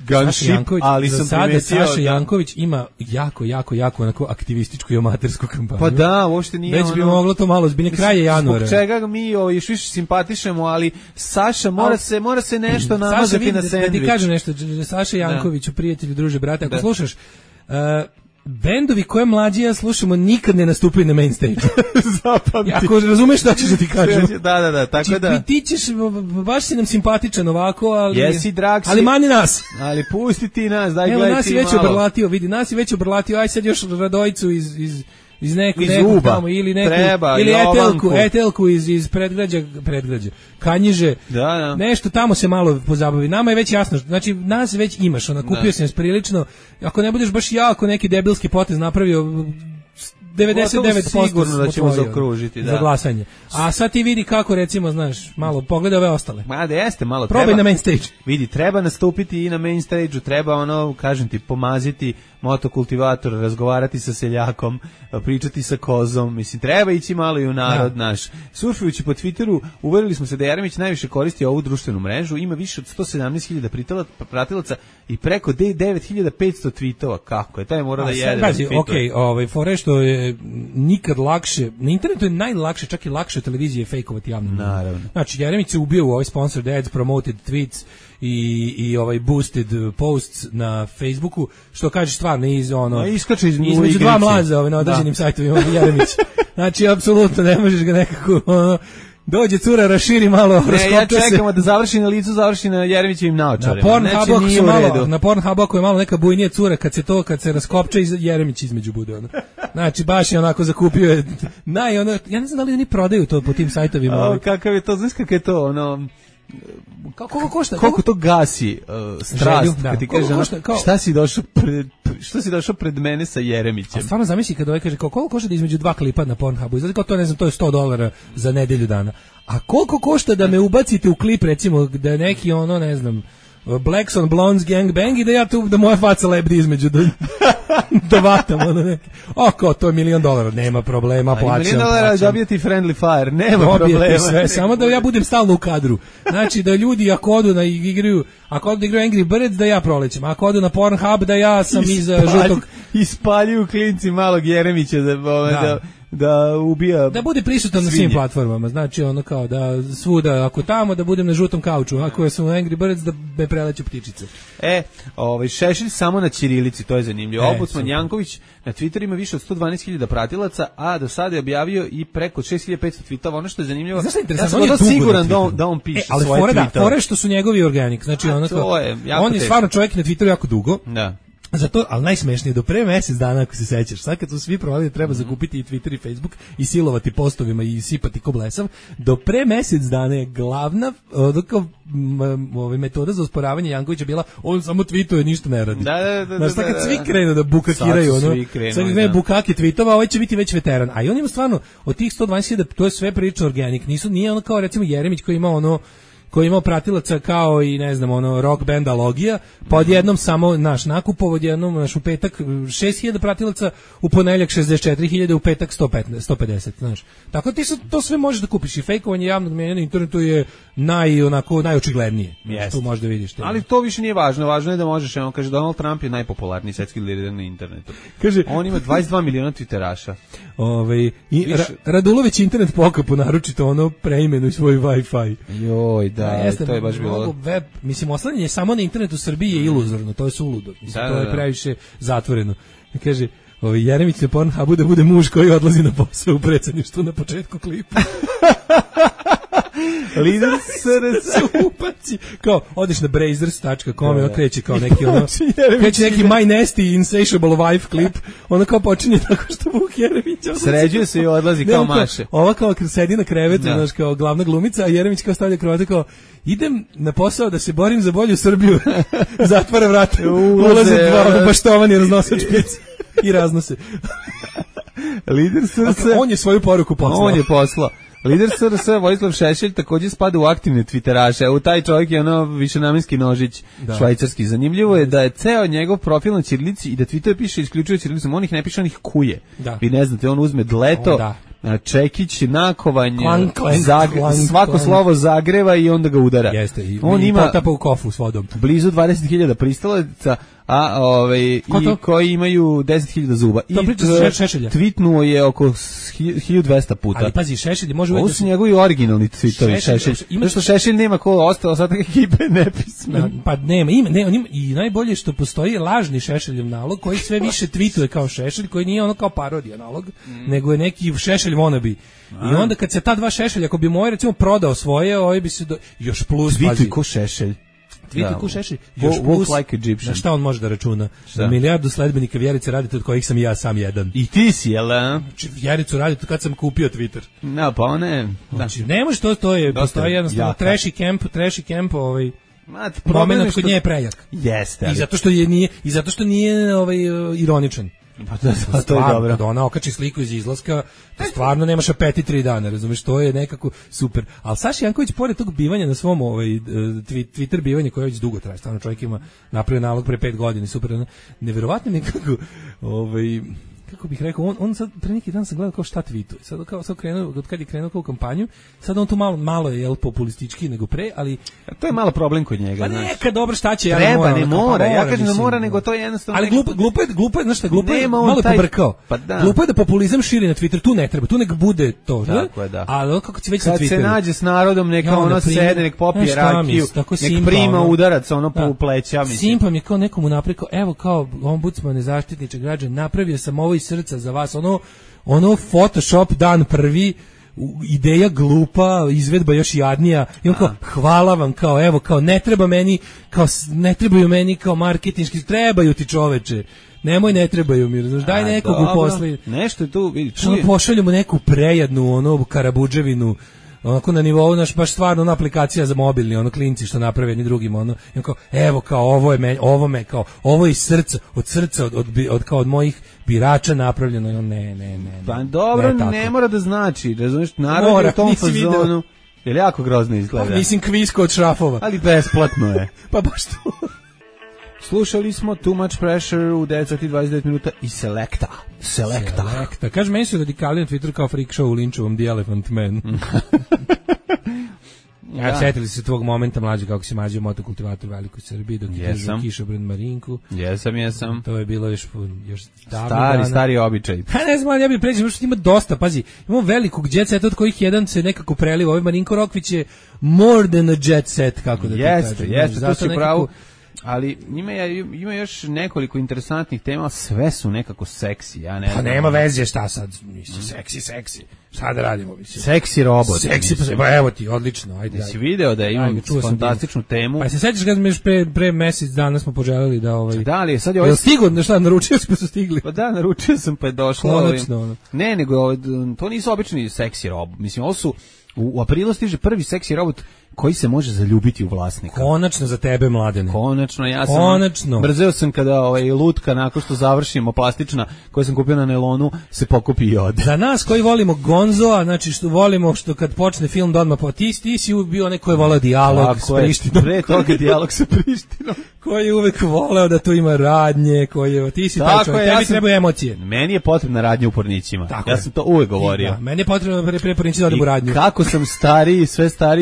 Gunship, ali sam primetio... Saša Janković ima jako onako aktivističku i amatersku kampanju. Pa da, uopšte nije već bi moglo to malo zbiljne kraje januara. Zbog čega mi još više simpatišemo, ali Saša mora se nešto namazati na sendvič. Da ti kažem nešto, Saša Jankoviću, prijatelju, druže, brate, ako slušaš... bendovi koje mlađi ja slušamo nikad ne nastupaju na main stage. Zapamti. Ako razumeš šta ćeš da ti kažem. Da, tako da. Ti ćeš, baš si nam simpatičan ovako, ali... Jesi drag si. Ali mani nas. Ali pusti ti nas, daj gledaj ti malo. Evo, nas je već obrlatio, aj sad još Radojicu iz nekog tamo ili neku treba, ili etelku iz predgrađa Kanjiže. Da. Nešto tamo se malo pozabavi. Nama je već jasno, znači nas već imaš, kupio sam prilično. Ako ne budeš baš jako neki debilski potez napravio, 99% sigurno da ćemo zaokružiti, za glasanje. A sad ti vidi kako, recimo, znaš, malo pogledaj ove ostale. Ma da jeste, malo probaj treba. Na main stage. Vidi, treba nastupiti i na main stage-u, treba kažem ti, pomaziti motokultivator, razgovarati sa seljakom, pričati sa kozom, mislim, treba ići malo i u narod naš. Surfujući po Twitteru, uverili smo se da Jeremić najviše koristi ovu društvenu mrežu, ima više od 117.000 pratilaca i preko 9.500 tweetova. Kako je? Taj mora da jede. Fore što je nikad lakše, na internetu je najlakše, čak i lakše televizije fejkovati javno. Naravno. Znači, Jeremić se ubio u ovaj sponsored ads, promoted tweets i ovaj boosted posts na Facebooku, što kažeš stvarno iskače između dva mlaza na određenim sajtovima Jeremić. Znači, apsolutno ne možeš ga nekako dođe cura, raširi malo, ja čekamo da završi na licu, završi na Jeremićevim naočarima. Na Pornhubu ako je malo neka bujnija cura, kad se raskopča i Jeremić između bude. Znači, baš je onako zakupio je ja ne znam da li oni prodaju to po tim sajtovima. Kakav je to, znaš kakav je to, Koliko košta? Koliko to gasi strast, kad ti kaže, što si došao pred mene sa Jeremićem? A stvarno zamisli kad ovaj kaže, koliko košta da između 2 klipa na Pornhubu, znači kao to, ne znam, to je $100 za nedelju dana. A koliko košta da me ubacite u klip, recimo, da je neki ne znam, Blacks on Blondes gangbang i da ja tu, da moja faca lebdi između da vatam kao to je $1 milion, nema problema, plaćam. $1 milion dobijeti friendly fire, nema problema. Sve, samo da ja budem stalno u kadru. Znači da ljudi ako odu da igraju Angry Birds da ja prolećem, ako odu na Pornhub da ja sam iza žutog. Ispaljuju klinci malog Jeremića da ubija. Da bude prisutan na svim platformama, znači ono kao da svuda, ako tamo da budem na žutom kauču, ako sam u Angry Birds da me preleću ptičice. Šešelj samo na ćirilici, to je zanimljivo. Ombudsman Janković na Twitteru ima više od 112.000 pratilaca, a do sada je objavio i preko 6.500 tweetova. Ono što je zanimljivo, ja sam siguran da on piše svoje tweetove. Fore što su njegovi organik, znači ono kao, on je stvarno čovjek na Twitteru jako dugo. Da. Zato, ali najsmešnije, do pre mesec dana, ako se sećaš, sad kad su svi provali da treba zakupiti i Twitter i Facebook i silovati postovima i sipati ko blesav, do pre mesec dana je glavna metoda za osporavanje Jankovića bila, on samo tweetuje, ništa ne radi. Znaš, sad kad svi krenu da bukakiraju, sad krenu bukake tweetova, ovaj će biti već veteran. A i on ima stvarno, od tih 120.000, to je sve priča organik, nije ono kao recimo Jeremić koji ima koji je imao pratilaca kao i ne znam rock band Alogija, pa odjednom samo nakupovo, odjednom u petak 6.000 pratilaca, u ponedeljak 64.000, u petak 150, znaš. Tako ti to sve možeš da kupiš i fejkovanje javnog mnjenja na internetu je najočiglednije. Tu možeš da vidiš. Ali to više nije važno, važno je da možeš, kaže Donald Trump je najpopularniji svetski lider na internetu. Kaže, on ima 22 miliona twitteraša. Radulović internet pokapu, naročito preimenuj svoj Wi-Fi. Joj, da, to je baš bilo. Mislim, oslanjanje samo na internetu u Srbiji je iluzorno, to je suludo. Mislim, to je previše zatvoreno. Kaže, Jeremić na Pornhubu da bude muž koji odlazi na posao u predsjedništvu na početku klipa. Lider SRS upaci. Kao, odeš na brazers.com i kreće kao neki kreće neki My Nasty Insatiable Wife klip. Ono kao počinje tako što Vuk Jeremić odlazi. Sređuje se i odlazi kao maše. Ova kao sedi na krevetu, znaš, kao glavna glumica, a Jeremić kao stavlja kravatu kao, idem na posao da se borim za bolju Srbiju. Zatvara vrata, ulaze dva baštovani raznosač pici i raznose. Lider SRS. On je svoju poruku poslao. Lider SRS Vojislav Šešelj također spada u aktivne twitteraše, u taj čovjek je višenamenski nožić švajcarski. Zanimljivo je da je ceo njegov profil na ćirilici i da Twitter piše isključivo ćirilicom, on ih ne piše, on ih kuje. Vi ne znate, on uzme dleto, čekić, nakovanje, svako slovo zagreva i onda ga udara. Jeste, i on ima potapa u kofu s vodom. Blizu 20.000 pristalaca, koji imaju 10.000 zuba. To priča Šešelja. Tweetnuo je oko 1.200 puta. Ali pazi, Šešelj može uvijek... Ovo su njegovi originalni tweetovi, Šešelj. Zašto Šešelj nema ko ostao, sad ekipe nepismen. Pa nema, i najbolje što postoji lažni Šešeljev nalog koji sve više tweetuje kao Šešelj, koji nije ono kao parodija nalog, nego je neki Šešelj wannabe. I onda kad se ta dva Šešelja, ako bi moj recimo prodao svoje, ovaj bi se još plus, pazi. Tweetuj ko Šešelj. Tweetuj ko Šešelj, još plus, na šta on može da računa? Na milijardu sledbenika Vjerice Radeta, od kojih sam i ja sam jedan. I ti si, jel? Vjericu Radetu kad sam kupio Twitter. No, pa one... Znači, ne može to je, postoji jednostavno trashy camp, moment kod nje je prejak. Jeste. I zato što nije ironičan. Pa to je dobro. Kada ona okači sliku iz izlaska, to stvarno nemaš apetit 3 dana, razumeš, to je nekako super. Ali Saša Janković, pored tog bivanja na svom Twitter bivanje koje već dugo traje, stvarno čovjek ima napravio nalog pre 5 godina, super, neverovatno mi kako bih rekao, on sad pre neki dan sam gledao kao šta tweetuje. Sad krenuo, od kad je krenuo kao kampanju, sad on tu malo je populistički nego pre, ali to je malo problem kod njega, pa znaš. Neka dobro šta će, ne mora, ja kažem da mora, nego to je jednostavno. Ali glupo je, znaš šta, malo je pobrkao. Pa da. Glupo je da populizam širi na Twitter, tu ne treba, tu nek bude to, tako je, da. Ali kako će već na Twitteru. Kad se nađe s narodom, neka sede, nek popije rakiju, nek prima udarac po pleća, mislim. Simpam je kao nekomu napreko, evo kao ombudsman, zaštitniče građana, napravio sam ovo iz srca za vas, ono Photoshop dan prvi, ideja glupa, izvedba još jadnija, i on kao, hvala vam, kao, evo, kao, ne trebaju meni kao marketinški, trebaju ti čoveče, ne trebaju mi, znaš, daj nekog uposli. Nešto je tu, vidi, pošaljemo neku prejadnu, karabuđevinu, onako na nivou, baš stvarno aplikacija za mobilni, klinci što naprave jedni drugim, i kao, evo, kao, ovo je iz srca, od srca, od mojih birača napravljeno, ne. Pa dobro, ne mora da znači, razumiješ, narod je u tom fazonu, jer jako grozno izgleda. Pa mislim kvisko od šrafova. Ali besplatno je. Pa baš to. Slušali smo Too Much Pressure u 9:29 minuta i Selecta. Kaže, meni su radikali na Twitteru kao freak show u Linčevom The Elephant Man. Ja, setili se tvog momenta mlađe kako se mađio motokultivator u Velikoj Srbiji dok je držao kišobran Marinku. Jesam. To je bilo još stari običaj. Pa ne znam, ali ja bih pređem, što ima dosta, pazi, imamo velikog jet seta od kojih jedan se nekako preliva. Ovaj Marinko Rokvić je more than a jet set, kako da ti kažem. Jeste, to si pravo. Ali ima još nekoliko interesantnih tema, sve su nekako seksi, ja ne znam. Pa nema veze šta sad, mislim, seksi. Šta da radimo, mislim? Seksi robot. Seksi, pa evo ti, odlično, ajde. Si video da imam fantastičnu temu. Pa se sećaš kad mi još pre mesec dana smo poželeli da Da li, sad je ovaj... Jel stigo, šta, naručio smo su stigli? Pa da, naručio sam, pa je došlo... Konačno. Ne, nego, to nisu obični seksi robot. Mislim, ovo su... U aprilu stiže prvi seksi robot koji se može zaljubiti u vlasnika. Konačno za tebe, Mladene. Konačno, ja sam brzeo sam kada lutka nakon što završimo plastična koju sam kupio na nelonu se pokupi i ode. Za nas koji volimo Gonzoa, znači što volimo što kad počne film da odmah ti si bio onaj koji je voleo dijalog s Prištinom. Pre toga dijalog sa Prištinom. Koji je uvek voleo da tu ima radnje, ti si taj čovjek, tebi trebaju emocije. Meni je potrebna radnja u Pornićima. Ja sam to uvek govorio. Da, meni je potrebno pre Pornići da odem u radnju. Kako sam stariji,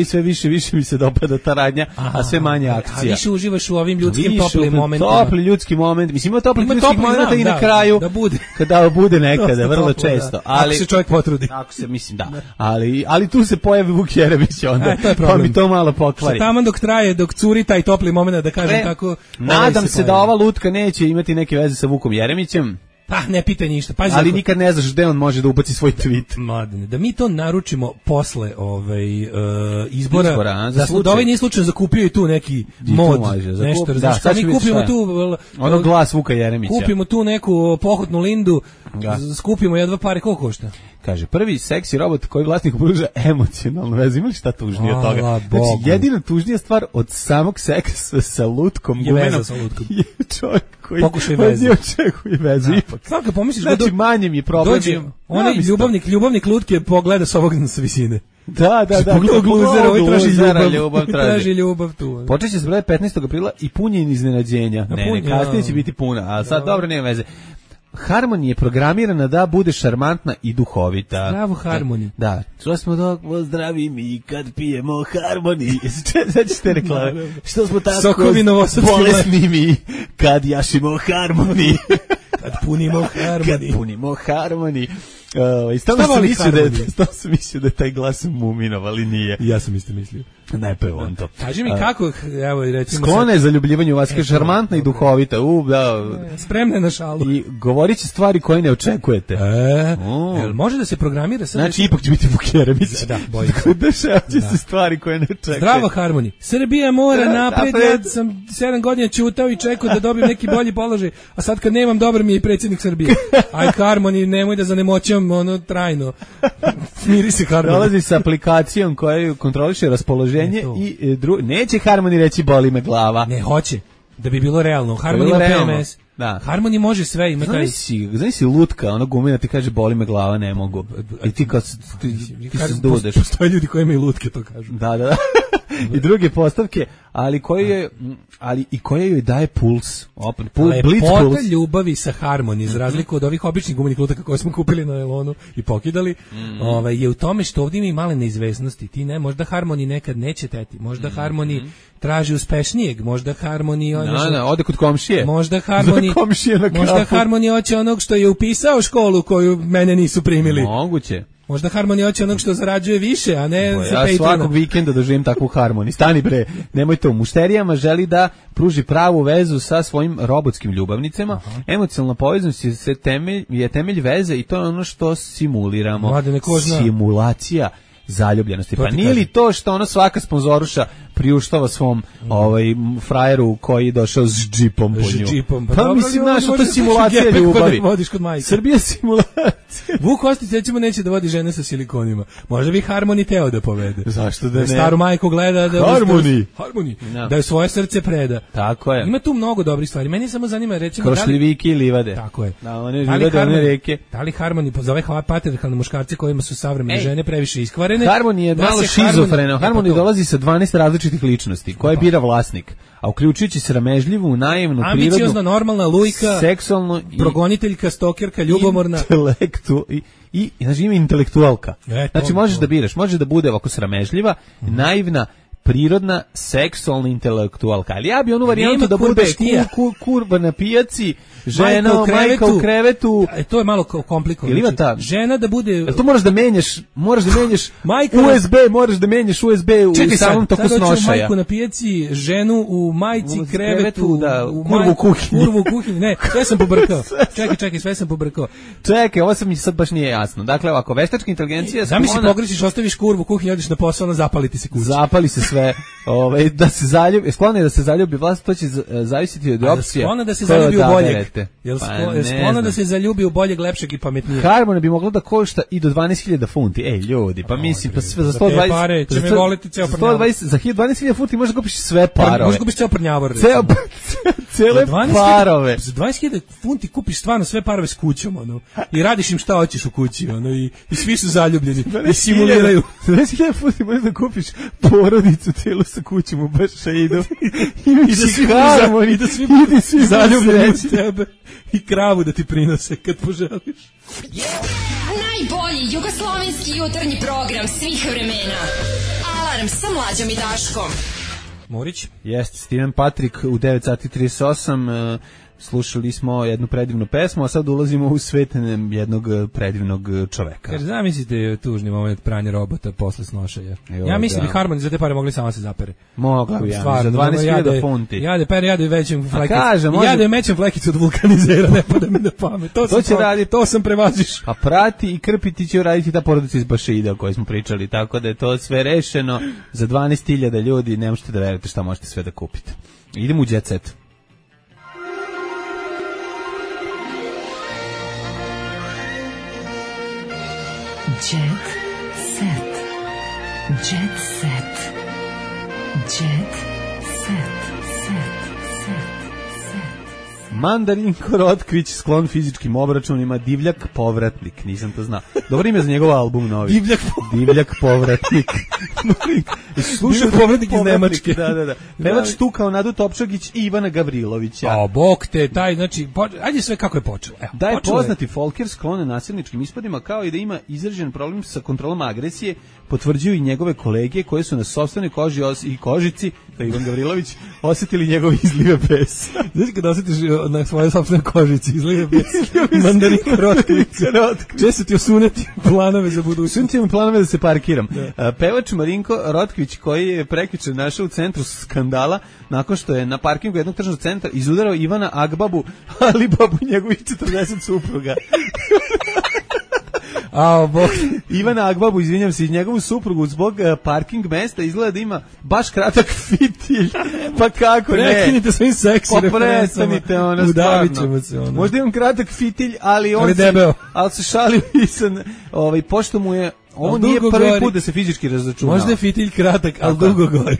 sve više mi se dopada ta radnja, a sve manje akcija. A više uživaš u ovim ljudskim toplim momentima. Topli ljudski moment. Mislim, ima topli ljudski moment i na kraju. Kada bude nekada, vrlo često. Ako se čovjek potrudi. Ako se, mislim, da. Ali tu se pojavi Vuk Jeremić onda. Pa mi to malo pokvari. Taman dok curi taj topli moment, da kažem tako. Nadam se da ova lutka neće imati neke veze sa Vukom Jeremićem. Pa ne pitaj ništa. Pazi, ali nikad ne znaš gde on može da ubaci svoj tweet. Mladene, da mi to naručimo posle izbora, da ovaj nije slučajno zakupio i tu neki mod, nešto, različno. Da, mi kupimo tu ono glas Vuka Jeremića. Kupimo tu neku pohotnu lindu, skupimo jedva pare, koliko košta? Kaže, prvi seksi robot koji vlasniku pruža emocionalnu vezu. Ima li šta tužnije od toga? Znači, jedina tužnija stvar od samog seksa sa lutkom je veza sa lutkom. Je čovjek koji očekuje vezu ipak. Svaka pomisliš, znači, manje mi je problem. Onaj ljubavnik lutke pogleda s ovog sa visine. Da. Pogleda gluzera, ovaj traži ljubav tu. Počeće se broj 15. aprila i punjen iznenađenja. Ne, kasnije će biti puna, a sad dobro, nema veze. Harmony je programirana da bude šarmantna i duhovita. Zdravo Harmony. Da. Čuli smo dok zdravi mi kad pijemo Harmony. Znači te reklame. Što smo tako bolesni mi kad jašimo Harmony. Kad punimo Harmony. Stalno sam mislio da je taj glas Muminov, ali nije. Ja sam isto mislio. Ne, pa je on to. Kaži mi kako, evo i recimo... Sklona je za ljubljivanju vas, kaže šarmantna i duhovita. Spremna na šalu. I govorit će stvari koje ne očekujete. Može da se programira... Znači, ipak će biti Vuk Jeremić. Da, bojim se. Dešavit će se stvari koje ne očekujete. Zdravo Harmony. Srbija mora napred, ja sam 7 godina ćutao i čekao da dobijem neki bolji položaj, a sad kad nemam, dobar mi je i predsjednik Srbije. Aj Harmony, nemoj da zanemoćam trajno. Smiri se Harmony. Dolazi sa aplikacijom koja kontroliše raspoloženje i neće Harmony reći boli me glava. Ne, hoće. Da bi bilo realno. Harmony ima PMS. Da. Harmony može sve, ima taj... Znaš si lutka, ono gumina ti kaže boli me glava, ne mogu. I ti kad se dudeš. Postoje ljudi koji imaju lutke, to kažu. Da. I druge postavke, ali koje joj daje puls. Lepota ljubavi sa Harmony, za razliku od ovih običnih gumenih lutaka koje smo kupili na Elonu i pokidali, je u tome što ovdje ima i male neizvesnosti. Ti ne, možda Harmony nekad neće teti, možda Harmony traži uspešnijeg, možda Harmony... ode kod komšije. Možda Harmony hoće onog što je upisao školu koju mene nisu primili. Moguće. Možda Harmony hoće onog što zarađuje više, a ne za Patreona. Ja svakog vikenda doživim takvu Harmony. Stani bre, nemojte. U mušterijama želi da pruži pravu vezu sa svojim robotskim ljubavnicama. Emocionalna povezanost je temelj veze i to je ono što simuliramo. Simulacija zaljubljenosti. Pa nije li to što ono svaka sponzoruša priuštava svom frajeru koji je došao s džipom po nju. Pa mislim, znaš, to je simulacija ljubavi. Srbija simulacija. Vuk Ostić, recimo, neće da vodi žene sa silikonima. Možda bi Harmony teo da povede. Zašto da ne? Staru majku gleda da... Harmony. Da je svoje srce preda. Tako je. Ima tu mnogo dobrih stvari. Meni samo zanima, recimo... Krošljiviki i livade. Tako je. Da, one livade, one reke. Da li Harmony, za ove patriarhalne muškarce kojima su savremene žene previše iskvarene, šarene. Harmony je malo šizofreno. Harmony dolazi sa 12 različitih ličnosti, koje bira vlasnik, a uključujući sramežljivu, naivnu, prirodnu, ambiciozna, normalna, lujka, seksualnu, progoniteljka, stokerka, ljubomorna, i znači ima intelektualka. Znači možeš da biraš, može da bude ovako sramežljiva, naivna, prirodna, seksualna intelektualka. Ali ja bi onu varijantu da bude kurba na pijaci, žena, majka u krevetu. To je malo komplikovano. Ili ima ta žena da bude... To moraš da menjaš USB, moraš da menjaš USB u samom toku snošaja. Čekaj sad, majku na pijaci, ženu u majci, krevetu, kurvu u kuhinji. Ne, sve sam pobrkao. Čekaj, sve sam pobrkao. Čekaj, ovo sam mi sad baš nije jasno. Dakle, ovako, veštačka inteligencija... Zamisli pogrešiš, ostaviš kurvu u kuhinji, odeš na posao, zapali ti se kuća. Zapali se sve, da se zaljubi, sklona je da se zaljubi vlast, to će zavisiti od opcije. Sklona da se zaljubi u boljeg. Sklona da se zaljubi u boljeg, lepšeg i pametnijeg. Harmony bi mogla da košta i do 12.000 funti. Ej, ljudi, pa mislim, pa sve za 120... pare, će me voliti ceo prnjavor. Za 12.000 funti možeš da kupiš sve parove. Možeš da kupiš ceo prnjavor. Cele parove. Za 20.000 funti kupiš stvarno sve parove s kućom, ono, i radiš im šta hoćeš u kući, ono, i svi su zaljubljeni, i simuliraju. Za 20.000 funti možeš da kupiš porodicu celu sa kućom u Bašaidu. I da svi zaljubljeni u tebe. I kravu da ti prinose kad poželiš. Najbolji jugoslovenski jutarnji program svih vremena. Alarm sa Mlađom i Daškom. Morić? Jeste, Steven Patrick u 9:38. Slušali smo jednu predivnu pesmu, a sad ulazimo u svet jednog predivnog čoveka. Jer zamislite tužni moment pranja robota posle snošaja. Ja mislim da bi Harmony za te pare mogli sama se zapere. Mogla bi, za 12.000 funti. Jade većem flekicu. Jade mećem flekicu od vulkanizera, ne pada mi na pamet. To će raditi. To sam prevaziš. A prati i krpiti će raditi ta porodica iz Bašaida o kojoj smo pričali, tako da je to sve rešeno. Za 12.000 ljudi ne možete da verujete šta možete sve da kupite. Idemo u Jet Set. Jet set. Jet set. Jet set. Mandarinko Rotkvić, sklon fizičkim obračunima, divljak povratnik, nisam to znao. Dobro ime za njegov album novi. Divljak povratnik. Slušaj, povratnik iz Nemačke. Da. Pevač tu kao Nadu Topčagić i Ivana Gavrilovića. A bog te, taj, znači, ajde sve kako je počelo. Da je poznati folker sklone nasilničkim ispadima, kao i da ima izražen problem sa kontrolom agresije, potvrđuju i njegove kolege koje su na sopstvenoj koži i kožici, kao Ivan Gavrilović, osjetili njegove izlive besa. Znači kada osjetiš na svojoj sopstvenoj kožici izlive besa, Mandarinko Rotkvić, često ti osuneti planove za budućnost. Sunti mi planove da se parkiram. Pevač Marinko Rotkvić, koji je prekjuče našao u centru skandala, nakon što je na parkingu jednog tržnog centra izudarao Ivana Agbabu, ali babu njegovih 40 supruga. Ivana Agbabu, izvinjam se, njegovu suprugu zbog parking mesta izgleda da ima baš kratak fitilj. Pa kako ne? Prekinite svojim seksi referencama. Udavit ćemo se ono. Možda imam kratak fitilj, ali on ali se šali i sam, pošto mu je, ovo nije prvi put da se fizički razračunao. Možda je fitilj kratak, ali dugo gori.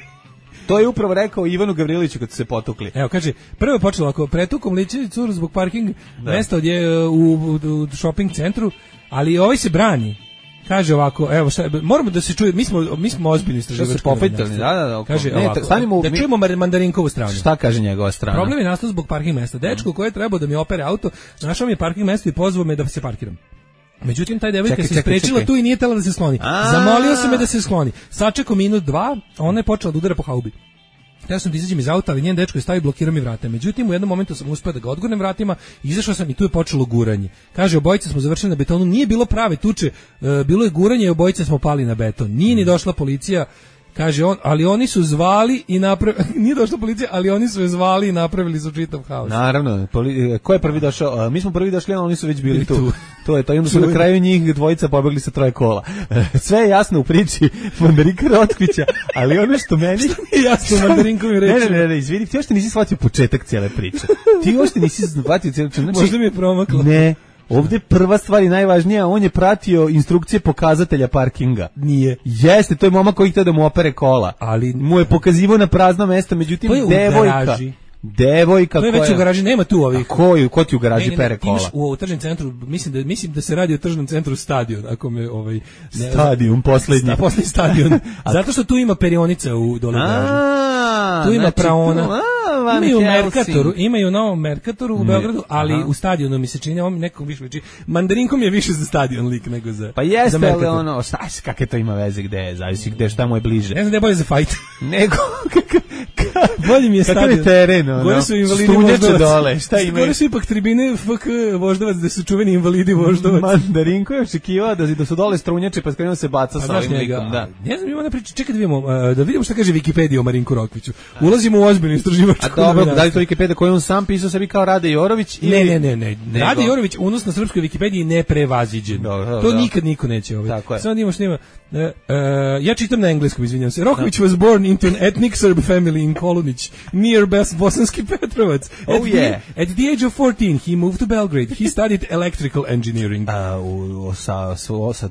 To je upravo rekao Ivanu Gavriloviću kad su se potukli. Evo, kaže, prvo je počelo ako pretukom liči curu zbog parking mesta odje u shopping centru, ali ovaj se brani. Kaže ovako, evo, moramo da se čuje, mi smo ozbiljni istraživački. Što se popetali, da. Kaže ovako, da čujemo Mandarinkovu stranu. Šta kaže njegova strana? Problem je nastao zbog parking mesta. Dečko koji je trebao da mi opere auto, našao mi je parking mesto i pozvao me da se parkiram. Međutim, taj devojka se sprečila tu i nije tela da se skloni. Zamolio sam me da se skloni. Sačekao minut, dva, ona je počela da udara po haubi. Ja sam da izađem iz auta, ali njen dečko je stavio, blokirao mi vrata. Međutim, u jednom momentu sam uspeo da ga odgurnem vratima, izašao sam i tu je počelo guranje. Kaže, obojice smo završili na betonu, nije bilo prave tuče, bilo je guranje i obojice smo pali na beton. Nije ni došla policija. Kaže on, ali oni su zvali i nije došla policija, ali oni su je zvali i napravili su čitav haos. Naravno, ko je prvi došao? Mi smo prvi došli, a oni su već bili tu. To je to, i onda su na kraju njih dvojica pobegli sa 3 kola. Sve je jasno u priči Mandarinka Rotkvića, ali ono što meni je jasno u Mandarinkovim rečima. Ne, izvini, ti još nisi shvatio početak cijele priče. Ti još nisi shvatio cijelu priču. Možda mi je promaklo. Ne. Ovdje prva stvar i najvažnija, on je pratio instrukcije pokazatelja parkinga. Nije. Jeste, to je momak koji htio da mu opere kola. Ali mu je pokazivao na prazno mesto, međutim devojka. devojka To je već u garaži, nema tu ovih. Ko ti u garaži pere kola? Imaš u tržnom centru, mislim da se radi o tržnom centru Stadion, ako me Stadion poslednji stadion. Zato što tu ima perionica u dole garaži. Tu ima praona. Imaju u Merkatoru, imaju u Novom Merkatoru u Beogradu, ali u Stadionu mi se čini, on nekom više liči. Mandarinkom je više za Stadion lik nego za Pa jeste, ali ono, kakve to ima veze gde je, zavisi gde, šta mu je bliže. Ne znam da je bolje za fajt. Nego, bolje mi je Stadion. Kakav je teren, ono? Gore su invalidi Voždovac. Dole, šta imaju? Gore su ipak tribine FK Voždovac, gde su čuveni invalidi Voždovac. Mandarinko je očekivao da su dole strunjače, pa krenuo se baca sa ovim likom, da. Ne znam, ima ona priča, čekaj da vidimo šta kaže Wikipedia o Marinku Rokviću. Ulazimo u ozbiljnu istraživačku. A dobro, da li to Wikipedia koju on sam pisao sebi kao Rade Jorović? Ne. Rade Jorović, unos na srpskoj Wikipediji neprevaziđen. To nikad niko neće ovaj. Sad imamo što ima. Ja čitam na engleskom, izvinjam se. Rokvić was born into an ethnic Serb family in Kolunić, near Bosanski Petrovac. At the age of 14, he moved to Belgrade. He studied electrical engineering. Sa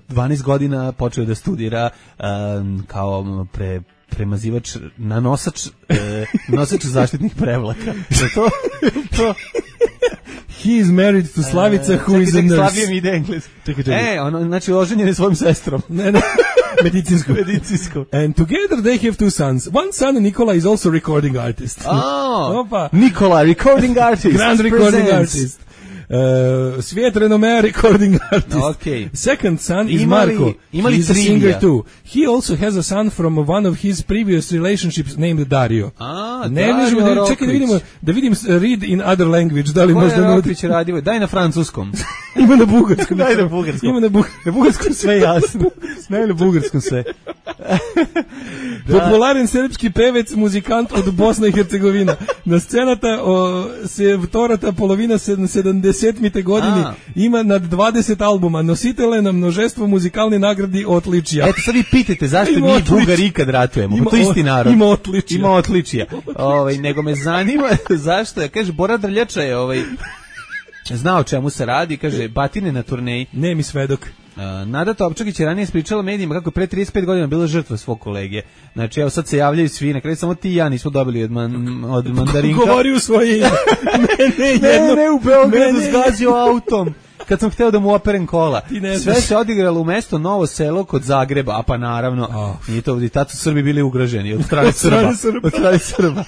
12 godina počeo da studira kao premazivač, nosač zaštitnih prevlaka. To He is married to Slavica, who is a nurse. Slavija mi ide engleski. Znači, oženjen je svojim sestrom. Ne. Medicinsku. And together they have two sons. One son, Nikola, is also recording artist. Nikola, recording artist. Grand recording artist. Svijet renome recording artist. Okay. Second son is Marko. He's a singer too. He also has a son from one of his previous relationships named Dario. Dario Rokvić. Čekaj da vidim read in other language. Da li možda Rokvić radio? Daj na francuskom. Ima na bugarskom. Daj na bugarskom. Ima na bugarskom sve jasno. Daj na bugarskom sve. Popularen srpski pevec, muzikant od Bosne i Hercegovina. Na scenata se vtorata polovina 70. godini ima nad 20 albuma. Nositelj na množestvo muzikalne nagradi odličija. Eto sad vi pitajte zašto mi Bugari ikad ratujemo. To isti narod. Ima odličija. Nego me zanima zašto je. Kaže, Bora Drljača je znao o čemu se radi. Kaže, batine na turneji. Nemi svedok. Nada Topčagić je ranije ispričala medijima kako je pre 35 godina bila žrtva svog kolege. Znači, evo sad se javljaju svi, na kraju samo ti i ja nismo dobili od Mandarinka. Govori u svoje ime. Ne, u Beogradu zgazio autom. Kad sam hteo da mu operem kola. Sve se odigralo u mesto Novo Selo kod Zagreba, a pa naravno, nije to, i tad su Srbi bili ugroženi od strane Srba.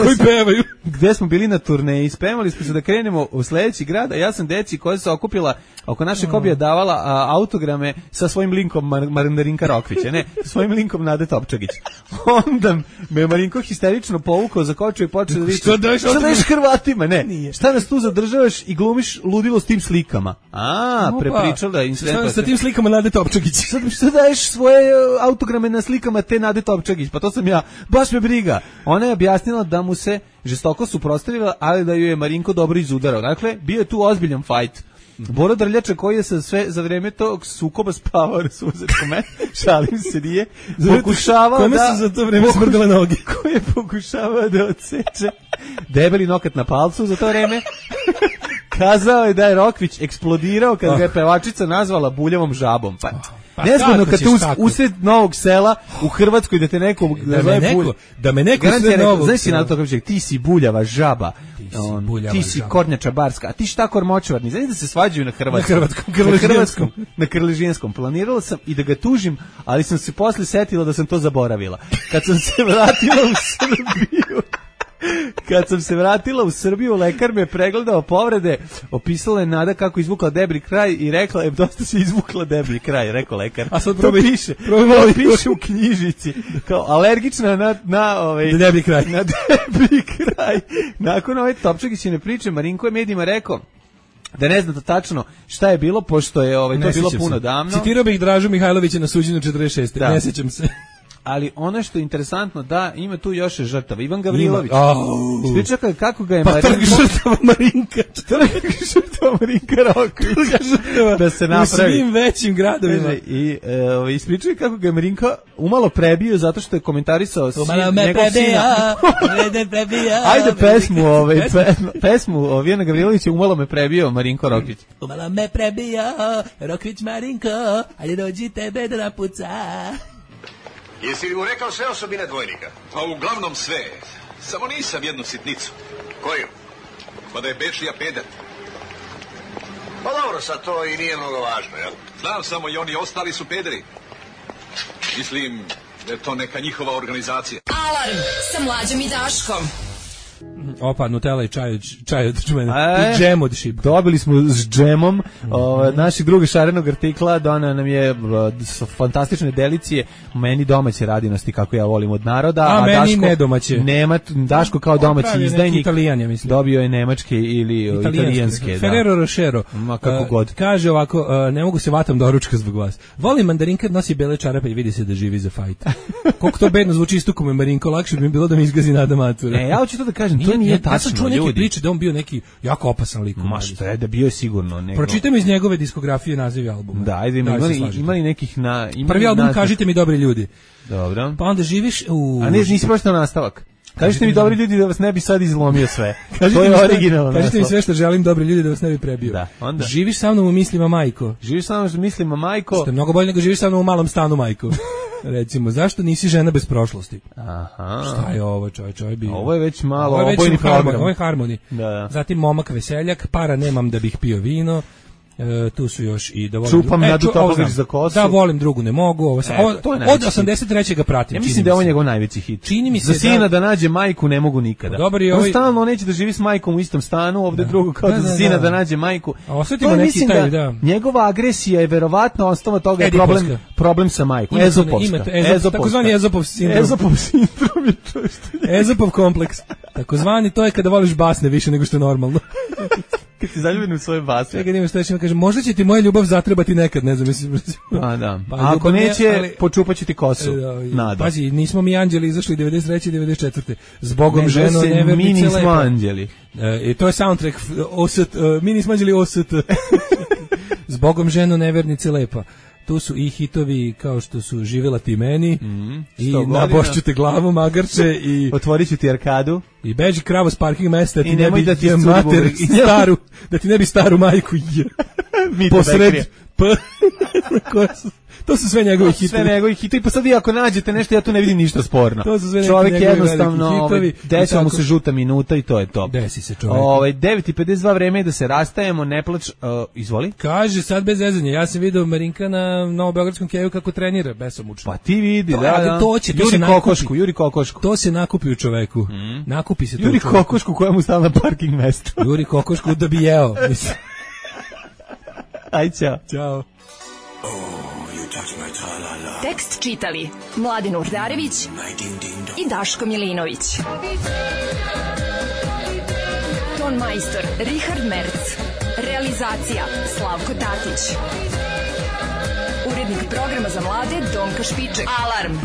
Koji pevaju. Gde smo bili na turneji, spremali smo se da krenemo u sledeći grad, a ja sam deci koja se okupila oko naše Kobija davala autograme sa svojim linkom Mandarinka Rokvića, ne, sa svojim linkom Nade Topčagić. Onda me Marinko histerično povukao za koču i počeo da viče, šta daješ Hrvatima, ne, šta nas tu zadržavaš i glumiš ludilo s tim slikama. Prepričala incident. Sa tim slikama Nade Topčagić. Šta daješ svoje autograme na slikama te Nade Topčagić? Pa to sam ja, baš me briga. Ona je objasnila da mu se žestoko suprotstavila, ali da ju je Marinko dobro izudarao. Dakle, bio je tu ozbiljan fajt. Bora Drljača koji je sve za vreme tog sukoba spavao na suzetkom šalim se nije, pokušavao kome su za to vreme smrdile noge? Koji je pokušavao da odseče debeli nokat na palcu za to vreme. Kazao je da je Rokvić eksplodirao kad ga je pevačica nazvala buljavom žabom. Nezgodno kad te usred Novog Sela u Hrvatskoj da te neko da me neko usred Novog Sela. Znaš to kako ti si buljava žaba, ti si kornjača barska, a ti šta kormočvarni. Znaš da se svađaju na hrvatskom, na krležijanskom. Planirala sam i da ga tužim, ali sam se posle setila da sam to zaboravila. Kad sam se vratila u Srbiju, lekar me pregledao povrede, opisala je Nada kako izvukla deblji kraj i rekla je, dosta se izvukla deblji kraj, rekao lekar. A sad to piše u knjižici, kao alergična na deblji kraj. Na deblji kraj. Nakon ove Topčagićine priče, Marinko je medijima rekao da ne znam tačno šta je bilo, pošto je to bilo puno davno. Citirao bih Dražu Mihajlovića na suđenju 46. Ne sećam se. Ali ono što je interesantno, da ima tu još žrtava. Ivan Gavrilović. Ispriča kako ga je Trg žrtava Marinka. Trg žrtava Marinka Rokvića. Da se napravi. U svim većim gradovima. I ispriča kako ga je Marinka umalo prebio zato što je komentarisao njegov sina. Ajde pesmu Ivana Gavrilovića umalo me prebio Marinko Rokvić. Umalo me prebio Rokvić Marinko, ali dođi tebe da napuca. Jesi li mu rekao sve osobine dvojnika? Pa uglavnom sve. Samo nisam jednu sitnicu. Koju? Pa da je Bečija peder. Pa dobro, sad to i nije mnogo važno, jel? Znam samo i oni ostali su pederi. Mislim da je to neka njihova organizacija. Alarm sa Mlađom i Daškom. Opa, Nutella i čaj od čmene. I džem od šiba. Dobili smo s džemom naših drugih šarenog artikla, dona nam je fantastične delicije, meni domaće radinosti kako ja volim od naroda, a meni Daško, nedomaće. Daško kao domaći izdajnik Italijan, ja mislim. Dobio je nemačke ili italijanske. Ferrero Rochero. Ma kako god. Kaže ovako, ne mogu se vatam doručka zbog vas. Volim mandarinka, nosi bele čarape i vidi se da živi za fajt. Koliko to bedno zvuči isto me Marinko, lakše bi mi bilo da mi izgazi Nada Matura. Ja hoću to da kažem, to nije tačno. Ja sam čuo neke priče da on bio neki jako opasan lik. Ma šta je, da bio je sigurno nego. Pročitam iz njegove diskografije nazivi albuma. Da, ajde, imali nekih prvi album Kažite mi dobri ljudi. Dobro. Pa onda živiš u... A nisi pročitao nastavak. Kažite mi dobri ljudi da vas ne bi sad izlomio sve. To je originalno. Kažite mi sve što želim, dobri ljudi da vas ne bi prebio. Da, onda. Živiš sa mnom u mislima, majko. Živiš sa mnom u mislima, majko. Što je mnogo bolje nego živiš sa mnom u malom stanu, majko. Recimo, zašto nisi žena bez prošlosti? Aha. Šta je ovo, čovječ, bio? Ovo je već malo obojni program. Ovo je harmoni. Da. Zatim momak veseljak, para nemam da bih pio vino. Tu su još i da volim Čupam Nadu Topović za kosu. Da volim drugu ne mogu. Ovo od 83. ga pratim. Ja mislim da je ovo njegov najveći hit. Čini mi se za sina da nađe majku ne mogu nikada. Dobar je ovaj. Stalno neće da živi s majkom u istom stanu, ovde drugo kao za sina da nađe majku. A osjetimo neki taj, da. Njegova agresija je verovatno osnova toga je problem sa majkom. Ezopovska. Takozvani Ezopov sindrom. Ezopov sindrom je to što je. Ezopov kompleks. Takozvani to je kada voliš basne više nego što je normalno. Kad si zaljubljen u svoje basne. Čekaj, nima što još ima, kaže, možda će ti moja ljubav zatrebati nekad, ne znam, mislim. A da, ako neće, počupat ću ti kosu. Nada. Pazi, nismo mi anđeli izašli 93. i 94. Zbogom ženo nevernice mi nismo lepa. Anđeli. I to je soundtrack, mi nismo anđeli OST. Zbogom ženo nevernice lepa. Tu su i hitovi kao što su Živjela ti meni i Nabošću te glavu magarče i Otvorit ću ti arkadu i beži kravo s parking mesta i nemoj da ti mater staru, da ti ne bi staru majku posred to su sve njegove hitovi. Sve njegove hitovi, pa sad vi ako nađete nešto, ja tu ne vidim ništa sporno. Čovjek jednostavno, desila mu se žuta minuta i to je to. Desi se čovjek. 9:52 vreme je da se rastajemo, ne plač, izvoli. Kaže, sad bez zezanja, ja sam vidio Marinka na Novobeogradskom keju kako trenira, besomučno. Pa ti vidi, da. Juri Kokošku. To se nakupi u čoveku. Nakupi se to. Juri Kokošku koja mu stala na parking mesto. Juri Kokošku da bi jeo. Aj, ćao. Ćao. Tekst čitali Mladin Urdarević i Daško Milinović. Ton majstor Richard Merc. Realizacija Slavko Tatić. Urednik programa za mlade Donka Špiček. Alarm!